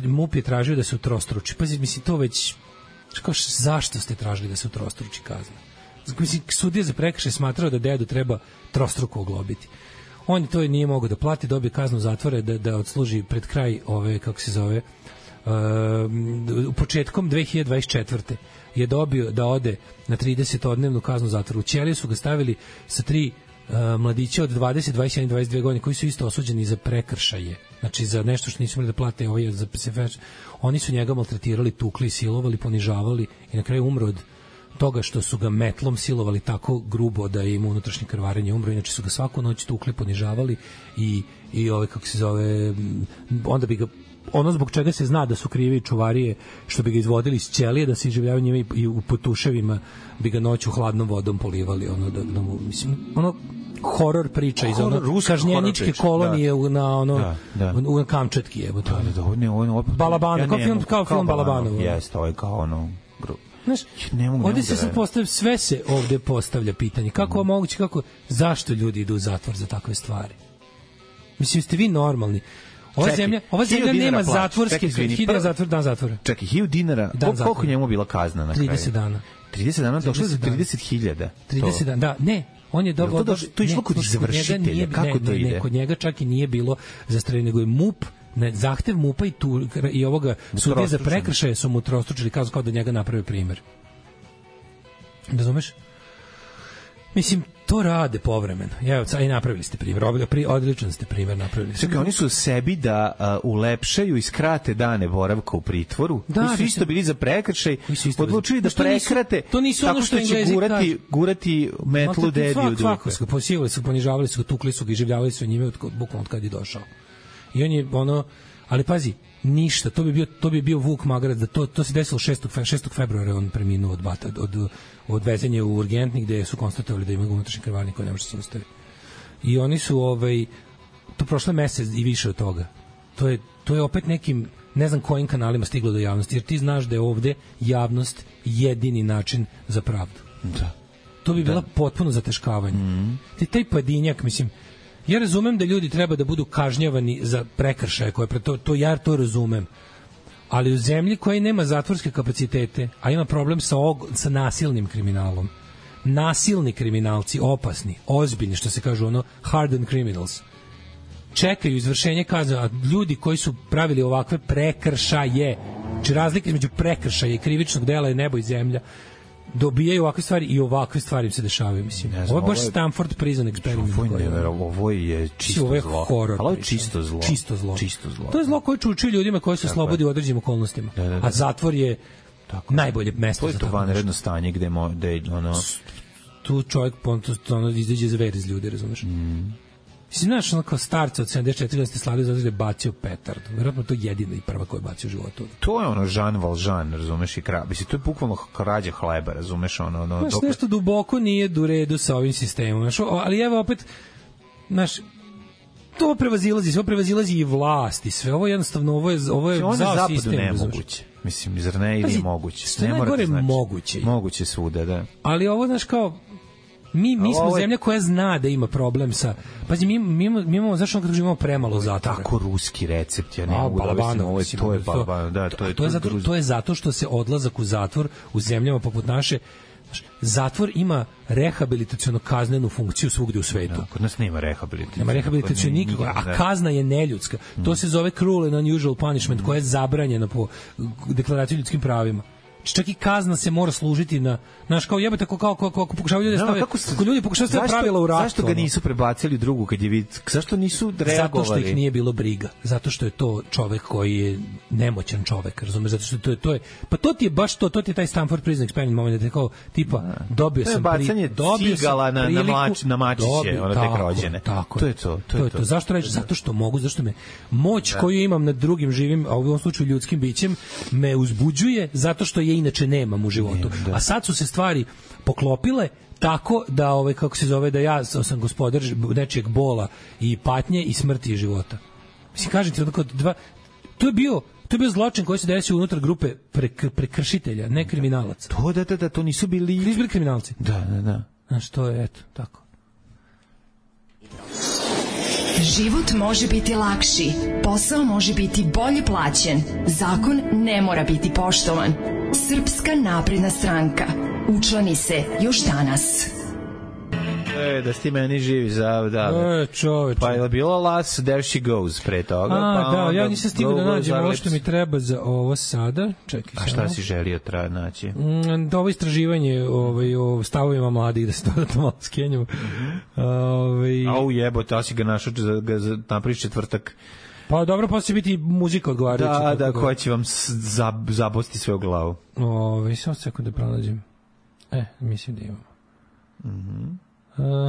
MUP je tražio da se utrostruči. Pazi, mislim, to već... Zašto ste tražili da se utrostruči kazna? Mislim, sudija za prekršaj smatrao da dedu treba trostruko oglobiti. On to nije mogao da plati, dobio kaznu zatvora da odsluži pred kraj početkom 2024. je dobio da ode na 30-odnevnu kaznu zatvora. U ćeliju su ga stavili sa 3 mladića od 20, 21 i 22 godine koji su isto osuđeni za prekršaje. Znači za nešto što nisu mogli da plate, oni su njega maltretirali, tukli, silovali, ponižavali i na kraju umro od toga što su ga metlom silovali tako grubo da je imao unutrašnje krvarenje, umro. Inače su ga svaku noć tukli, ponižavali i onda bi ga ono zbog čega se zna da su krivi čuvarije što bi ga izvodili iz ćelije, da se iživljavaju njima i u potuševima bi ga noću hladnom vodom polivali, horor priča iz kažnjeničke kolonije na Kamčatki, evo to. Balabano, kao film Balabanovo. Jeste, ovo je kao ono... Znaš, ovdje se sad postavlja, sve se ovdje postavlja pitanje, kako je moguće, zašto ljudi idu u zatvor za takve stvari? Mislim, ste vi normalni? Ova zemlja nema zatvorske, 1000 dan zatvora. Čekaj, 1000 dinara, koliko njemu bila kazna na kraju? 30 dana. 30 dana, došlo za 30.000. 30 dana, da, ne. On je dobio... To je išlo kod izvršitelja, kako to ide? Kod njega čak i nije bilo zastreljen, nego je MUP, zahtev MUP-a i ovoga sudije za prekršaje su mu trostručili kaznu kao da njega naprave primer. Razumeš? Mislim, to rade povremeno. Evo, i napravili ste primjer. Odličan ste primjer napravili. Čekaj, oni su sebi da ulepšaju i skrate dane boravka u pritvoru. Da, koji su isto bili za prekršaj. Odlučili da prekrate tako što će gurati metlu dedi u dupe. Posivali su, ponižavali su ga, tukli su ga i življavali su njime bukvalno od kad je došao. I on je ali pazi, ništa, to bi bio Vuk Magarac, da to se desilo 6. februara, on preminuo od odvezenja u urgentni gde su konstatovali da ima unutrašnji krvarnik koji ne može se zaustaviti. I oni su to prošle mesec i više od toga. To je opet nekim, ne znam kojim kanalima stiglo do javnosti, jer ti znaš da je ovde javnost jedini način za pravdu. Da. To bi bila potpuno zateškavanje. Taj pojedinjak, mislim, ja razumem da ljudi treba da budu kažnjavani za prekršaje koje ja to razumem. Ali u zemlji koja nema zatvorske kapacitete, a ima problem sa nasilnim kriminalom, nasilni kriminalci, opasni, ozbiljni, što se kažu ono, hardened criminals, čekaju izvršenje kazne, a ljudi koji su pravili ovakve prekršaje, znači razlike između prekršaja i krivičnog dela je nebo i zemlja, dobijaju ovakve stvari i ovakve stvari im se dešavaju, mislim. Ovo je baš Stanford Prison Experiment. Ovo je čisto ovo je zlo. horor. Ovo je čisto zlo. Čisto zlo. To je zlo koje čuči ljudima koji se slobodi u određenim okolnostima. A zatvor je najbolje mesto za to. To je to vanredno stanje gde ono... Tu čovjek izađe zver iz ljudi, razumeš? Mislim, znaš, ono kao starca od 74 godine ste slavili zato da je bacio petardu. Vjerojatno to je jedina i prva koja je bacio u životu. To je ono Jean Valjean, razumeš, i mislim, to je bukvalno krađa hleba, razumeš, ono... Znaš, nešto duboko nije u redu sa ovim sistemom, znaš, ali evo opet, znaš, to prevazilazi i vlast i sve, ovo jednostavno, ovo je zao sistem. Nemoguće. Mislim, zar ne ili je moguće? Što je najgore moguće. Moguće svuda, da. Ali ovo, znaš, kao, mi smo zemlja koja zna da ima problem sa... Pazi, mi imamo, zašto kada imamo premalo zatvora? Tako ruski recept, ja ne mogu da mislim, to je balban, da, to je zato što se odlazak u zatvor u zemljama poput naše, zatvor ima rehabilitaciono kaznenu funkciju svugde u svetu. Da, kod nas nema rehabilitacije. Nema rehabilitacije nikako, a kazna je neljudska. To se zove cruel and unusual punishment, koja je zabranjena po deklaraciji o ljudskim pravima. Čak i kazna se mora služiti na, znaš, kao jebate, kako pokušavaju ljudi stave, kako ljudi pokušavaju stave pravila u ratu. Zašto ga nisu prebacili drugu kad je zašto nisu reagovali? Zato što ih nije bilo briga. Zato što je to čovek koji je nemoćan čovek, razumeš? Zato što to je, pa to ti je baš to ti je taj Stanford Prison Experiment moment, da je kao, tipa, dobio sam cigala na mačiće, ono tek rođene. To je to. Zašto reći? Zato što mogu, zašto me moć koju imam nad drugim živim, a u ovom slučaju ljudskim bićem, me uzbuđuje, zato što je inače nemam u životu. A sad su se stvari poklopile tako da, kako se zove, da ja sam gospodar nečijeg bola i patnje i smrti i života. Mislim, kažem ti, to je bio zločin koji se desio unutar grupe prekršitelja, ne kriminalaca. To nisu bili kriminalci. Da. Znaš, to je, eto, tako. Život može biti lakši, posao može biti bolje plaćen, zakon ne mora biti poštovan. Srpska napredna stranka. Učlani se još danas. Da si meni živi čoveče. Pa je bilo Las There She Goes pre toga. Ja nisam stigao da nađem ovo što mi treba za ovo sada. Čekaj. A šta si želio naći? Ovo istraživanje o stavovima mladih, da se dodatno malo skenjamo. Jebote, a si ga našao za napraviš četvrtak. Pa dobro, pa će biti muzika odgovarajuća. Da, koja će vam zabosti sve u glavu. Samo sekund da pronađem. Mislim da imamo.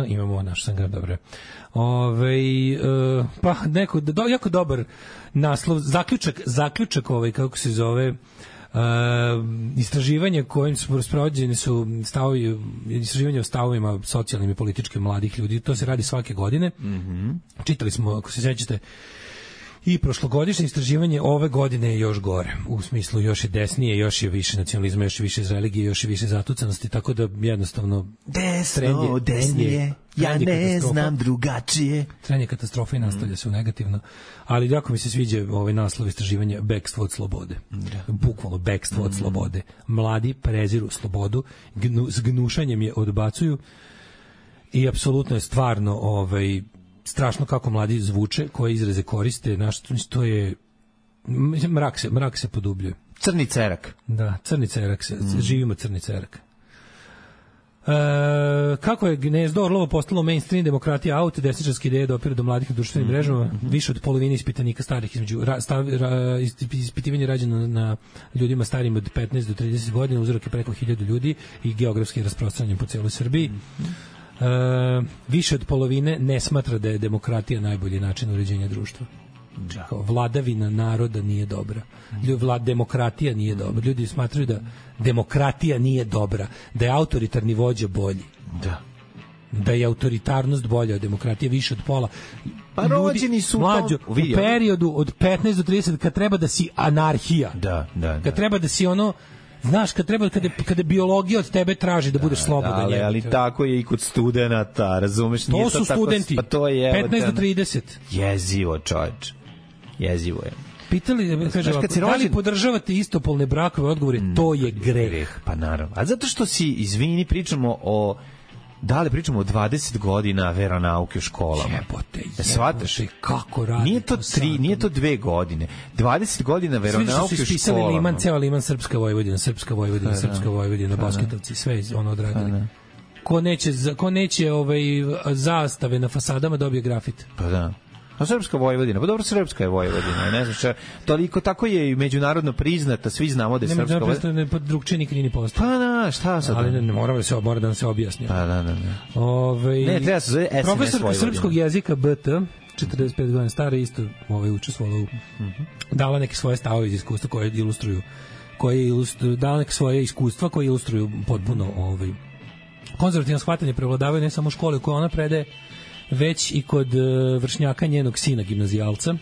Imamo naš sangar, dobro. Pa neko jako dobar naslov, zaključak kako se zove, istraživanje kojim su sprovođeni su istraživanje o stavovima socijalnim i političkim mladih ljudi. To se radi svake godine. Čitali smo, ako se sećate, i prošlogodišnje istraživanje ove godine je još gore. U smislu još je desnije, još je više nacionalizma, još je više iz religije, još je više zatucanosti, tako da jednostavno desnije, ja ne znam drugačije. Trend je katastrofa i nastavlja se u negativno. Ali jako mi se sviđa ovaj naslov istraživanja bekstvo od slobode. Bukvalno bekstvo od slobode. Mladi preziru slobodu, s gnušanjem je odbacuju i apsolutno je stvarno strašno kako mladi zvuče, koje izraze koriste, to je mrak se podubljuje. Crni cerak. Da, crni cerak živimo crni cerak. Kako je gnezdo Orlovo postalo mainstream demokratija out, desničarske ideje dopire do mladih na društvenim mrežama, više od polovine ispitanika starih ispitivanje rađeno na ljudima starijim od 15 do 30 godina, uzorak je preko 1000 ljudi i geografski rasprostranjen po celoj Srbiji. Više od polovine ne smatra da je demokratija najbolji način uređenja društva. Vladavina naroda nije dobra. Demokratija nije dobra. Ljudi smatraju da demokratija nije dobra, da je autoritarni vođa bolji. Da je autoritarnost bolja od demokratije, više od pola. Pa rođeni su mlađo, u periodu od 15 do 30 kad treba da si anarhija. Kad treba da si ono, znaš, kada biologija od tebe traži da budeš slobodan. Ali tako je i kod studenata, razumeš? To su studenti, 15 do 30. Jezivo, čovječ. Jezivo je. pitali, kaže, da li podržavate istopolne brakove, odgovor je to je greh. Pa naravno. A zato što si, izvini, pričamo o 20 godina veronauke u školama. Jebote, shvataš? Kako radi? Nije to 2 godine. 20 godina veronauke u školama. Svi su ispisali Liman, ceo Liman, Srpska Vojvodina, basketovci, sve ono odradili. Ko neće zastave na fasadama dobije grafit. Pa da. A Srpska Vojvodina, pa dobro, Srpska je Vojvodina, ne znam šta, toliko tako je i međunarodno priznata, svi znamo da je Srpska Vojvodina. Ne, drugčije nikad nije postao. Pa da, šta sad? Ali ne mora da nam se objasni. Pa da. Ne, treba se zove SMS profesorka srpskog jezika BT, 45 godina stara, isto učestvovala u... dala neke svoje stavove iz iskustva koje ilustruju, dala neke svoje iskustva koje ilustruju potpuno konzervativno shvatanje prevladavaju ne samo u školi u kojoj ona predaje, već i kod vršnjaka njenog sina, gimnazijalca.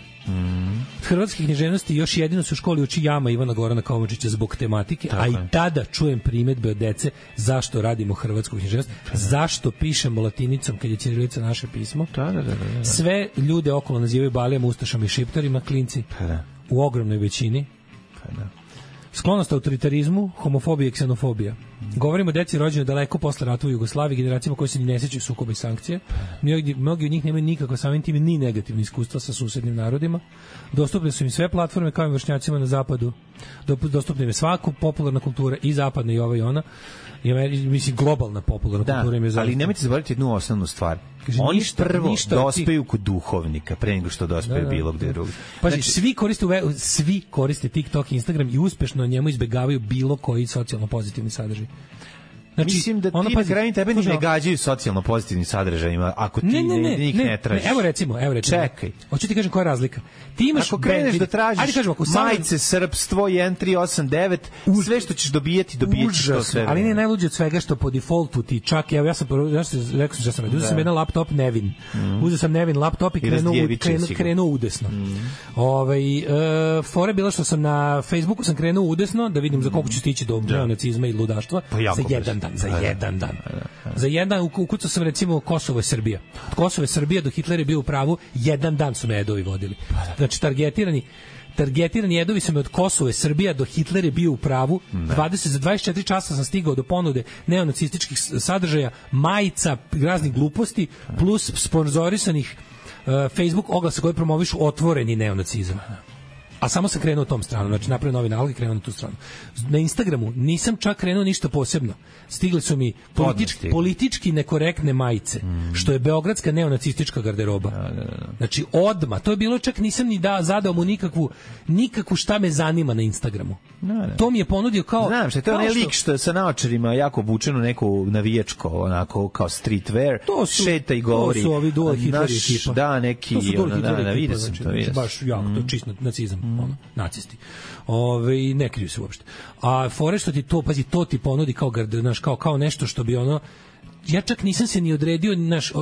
Hrvatske književnosti još jedino se u školi uči Jama Ivana Gorana Kovačića zbog tematike, a i tada čujem primedbe od dece zašto radimo hrvatsku književnost, zašto pišemo latinicom kad je ćirilica naše pismo. Sve ljude okolo nazivaju balijama, ustašama i šiptarima, klinci u ogromnoj većini. Sklonost autoritarizmu, homofobija i ksenofobija. Govorimo o deci rođenoj daleko posle rata u Jugoslaviji, generacijama koji se ni ne sećaju sukoba i sankcije. Mnogi od njih nemaju nikakva samim tim ni negativne iskustva sa susednim narodima. Dostupne su im sve platforme kao i vršnjacima na zapadu. Dostupne im je svaka popularna kultura, i zapadna i ova i ona. Mislim, globalna popularna kultura im je zaista. Ali nemojte zaboraviti jednu osnovnu stvar. Oni prvo dospeju kod duhovnika pre nego što dospeju bilo gde drugo. Pazi, svi koriste TikTok, Instagram i uspešno njemu izbegavaju bilo koji socijalno pozitivni sadržaj. Znači, mislim da ti na kraju tebe ne gađaju socijalno pozitivnim sadržajima ako ti njih ne tražiš. Evo recimo. Čekaj. Hoću ti kažem koja je razlika. Ti imaš ako kreneš da tražiš majice, srpstvo, 1389, sve što ćeš dobijeti to sve. Ali ne najluđe od svega što po defaultu ti čak, ja sam rekao što sam uzeo sam jedan laptop Nevin. Uzeo sam Nevin laptop i krenuo udesno. Fore bila što sam na Facebooku sam krenuo udesno da vidim za koliko ću stići do neonacizma i ludaštva za jedan dan. Za jedan ukucao sam recimo Kosovo i Srbija. Od Kosova i Srbija do Hitler je bio u pravu, jedan dan su me jedovi vodili. Znači targetirani jedovi su me od Kosova i Srbija do Hitler je bio u pravu. Za 24 časa sam stigao do ponude neonacističkih sadržaja, majica, raznih gluposti, plus sponzorisanih Facebook oglasa koji promovišu otvoreni neonacizam. A samo sam krenuo tom stranu, znači napravio novi nalog i krenuo na tu stranu. Na Instagramu nisam čak krenuo ništa posebno. Stigli su mi politički nekorektne majice, što je beogradska neonacistička garderoba. Znači odmah, to je bilo čak nisam ni zadao mu nikakvu šta me zanima na Instagramu. To mi je ponudio kao... Znam što je to onaj lik što sa naočarima jako obučeno neku navijačko, onako kao streetwear, šeta i govori. To su ovi dual Hitler ekipa. Da, neki... To su dual Hitler ekipa, znači baš jako, to je čist nacizam. Nacisti. Ne kriju se uopšte. A fore što ti to, pazi, to ti ponudi kao nešto što bi ja čak nisam se ni odredio,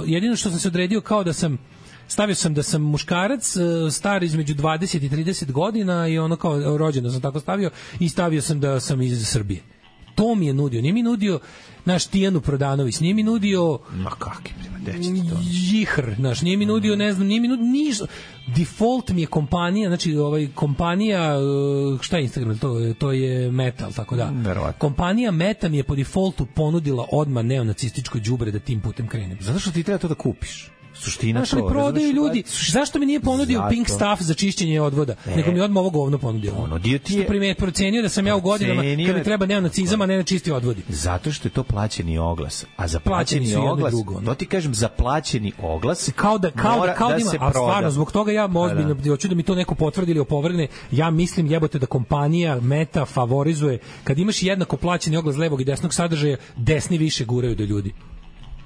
jedino što sam se odredio kao da sam stavio sam da sam muškarac star između 20 i 30 godina i kao rođen da sam tako stavio i stavio sam da sam iz Srbije. To mi je nudio, nije mi nudio naš Tijanu Prodanović, nije mi nudio Jihr, nije mi nudio, ne znam, nije mi nudio ništa. Default mi je kompanija, znači kompanija, šta je Instagram, to je Meta, tako da. Kompanija Meta mi je po defaultu ponudila odmah neonacističko đubre da tim putem krenem. Zato što ti treba to da kupiš. Suština to. Prodaju ljudi. Zašto mi nije ponudio Pink Stuff za čišćenje odvoda? Nego mi odmah ovo govno ponudio. Što procenio da sam ja u godinama kad mi treba neonacizam, a ne na čisti odvodi. Zato što je to plaćeni oglas. A za plaćeni oglas, to ti kažem, za plaćeni oglas kao da ima, a stvarno, zbog toga ja ozbiljno hoću da mi to neko potvrdi ili opovrgne. Ja mislim, jebote, da kompanija Meta favorizuje, kad imaš jednako plaćeni oglas levog i desnog sadržaja, desni više guraju do ljudi.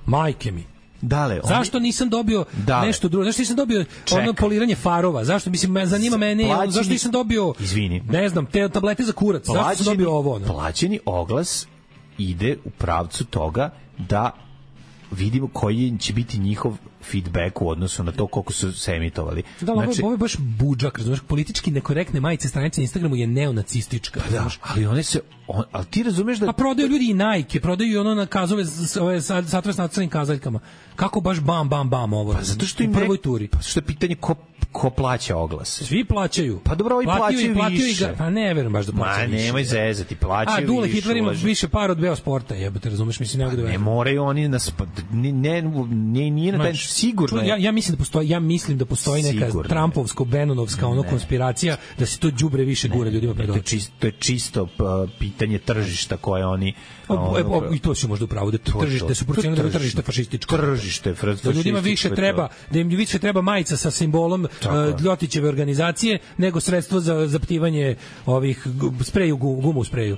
Majke mi. Zašto nisam dobio nešto drugo? Zašto nisam dobio poliranje farova? Zašto? Mislim, zanima mene, zašto nisam dobio, ne znam, te tablete za kurac? Zašto sam dobio ovo? Plaćeni oglas ide u pravcu toga da vidimo koji će biti njihov feedback u odnosu na to koliko su se emitovali. Ovo je baš budžak, razumiješ, politički nekorektne majice stranice na Instagramu je neonacistička. Ali one se ali ti razumeš da... A prodaju ljudi i Nike, prodaju ono na kazove, ove satove s nacrtanim kazaljkama. Kako baš bam ovo? Pa zato što im u prvoj turi. Pa što je pitanje ko plaća oglase? Svi plaćaju. Pa dobro, ovi plaćaju više. Pa ne verujem baš da plaćaju više. Nemoj zezati, plaćaju više. A Dule Hitler ima više para od Beosporta, jebote, razumeš, mislim ne mogu da verujem. Ne moraju oni nas nije na taj sigurno. Ja mislim da postoji neka Trumpovsko Benonovska ono konspiracija da se to đubre više gura ljudima pred oči. To je čisto pitanje tržišta koje oni i to se možda upravo da tržište su procenili da tržište fašističko. Tržište da ljudima više treba, da im više treba majica sa simbolom Ljotićeve organizacije nego sredstvo za zaptivanje ovih spreju, gumu u spreju.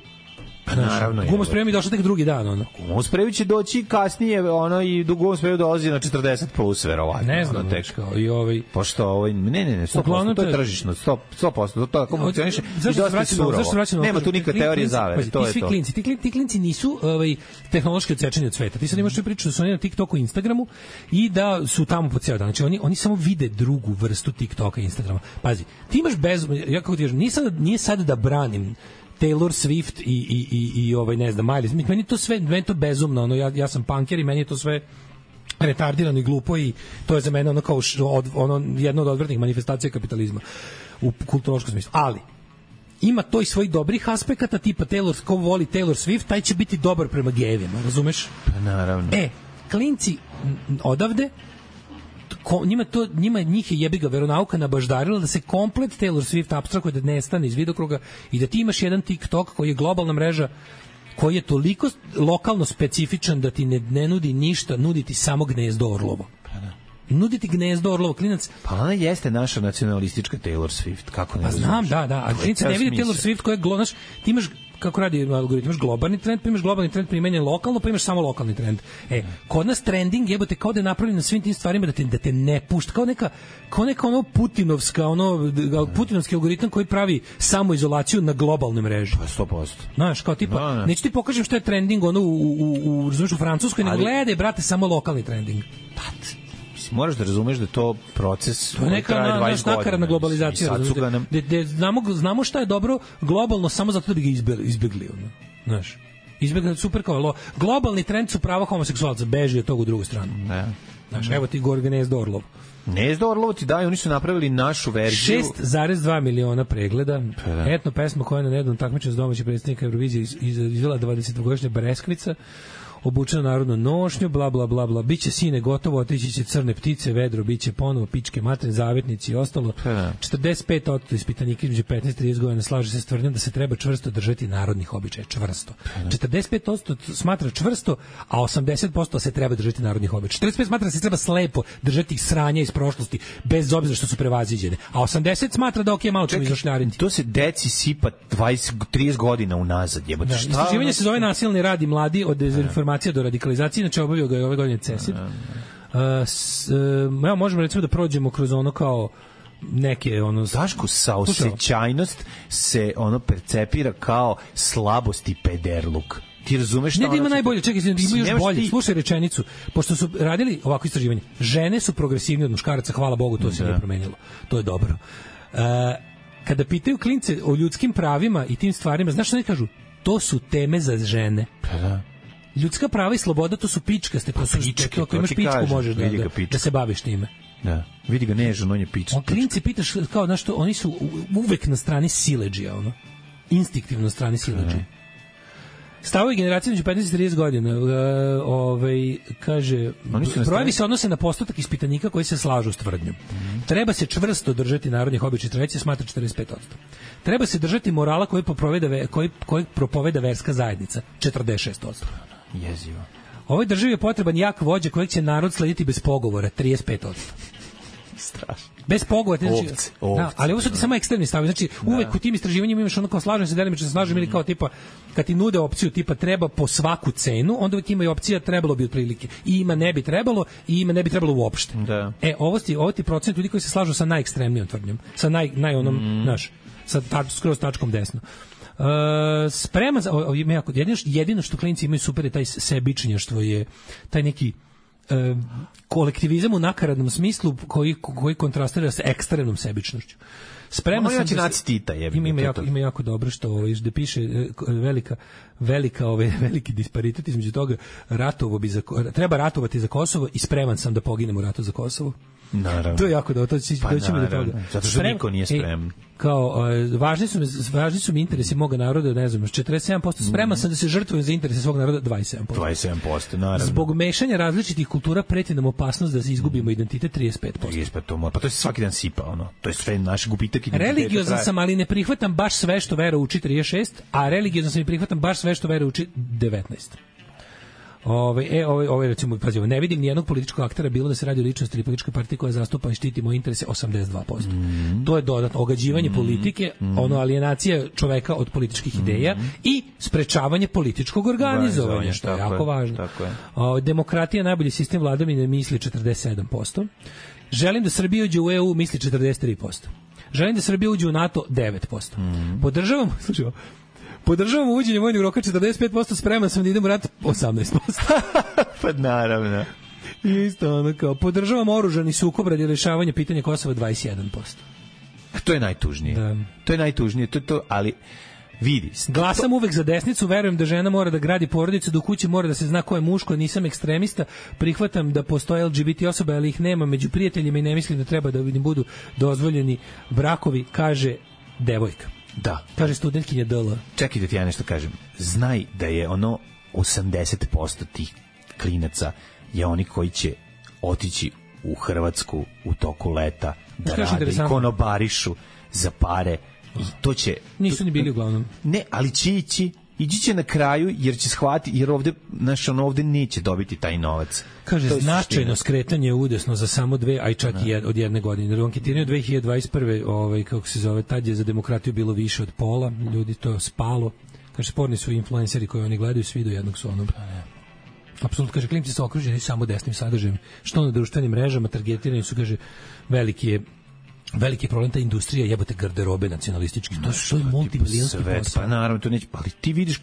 Pa naravno je. Gumu spreju mi došao tek drugi dan, ono. Gumu spreju će doći kasnije, ono, i do gumu spreju dolazi na 40 plus, verovatno. Ne znam, kao i ovaj... Pošto ovaj, ne, 100%, to je tržišno, 100%, to tako funkcioniše i dosta surovo. Nema tu nikakve teorije zavere, to je to. Ti klinci nisu tehnološki odsečeni od sveta. Ti sad imaš priču da su oni na TikToku i Instagramu i da su tamo po ceo dan. Znači, oni samo vide drugu vrstu TikToka i Instagrama. Pazi, ti imaš ja kako ti kažem, nije sad da branim Taylor Swift i ovaj ne znam Miley, meni je to bezumno, ono ja sam punker i meni je to sve retardirano i glupo i to je za mene ono kao jedna od odvratnih manifestacija kapitalizma u kulturološkom smislu. Ali ima to i svojih dobrih aspekata, tipa ko voli Taylor Swift, taj će biti dobar prema gejevima, razumeš? Pa naravno. Klinci odavde njih je jebiga veronauka nabaždarila da se komplet Taylor Swift apstrakuje, da nestane iz vidokruga i da ti imaš jedan TikTok koji je globalna mreža, koji je toliko lokalno specifičan da ti ne nudi ništa, nudi ti samo gnezdo orlovo. Nuditi gnezdo orlovo, klinac. Pa ona jeste naša nacionalistička Taylor Swift, kako ne razumiješ? Znam, da, a klinac ne vidi Taylor Swift koja je globalna, ti imaš kako radi algoritam, imaš globalni trend, pa imaš globalni trend primenjen lokalno, pa imaš samo lokalni trend. Kod nas trending jebote kao da je napravljen na svim tim stvarima da te ne pušta, kao neka ono putinovski algoritam koji pravi samoizolaciju na globalnoj mreži. Pa 100%. Znaš, kao tipa, neću ti pokažem šta je trending ono u Francuskoj, nego gledaj, brate, samo lokalni trending. Moraš da razumeš da to proces to je neka nakaradna globalizacija. Znamo šta je dobro globalno samo zato da bi ga izbjegli. Znaš, izbjegli super kao globalni trend su prava homoseksualca, beži od toga u drugu stranu. Znaš, evo ti gore Gnezdo Orlov. Gnezdo Orlov ti daju, oni su napravili našu verziju. 6,2 miliona pregleda. Etno pesma koja je na nedavnom takmičenju s domaćih predstavnika Eurovizije izvela 20-godišnja Breskvica, obučena narodnu nošnju, bla, bla, bla, bla, biće sine gotovo, otići će crne ptice, vedro, biće ponovo pičke, materne, zavetnici i ostalo. 45% ispitanika između 15 i 30 godina slaže se s tvrdnjom da se treba čvrsto držati narodnih običaja, čvrsto. 45% smatra čvrsto, a 80% se treba držati narodnih običaja. 45% smatra da se treba slepo držati sranja iz prošlosti, bez obzira što su prevaziđene. A 80% smatra da malo ćemo izašljarinti. To se deci sipa 20-30 godina unazad. Istraživanje se zove nasilni rad i mladi od dezinformacije do radikalizacije, znači obavio ga je ove godine CESID. Možemo recimo da prođemo kroz ono kao neke ono Daško, saosećajnost se ono percepira kao slabost i pederluk. Ti razumeš šta? Ne da ima najbolje, čekaj, ima još bolje. Slušaj rečenicu, pošto su radili ovako istraživanje, žene su progresivnije od muškaraca, hvala Bogu, to se nije promenilo. To je dobro. Kada pitaju klince o ljudskim pravima i tim stvarima, znaš šta oni kažu? To su teme za žene. Pa da. Ljudska prava i sloboda, to su pičkaste, to su pičke, ako imaš pičku možeš da se baviš time. Da, vidi ga nežan, on je pička. Klinci pitaš, kao, znaš što, oni su uvek na strani siledžija, ono, instinktivno na strani siledžija. Stavovi generacije među 15 i 30 godina, kaže, brojevi se odnose na postotak ispitanika koji se slažu s tvrdnjom. Treba se čvrsto držati narodnih običaja, treće smatra 45%. Treba se držati morala koji propoveda verska zajednica, 46%. Jezivo. Ovoj državi je potreban jak vođa kojeg će narod slediti bez pogovora, 35%. Strašno. Bez pogovora, znači, ali ovo su ti samo ekstremni stavovi. Znači, uvek u tim istraživanjima imaš ono kao slažem se, delimično se slažem, ili kao tipa kad ti nude opciju tipa treba po svaku cenu, onda uvek ima i opcija trebalo bi otprilike. I ima ne bi trebalo, i ima ne bi trebalo uopšte. Da. Ovo ti procent ljudi koji se slažu sa najekstremnijom tvrdnjom, sa naj onom, znaš, sa skroz tačkom desno. Sprema za jedino što klinci imaju super je taj sebičnjaštvo, je taj neki kolektivizam u nakaradnom smislu koji kontrastira sa ekstremnom sebičnošću. Spreman sam da Tita, ima jako dobro što da piše veliki disparitet između toga treba ratovati za Kosovo i spreman sam da poginem u ratu za Kosovo. Naravno. To je jako dobro, doćemo do toga. Zato što niko nije spreman. Kao, važni su mi interesi moga naroda, ne znam, 47%, spreman sam da se žrtvujem za interese svog naroda, 27%. 27%, naravno. Zbog mešanja različitih kultura preti nam opasnost da se izgubimo identitet, 35%. 35%, pa to se svaki dan sipa, ono. To je sve naš gubitak identiteta. Religiozan sam, ali ne prihvatam baš sve što vera uči, 36%, a religiozan sam i prihvatam baš sve što vera uči, 19%. Recimo, pazi, ne vidim ni jednog političkog aktera, bilo da se radi o ličnosti ili političkoj partiji koja zastupa i štiti moje interese, 82%. To je dodatno ogađivanje politike, alienacija čoveka od političkih ideja i sprečavanje političkog organizovanja, što je jako važno. Demokratija, najbolji sistem vladavine, misli 47%. Želim da Srbija uđe u EU, misli 43%. Želim da Srbija uđe u NATO, 9%. Podržavam uvođenje vojnog roka 45%, spreman sam da idem u rat 18%. Pa naravno. I isto ono kao, podržavam oružani sukob radi rešavanja pitanja Kosova 21%. To je najtužnije. Da. To je najtužnije, ali vidi. Glasam uvek za desnicu, verujem da žena mora da gradi porodicu, da u kući mora da se zna ko je muško, nisam ekstremista, prihvatam da postoje LGBT osobe, ali ih nema među prijateljima i ne mislim da treba da im budu dozvoljeni brakovi, kaže devojka. Da. Kaže studentkinja DL. Čekaj da ti ja nešto kažem. Znaj da je 80% tih klinaca je oni koji će otići u Hrvatsku u toku leta da rade i konobarišu za pare i to će... Nisu ni bili uglavnom. Ne, ali će ići će na kraju jer će shvatiti, jer ovde neće dobiti taj novac. Kaže, značajno skretanje udesno za samo 2, a i čak i od jedne godine. Jer u anketiraju 2021. Kako se zove, tad je za demokratiju bilo više od pola, ljudi to spalo. Kaže, sporni su influenceri koji oni gledaju, svi do jednog su onog. Apsolutno, kaže, klinci su okruženi samo desnim sadržajem. Što na društvenim mrežama, targetirani su, kaže, veliki problem ta industrija, jebote, garderobe nacionalistički. To je multimilijonski posao. Pa naravno, to neće, ali ti vidiš,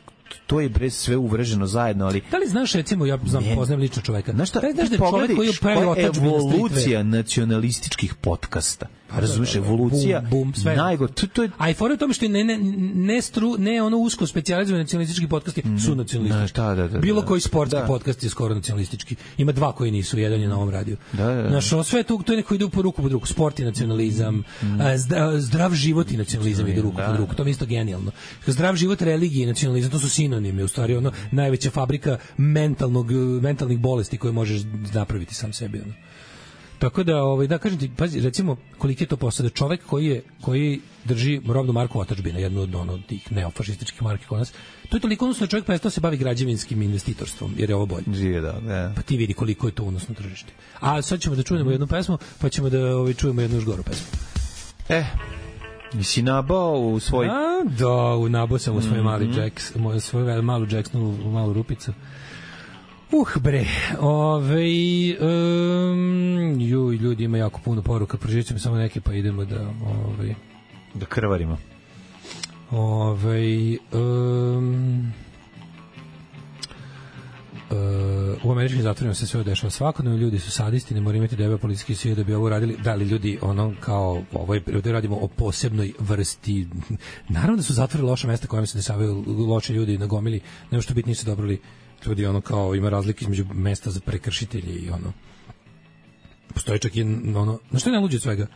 to je bre sve uvrženo zajedno, ali... Da li znaš, recimo, ja poznajem lično čoveka. Znaš šta, ti pogledaj što je evolucija nacionalističkih podcasta. Razumiješ, evolucija najgore. A i fora je tome što ne ono usko specijalizovani nacionalistički podcasti su nacionalistički. Bilo koji sportski podcast je skoro nacionalistički. Ima 2 koji nisu, jedan je na ovom radiju. Znaš, sve to je neko ide po ruku pod ruku. Sport i nacionalizam, zdrav život i nacionalizam ide ruku pod ruku. To je isto genijalno. Zdrav život, religija i nacionalizam, to su sinonimi. U stvari, najveća fabrika mentalnih bolesti koje možeš napraviti sam sebi. Tako da kažem ti, pazi, recimo, koliki je to posao da čovek koji drži robnu marku otadžbina, jednu od tih neofašističkih marki kod nas, to je toliko unosno čovjek prestao se bavi građevinskim investitorstvom, jer je ovo bolje. Pa ti vidi koliko je to unosno tržište. A sad ćemo da čujemo jednu pesmu, pa ćemo da čujemo jednu još goru pesmu. Nisi nabao u svoj... Nabao sam u svoj mali Jacks, svoju malu Jacksonu, malu rupicu. Bre, ljudi, ima jako puno poruka, proživit ćemo samo neke, pa idemo da krvarimo. U američkim zatvorima se sve dešava svakodnevno, ljudi su sadisti, ne moraju imati debel policijski svi da bi ovo radili. Da li ljudi, ovdje radimo o posebnoj vrsti, naravno da su zatvori loša mesta kojima se dešavaju loše ljudi na gomili, nema što biti nisu dobrali ljudi, kao ima razlike između mesta za prekršitelje i postoji čak i na što je najluđe od svega,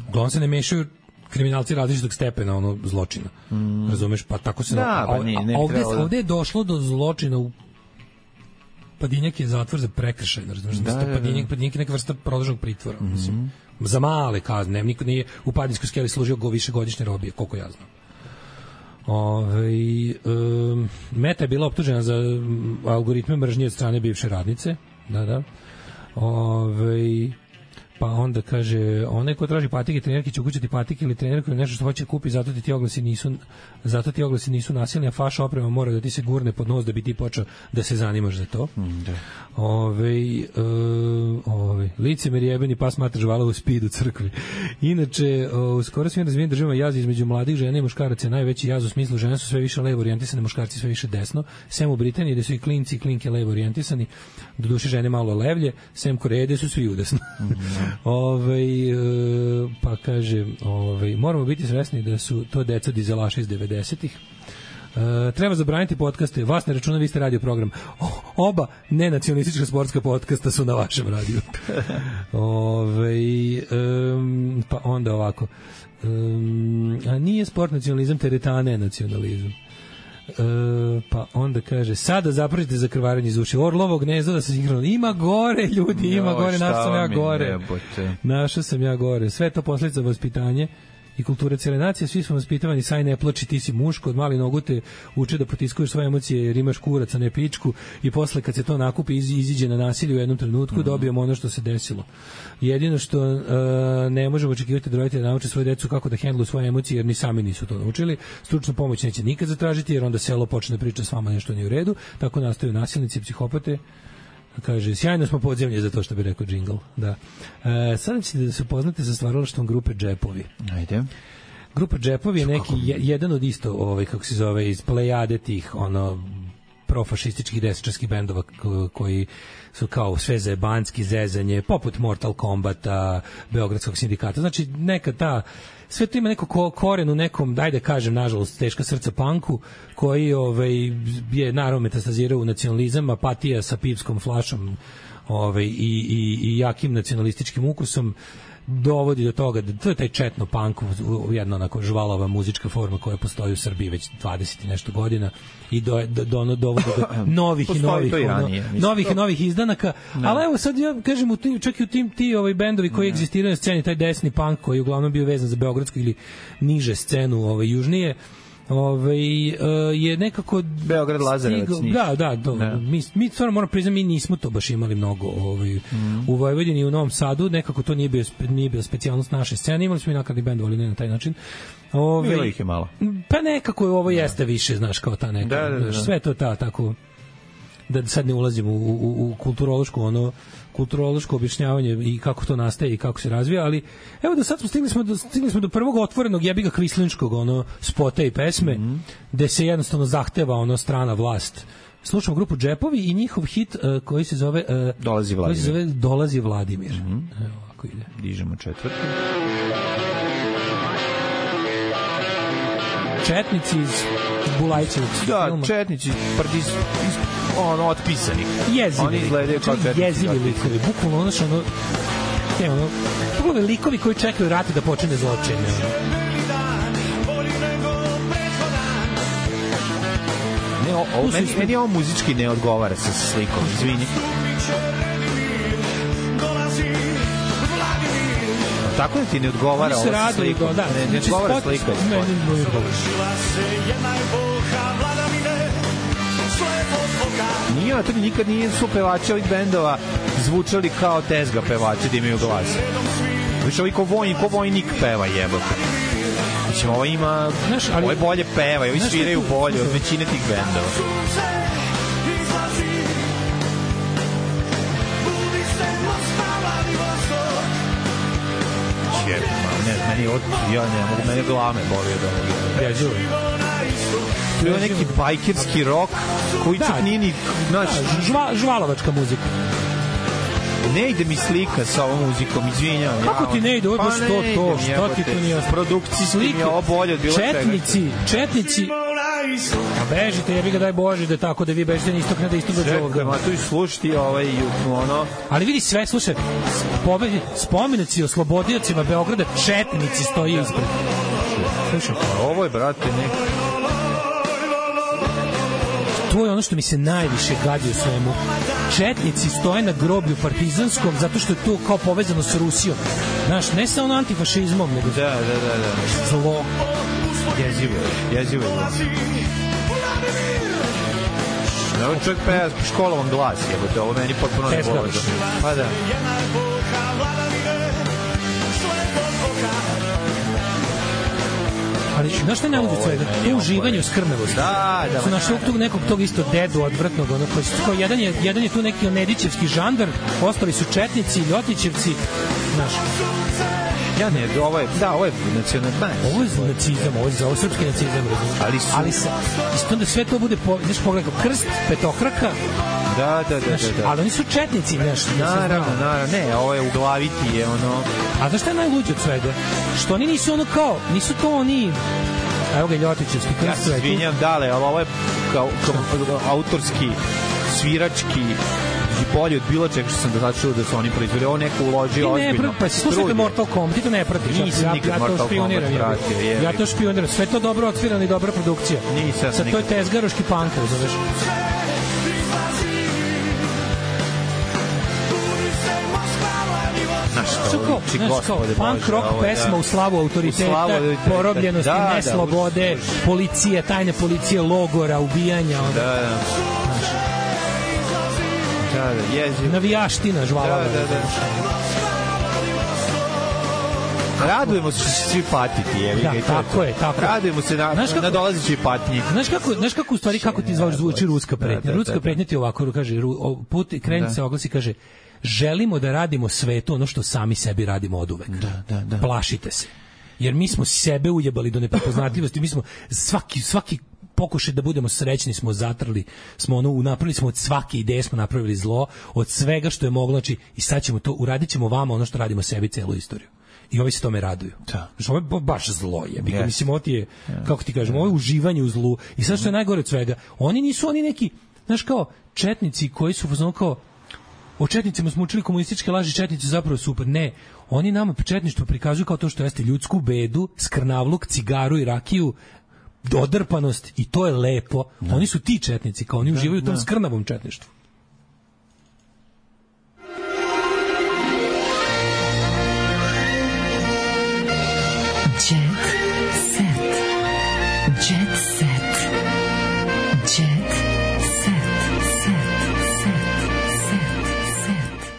uglavnom se ne mešaju kriminalci različitog stepena zločina, razumeš, pa tako se ovde je došlo do zločina u Padinjak je zatvor za prekršaj, razumeš, Padinjak je neka vrsta produženog pritvora, za male kazne, niko nije u Padinskoj skeli služio višegodišnje robije, koliko ja znam. Meta je bila optužena za algoritme mržnje od strane bivše radnice. Pa onda kaže, onaj ko traži patike, trenerki će ukućati patike ili trenerku ili nešto što hoće kupi, zato ti oglasi nisu nasilni, a faša oprema mora da ti se gurne pod nos da bi ti počeo da se zanimaš za to. Licemer jebeni pas matra žvala u speed u crkvi. Inače, u skoro svim razvijenim državama jaz između mladih žena i muškaraca je najveći jaz u smislu žene su sve više levo orijentisane, muškarci sve više desno. Sem u Britaniji gde su i klinci i klinke levo orijentisani, doduše žene malo levlje, sem Koreje gde su svi udesno. Pa kaže, moramo biti svesni da su to deca dizelaša iz 90-ih. Treba zabraniti podcaste, vas ne računa, vi ste radio program. Oba nenacionalistička sportska podcasta su na vašem radiju. Pa onda ovako, a nije sport nacionalizam, teretana je nacionalizam. Pa onda kaže, sada zapražite za krvarenje iz uši. Orlovo gnezdo da se sinhrono. Ima gore, ljudi, ima gore, našao sam ja gore. Našao sam ja gore. Sve to posljedica vaspitanje i kulture cijele nacije, svi smo vaspitavani, saj ne plači, ti si muško, od mali nogu te uče da potiskuješ svoje emocije jer imaš kurac, a ne pičku, i posle kad se to nakupi iziđe na nasilje u jednom trenutku, dobijemo ono što se desilo. Jedino što ne možemo očekivati da roditelji nauče svoje decu kako da hendluju svoje emocije jer ni sami nisu to naučili. Stručnu pomoć neće nikad zatražiti jer onda selo počne da priča s vama nešto nije u redu, tako nastaju nasilnici i psihopate. Kaže, sjajno smo podzemlje za to što bi rekao džingl. Da. Sada ćete da se upoznate sa stvaralaštvom grupe Džepovi. Ajde. Grupa Džepovi je neki, jedan od isto, kako se zove, iz plejade tih, profašističkih desničarskih bendova koji su kao sve zajebanski zezanje, poput Mortal Kombata, Beogradskog sindikata. Znači, neka ta, sve to ima neko koren u nekom, dajde kažem, nažalost, teška srca punku, koji je naravno metastazirao u nacionalizam, apatija sa pivskom flašom i jakim nacionalističkim ukusom dovodi do toga da to je taj četno punk, jedna onako žvalava muzička forma koja postoji u Srbiji već 20 i nešto godina i dovodi do novih i novih izdanaka. Ali evo sad ja kažem, čak i u ti bendovi koji egzistiraju na sceni, taj desni punk koji je uglavnom bio vezan za beogradsku ili niže scenu južnije, je nekako Beograd Lazarevac. Mi stvarno moramo priznati, mi nismo to baš imali mnogo u Vojvodini i u Novom Sadu, nekako to nije bio specijalnost naše scene, imali smo i nakladni bend, ali ne na taj način. Bilo ih je malo. Pa nekako ovo jeste više, znaš, kao ta neka, sve to tako, da sad ne ulazimo u kulturološko objašnjavanje i kako to nastaje i kako se razvija, ali evo da sad stigli smo do prvog otvorenog jebiga kvislinškog spota i pesme, gde se jednostavno zahteva strana vlast. Slušamo grupu Džepovi i njihov hit koji se zove Dolazi Vladimir. Evo ovako ide. Dižemo četvrti. Četnici iz Bulajićevog filma. Da, četnici otpisanih. Jezivi. Oni izgledaju kao četnici. Jezivi likovi. Bukvalno pogledaj likovi koji čekaju rati da počne zločine. Meni ovo muzički ne odgovara sa slikom, izvini. Tako da ti ne odgovara ovo sa slikom. Ne odgovara slika. Nije, to nikad nije su pevači ovih bendova zvučali kao tezga pevači da imaju glas. Više ovi ko vojnik peva, jebote. Mislim, ovo ima, ovo je bolje peva, ovi sviraju bolje od većine tih bendova. Mene glave boli od ovoga. Jezivo. To je neki bajkerski rock koji čak nije ni... Žvalovačka muzika. Ne ide mi slika sa ovom muzikom, izvinjam. Kako ti ne ide? Ovo je baš to, šta ti to nije? Produkcijski mi je ovo bolje od bilo Četnici. A bežite, jebi ga, daj Bože, da tako da vi bežite na istok, ne da istok dođe ovog. Čekaj, ma tu i slušati Ali vidi sve, slušaj, spomenici oslobodiocima Beograda, četnici stoji ispred. Slušaj. Ovo je, brate, neko... To je ono što mi se najviše gadi u svemu. Četnici stoje na groblju partizanskom zato što je to kao povezano s Rusijom. Znaš, ne sa antifašizmom, nego... Da. Zlo. Jezivo je. Ovo čovjek peva školovan glas, jebote, ovo meni potpuno ne povezano. Pa da. Ali znaš šta je najluđe od svega? To uživanje u skrnavosti. Da. Su našli nekog tog isto dedu odvrtnog, ono koji kao jedan je tu neki nedićevski žandar, ostali su četnici, ljotićevci, znaš. Ja ne, ovo je nacionalizam. Ovo je nacizam, ovo je srpski nacizam, razumiješ. Ali isto da sve to bude, znaš, pogledaj, krst, petokraka. Da. Ali oni su četnici, nešto. Naravno, ne, ovo je u glavi ti je ono... A znaš šta je najluđe od svega? Što oni nisu ono kao, nisu to oni... Evo ga Ljotićevski krst. Ja se izvinjam, dale, ali ovo je kao autorski, svirački i bolje od bilo čega što sam da začuo da su oni proizveli. Ovo neko uložio ozbiljno. Pa si slušajte Mortal Kombat, ti to ne pratiš. Nisam nikad Mortal Kombat pratio. Ja to špioniram. Sve to dobro odsvirano i dobra produkcija. Nisam. Sad to je tezgaroški punk, razumeš? Punk rock pesma u slavu autoriteta, porobljenosti, neslobode, policije, tajne policije, logora, ubijanja. Navijaština, žvala. Radujemo se što će svi patiti. Da, tako je. Radujemo se na dolazećoj patnji. Znaš kako u stvari, kako ti zvuči ruska pretnja? Ruska pretnja ti ovako kaže, kreni se oglasi, kaže, želimo da radimo svetu ono što sami sebi radimo oduvek. Da. Plašite se. Jer mi smo sebe ujebali do neprepoznatljivosti, mi smo svaki pokušaj da budemo srećni smo zatrli, smo napravili smo od svake ideje, smo napravili zlo, od svega što je moglo, znači i sad ćemo to, uradit ćemo vama ono što radimo sebi celu istoriju. I ovi se tome raduju. Znači, ovo je baš zlo je. Yes. Mislim, ovo ti je, kako ti kažem, ovo je uživanje u zlu. I sad što je najgore od svega, oni nisu oni neki, znaš kao, četnici koji su kao, o četnicima smo učili komunističke laži, četnici zapravo super. Ne, oni nama četništvo prikazuju kao to što jeste ljudsku bedu, skrnavluk, cigaru i rakiju, dodrpanost i to je lepo. Oni su ti četnici, kao oni uživaju u tom skrnavom četništvu.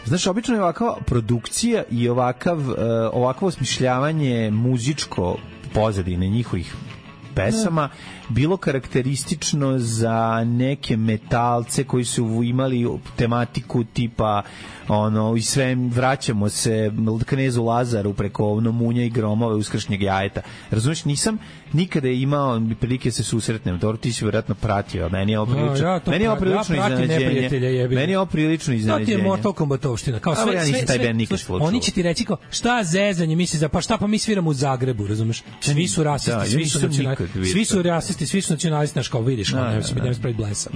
Znaš, obično je ovakva produkcija i ovakvo osmišljavanje muzičko pozadine njihovih pesama bilo karakteristično za neke metalce koji su imali tematiku tipa i sve vraćamo se Knezu Lazaru preko Munja i Gromove uskršnjeg jajeta. Razumiješ, nisam nikada imao prilike se susretnem. Dobro, ti si vjerojatno pratio, meni je ovo prilično iznenađenje. Meni je ovo prilično iznenađenje. To ti je Mortal Kombatovština. Ja nisam taj band nikad slučao. Oni će ti reći kao, šta zezanje misli za, pa šta pa mi sviramo u Zagrebu, razumeš? Svi su rasisti, svi su rasisti, svi su nacionalisti, znaš, kao vidiš, ne se pravi blesav.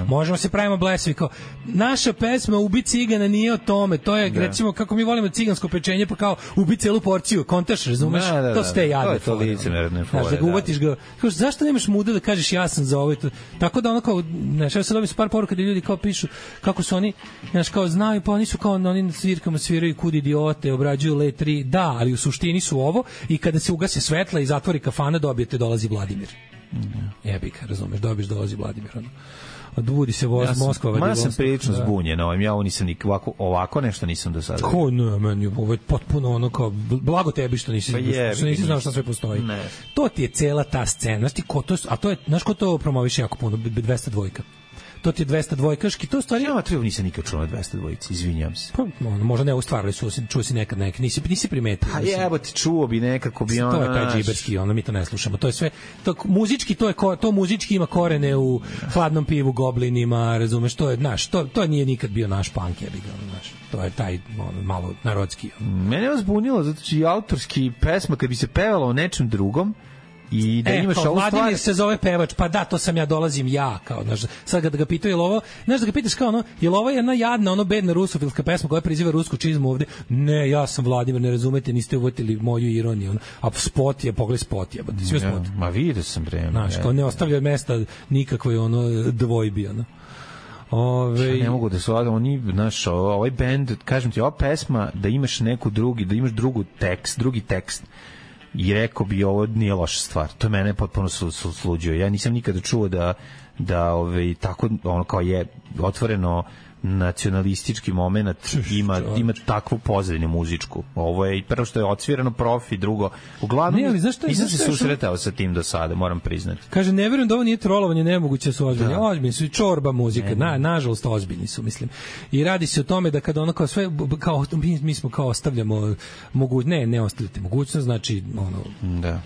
Možemo se pravimo blesavi, kao, naša pesma Ubi cigana nije o tome, to je, recimo, kako mi volimo cigansko pečenje, pa kao, ubi celu porciju, kontaš, razumeš? To ste jadne fore. Znaš, da ga uvatiš ga, kao, zašto nemaš muda da kažeš ja sam za ovo i to? Tako da ono kao, znaš, ja sad dobim par poruka da ljudi kao pišu, kako su oni, znaš, kao, znaju, pa oni su kao, oni na svirkama sviraju kud idiote, obrađuju letri, da, ali u suštini su ovo i kada se ugase svetla i zatvori kafana, dobijete dolazi Vladimir. Jebika, razumeš, dobiješ dolazi Vladimir. Odbudi se Moskva. Ja sam prilično zbunjen, ja ovo nisam ovako nešto nisam do sada. Ko ne, meni ovo je potpuno ono kao, blago tebi što nisi znao šta sve postoji. Ne. To ti je cela ta scena, znaš ti ko to, a to je, znaš ko to promoviše jako puno, 202. To ti je 202-kaški, to stvari... Ja nisam nikad čuo na 202-ici, izvinjam se. Pa, možda ne ustvarali su, čuo si nekad neki, nisi primetio. A jebote, čuo bi nekako bi ono... To je taj džiberski, mi to ne slušamo. To je sve, muzički, to muzički ima korene u Hladnom pivu, Goblinima, razumeš, to je, znaš, to nije nikad bio naš punk, znaš. To je taj malo narodski. Mene je zbunilo, zato će i autorski pesma, kad bi se pevalo o nečem drugom, i da imaš ovu stvar... Vladimir se zove pevač, pa da, to sam ja, dolazim ja, kao, znaš, sad da ga pitaju, je li ovo, znaš, da ga pitaš kao, je li ovo jedna jadna, bedna rusofilska pesma koja priziva rusku čizmu ovde? Ne, ja sam Vladimir, ne razumete, niste uvatili moju ironiju, a spot je, pogledaj spot je, sve spot. Ma vidio sam vreme. Znaš, kao ne ostavlja mesta nikakvoj, dvojbi, ne mogu da se oni, znaš, ovaj bend, kažem ti, ova pesma, da imaš drugi tekst, i rekao bi ovo nije loša stvar. To je mene potpuno sluđio. Ja nisam nikada čuo da tako ono kao je otvoreno nacionalistički moment ima takvu pozadinu muzičku. Ovo je prvo što je odsvirano profi, drugo uglavnom nisam se susretao sa tim do sada, moram priznati. Kaže, ne verujem da ovo nije trolovanje, nemoguće su ozbiljni. Ozbiljni su i čorba muzika, nažalost ozbiljni su, mislim. I radi se o tome da kada ono kao sve, kao, mi smo kao ostavljamo ne ostavljate mogućnost, znači ono... Da.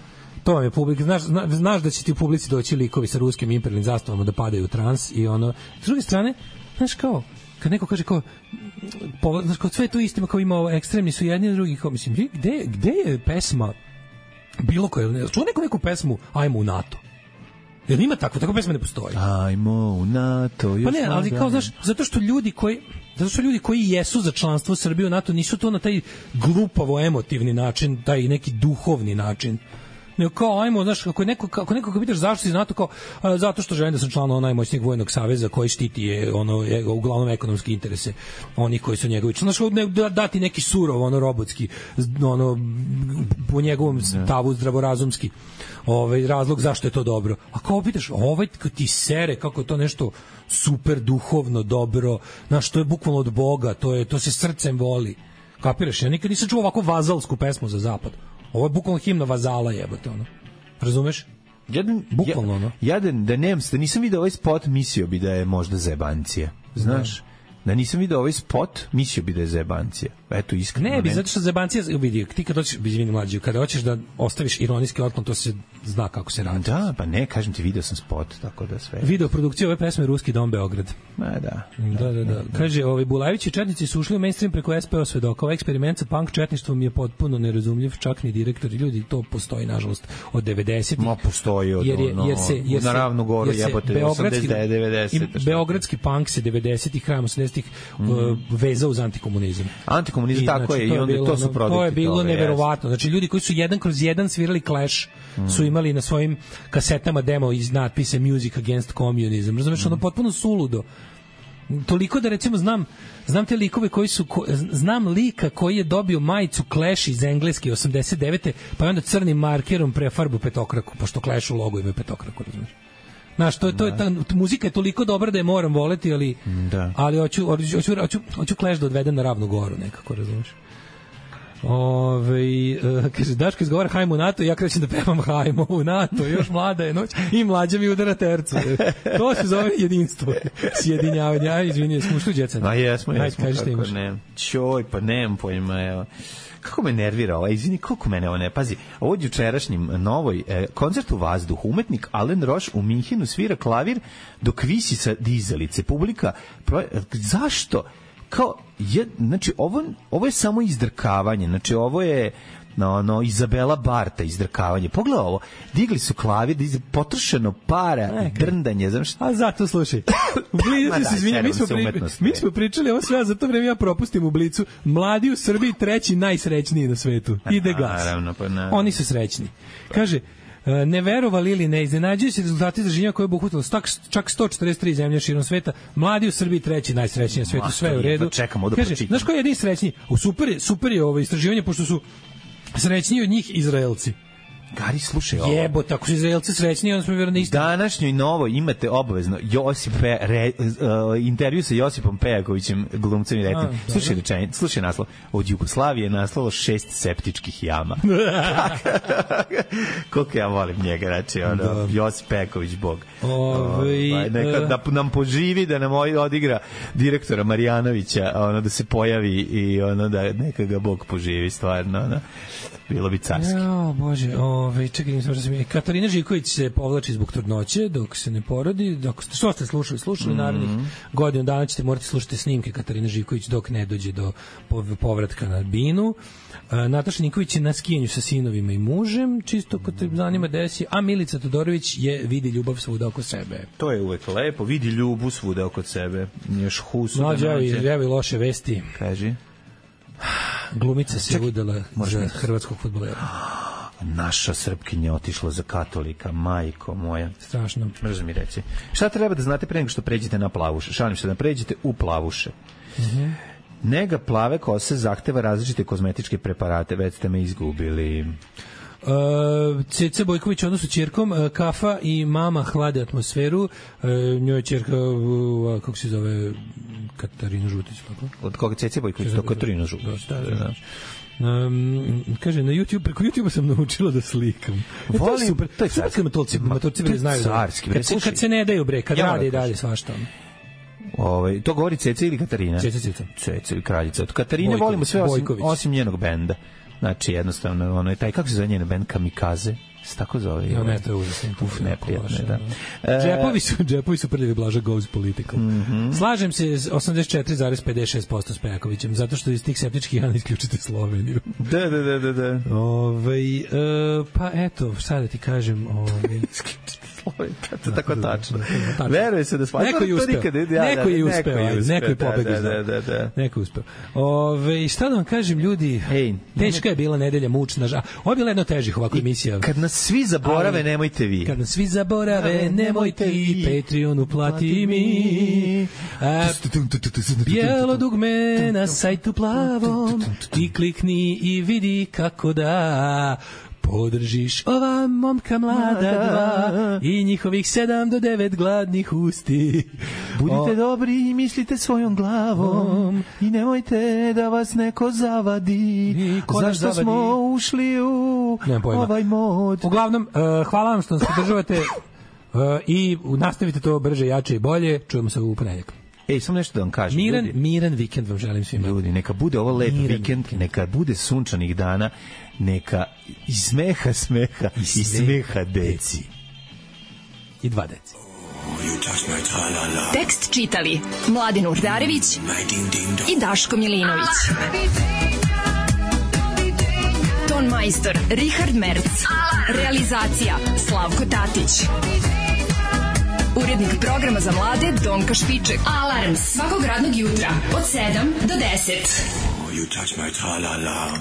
To vam je publika, znaš da će ti u publici doći likovi sa ruskim imperialnim zastavama da padaju u trans i ono, s druge strane, znaš kao, kad neko kaže kao, znaš kao, sve je to istima, kao ima ovo, ekstremni su jedni i drugi, kao, mislim, gde je pesma bilo koja, čuo neku pesmu Ajmo u NATO? Jer ima takva pesma ne postoji. Ajmo u NATO. Pa ne, ali kao, znaš, zato što ljudi koji jesu za članstvo Srbije u NATO nisu to na taj glupavo emotivni način, taj neki duhovni način. Nego kao, ajmo, znaš, ako neko pitaš zašto si NATO, kao, zato što želim da sam član najmoćnijeg vojnog saveza koji štiti uglavnom ekonomske interese onih koji su njegovi. Znaš, dati neki surov, robotski, po njegovom stavu zdravorazumski razlog zašto je to dobro. A kao pitaš, ti sere, kako je to nešto super duhovno dobro, znaš, to je bukvalno od Boga, to se srcem voli. Kapiraš, ja nikad nisam čuo ovako vazalsku pesmu za zapad. Ovo je bukvalno himna vazala, jebote, ono. Razumeš? Bukvalno, ono. Da nisam vidio ovaj spot, mislio bi da je možda zebancija. Znaš? Da nisam vidio ovaj spot, mislio bi da je zebancija. Eto, iskreno. Ne bi, zato što zebancija, vidi, ti kad hoćeš, izvini mlađi, kada hoćeš da ostaviš ironijski otklon, to se zna kako se radi. Da, pa ne, kažem ti, video sam spot, tako da sve. Video produkcija ove pesme Ruski dom Beograd. Da. Kaže, Bulajević i četnici su ušli u mainstream preko SPO svedoka. Ovaj eksperiment sa punk četništvom je potpuno nerazumljiv, čak ni direktori ljudi, to postoji, nažalost, od 90-ih. Ma, postoji od na Ravnu Goru, jebote, 89-90. Beogradski punk se 90-ih, krajem 80-ih vezao uz antikomunizam. Antikomunizam, tako je, i onda to su produkti. To je bilo neverovatno. Znači, ljudi koji su jedan kroz jedan svirali Clash su imali na svojim kasetama demo iz natpise Music Against Communism. Razumeš, ono potpuno suludo. Toliko da, recimo, znam te likove koji su, znam lika koji je dobio majicu Clash iz Engleske 89. pa je onda crnim markerom prefarbu petokraku, pošto Clash u logo ima petokraku, razumeš. Znaš, muzika je toliko dobra da je moram voleti, ali hoću Clash da odvedem na Ravnu Goru nekako, razumiješ. Kaže, Daško izgovara hajmo u NATO, ja krećem da pevam hajmo u NATO, još mlada je noć i mlađa mi udara tercu. To se zove jedinstvo, sjedinjavanje. Izvini, smo ušli u djecenu. A jesmo, kako ne. Čoj, pa nemam pojma, evo. Kako me nervira ovo, izvini, koliko mene ovo ne, pazi, ovo je jučerašnjim novoj koncert u vazduhu, umetnik Alain Roche u Minhenu svira klavir dok visi sa dizalice, publika, zašto? Kao, znači, ovo je samo izdrkavanje, znači, ovo je Izabela Barta izdrkavanje. Pogledaj ovo, digli su klavir, potrošeno para, drndanje, znaš. A zato, slušaj, u Blicu se izvinja, mi smo pričali ovo sve, a za to vreme ja propustim u Blicu, mladi u Srbiji treći najsrećniji na svetu. Ide gas. Oni su srećni. Kaže, ne verovali ili ne, iznenađuju se rezultati istraživanja koje je obuhvatilo čak 143 zemlje širom sveta, mladi u Srbiji treći najsrećniji na svetu, sve u redu. Kaže, znaš ko je jedini srećniji? Super je ovo istraživanje, pošto su srećniji od njih Izraelci. Gari, slušaj ovo. Jebote, ako su Izraelci srećni, onda smo vjerno isti. Današnjoj novoj imate obavezno intervju sa Josipom Pejakovićem, glumcem i rediteljem. Slušaj naslov. Od Jugoslavije je naslalo 6 septičkih jama. Koliko ja volim njega, znači, Josip Pejaković, bog. Da nam poživi, da nam odigra direktora Marjanovića, da se pojavi i da neka ga bog poživi, stvarno, bilo bi carski. Bože, čekaj, Katarina Živković se povlači zbog trudnoće dok se ne porodi. Što ste slušali narednih godinu dana ćete morati slušati snimke Katarine Živković dok ne dođe do povratka na binu. Nataša Nikolić je na skijanju sa sinovima i mužem, čisto ko te zanima desi, a Milica Todorović vidi ljubav svuda oko sebe. To je uvek lepo, vidi ljubav svuda oko sebe. Još husu. Evo i loše vesti. Kaži. Glumica se udala za hrvatskog fudbalera. Naša Srpkinja otišla za katolika, majko moja. Strašno. Možeš mi reći. Šta treba da znate pre nego što pređete na plavuše? Šalim se da pređete u plavuše. Nega plave kose zahteva različite kozmetičke preparate, već ste me izgubili. Ceca Bojković odnosu ćerkom, kafa i mama hlade atmosferu, njoj je ćerka, kako se zove, Katarina Žutić. Tako? Od koga Ceca Bojković? To Katarina Žutić. Da. Kaže, na YouTube, preko YouTube sam naučila da slikam. Volim, super, to je carski. Matorci bre znaju. Kad se ne daju bre, kad rade i dalje svašta. To govori Ceca ili Katarina? Ceca ili kraljica. Od Katarine volimo sve osim njenog benda. Znači, jednostavno, ono je taj, kako se zove njen bend, Kamikaze? Se tako zove? Ja, ne, to je užasno. Neprijatno, da. Džepovi su prljavi, Blaža goes political. Slažem se s 84,56% s Pejakovićem, zato što iz tih septičkih jana isključite Sloveniju. Da. Pa eto, šta da ti kažem, to je tako tačno. Veruje se da neko je uspeo. Neko je pobegao. Neko je uspeo. Šta da vam kažem, ljudi, teška je bila nedelja, mučna. Ovo je bila jedna od težih ovako emisija. Kad nas svi zaborave, nemojte vi. Kad nas svi zaborave, nemojte vi. Patreon uplati mi. Bijelo dugme na sajtu plavom. Ti klikni i vidi kako da podržiš ova momka mlada dva i njihovih 7 do 9 gladnih usti. Budite dobri i mislite svojom glavom i nemojte da vas neko zavadi. Zašto smo ušli u ovaj mod? Uglavnom, hvala vam što nas podržavate i nastavite to brže, jače i bolje. Čujemo se u ponedjeljak. Samo nešto da vam kažem. Miran vikend vam želim svima. Ljudi, neka bude ovo lep vikend, neka bude sunčanih dana, neka i smeha i smeha deci. I 2 deci. Tekst čitali Mladin Urdarević i Daško Milinović. Ton majstor Richard Merc. Realizacija Slavko Tatić. Urednik programa za mlade Donka Špiček. Alarms svakog radnog jutra od 7 do 10. You touch my tra-la-la.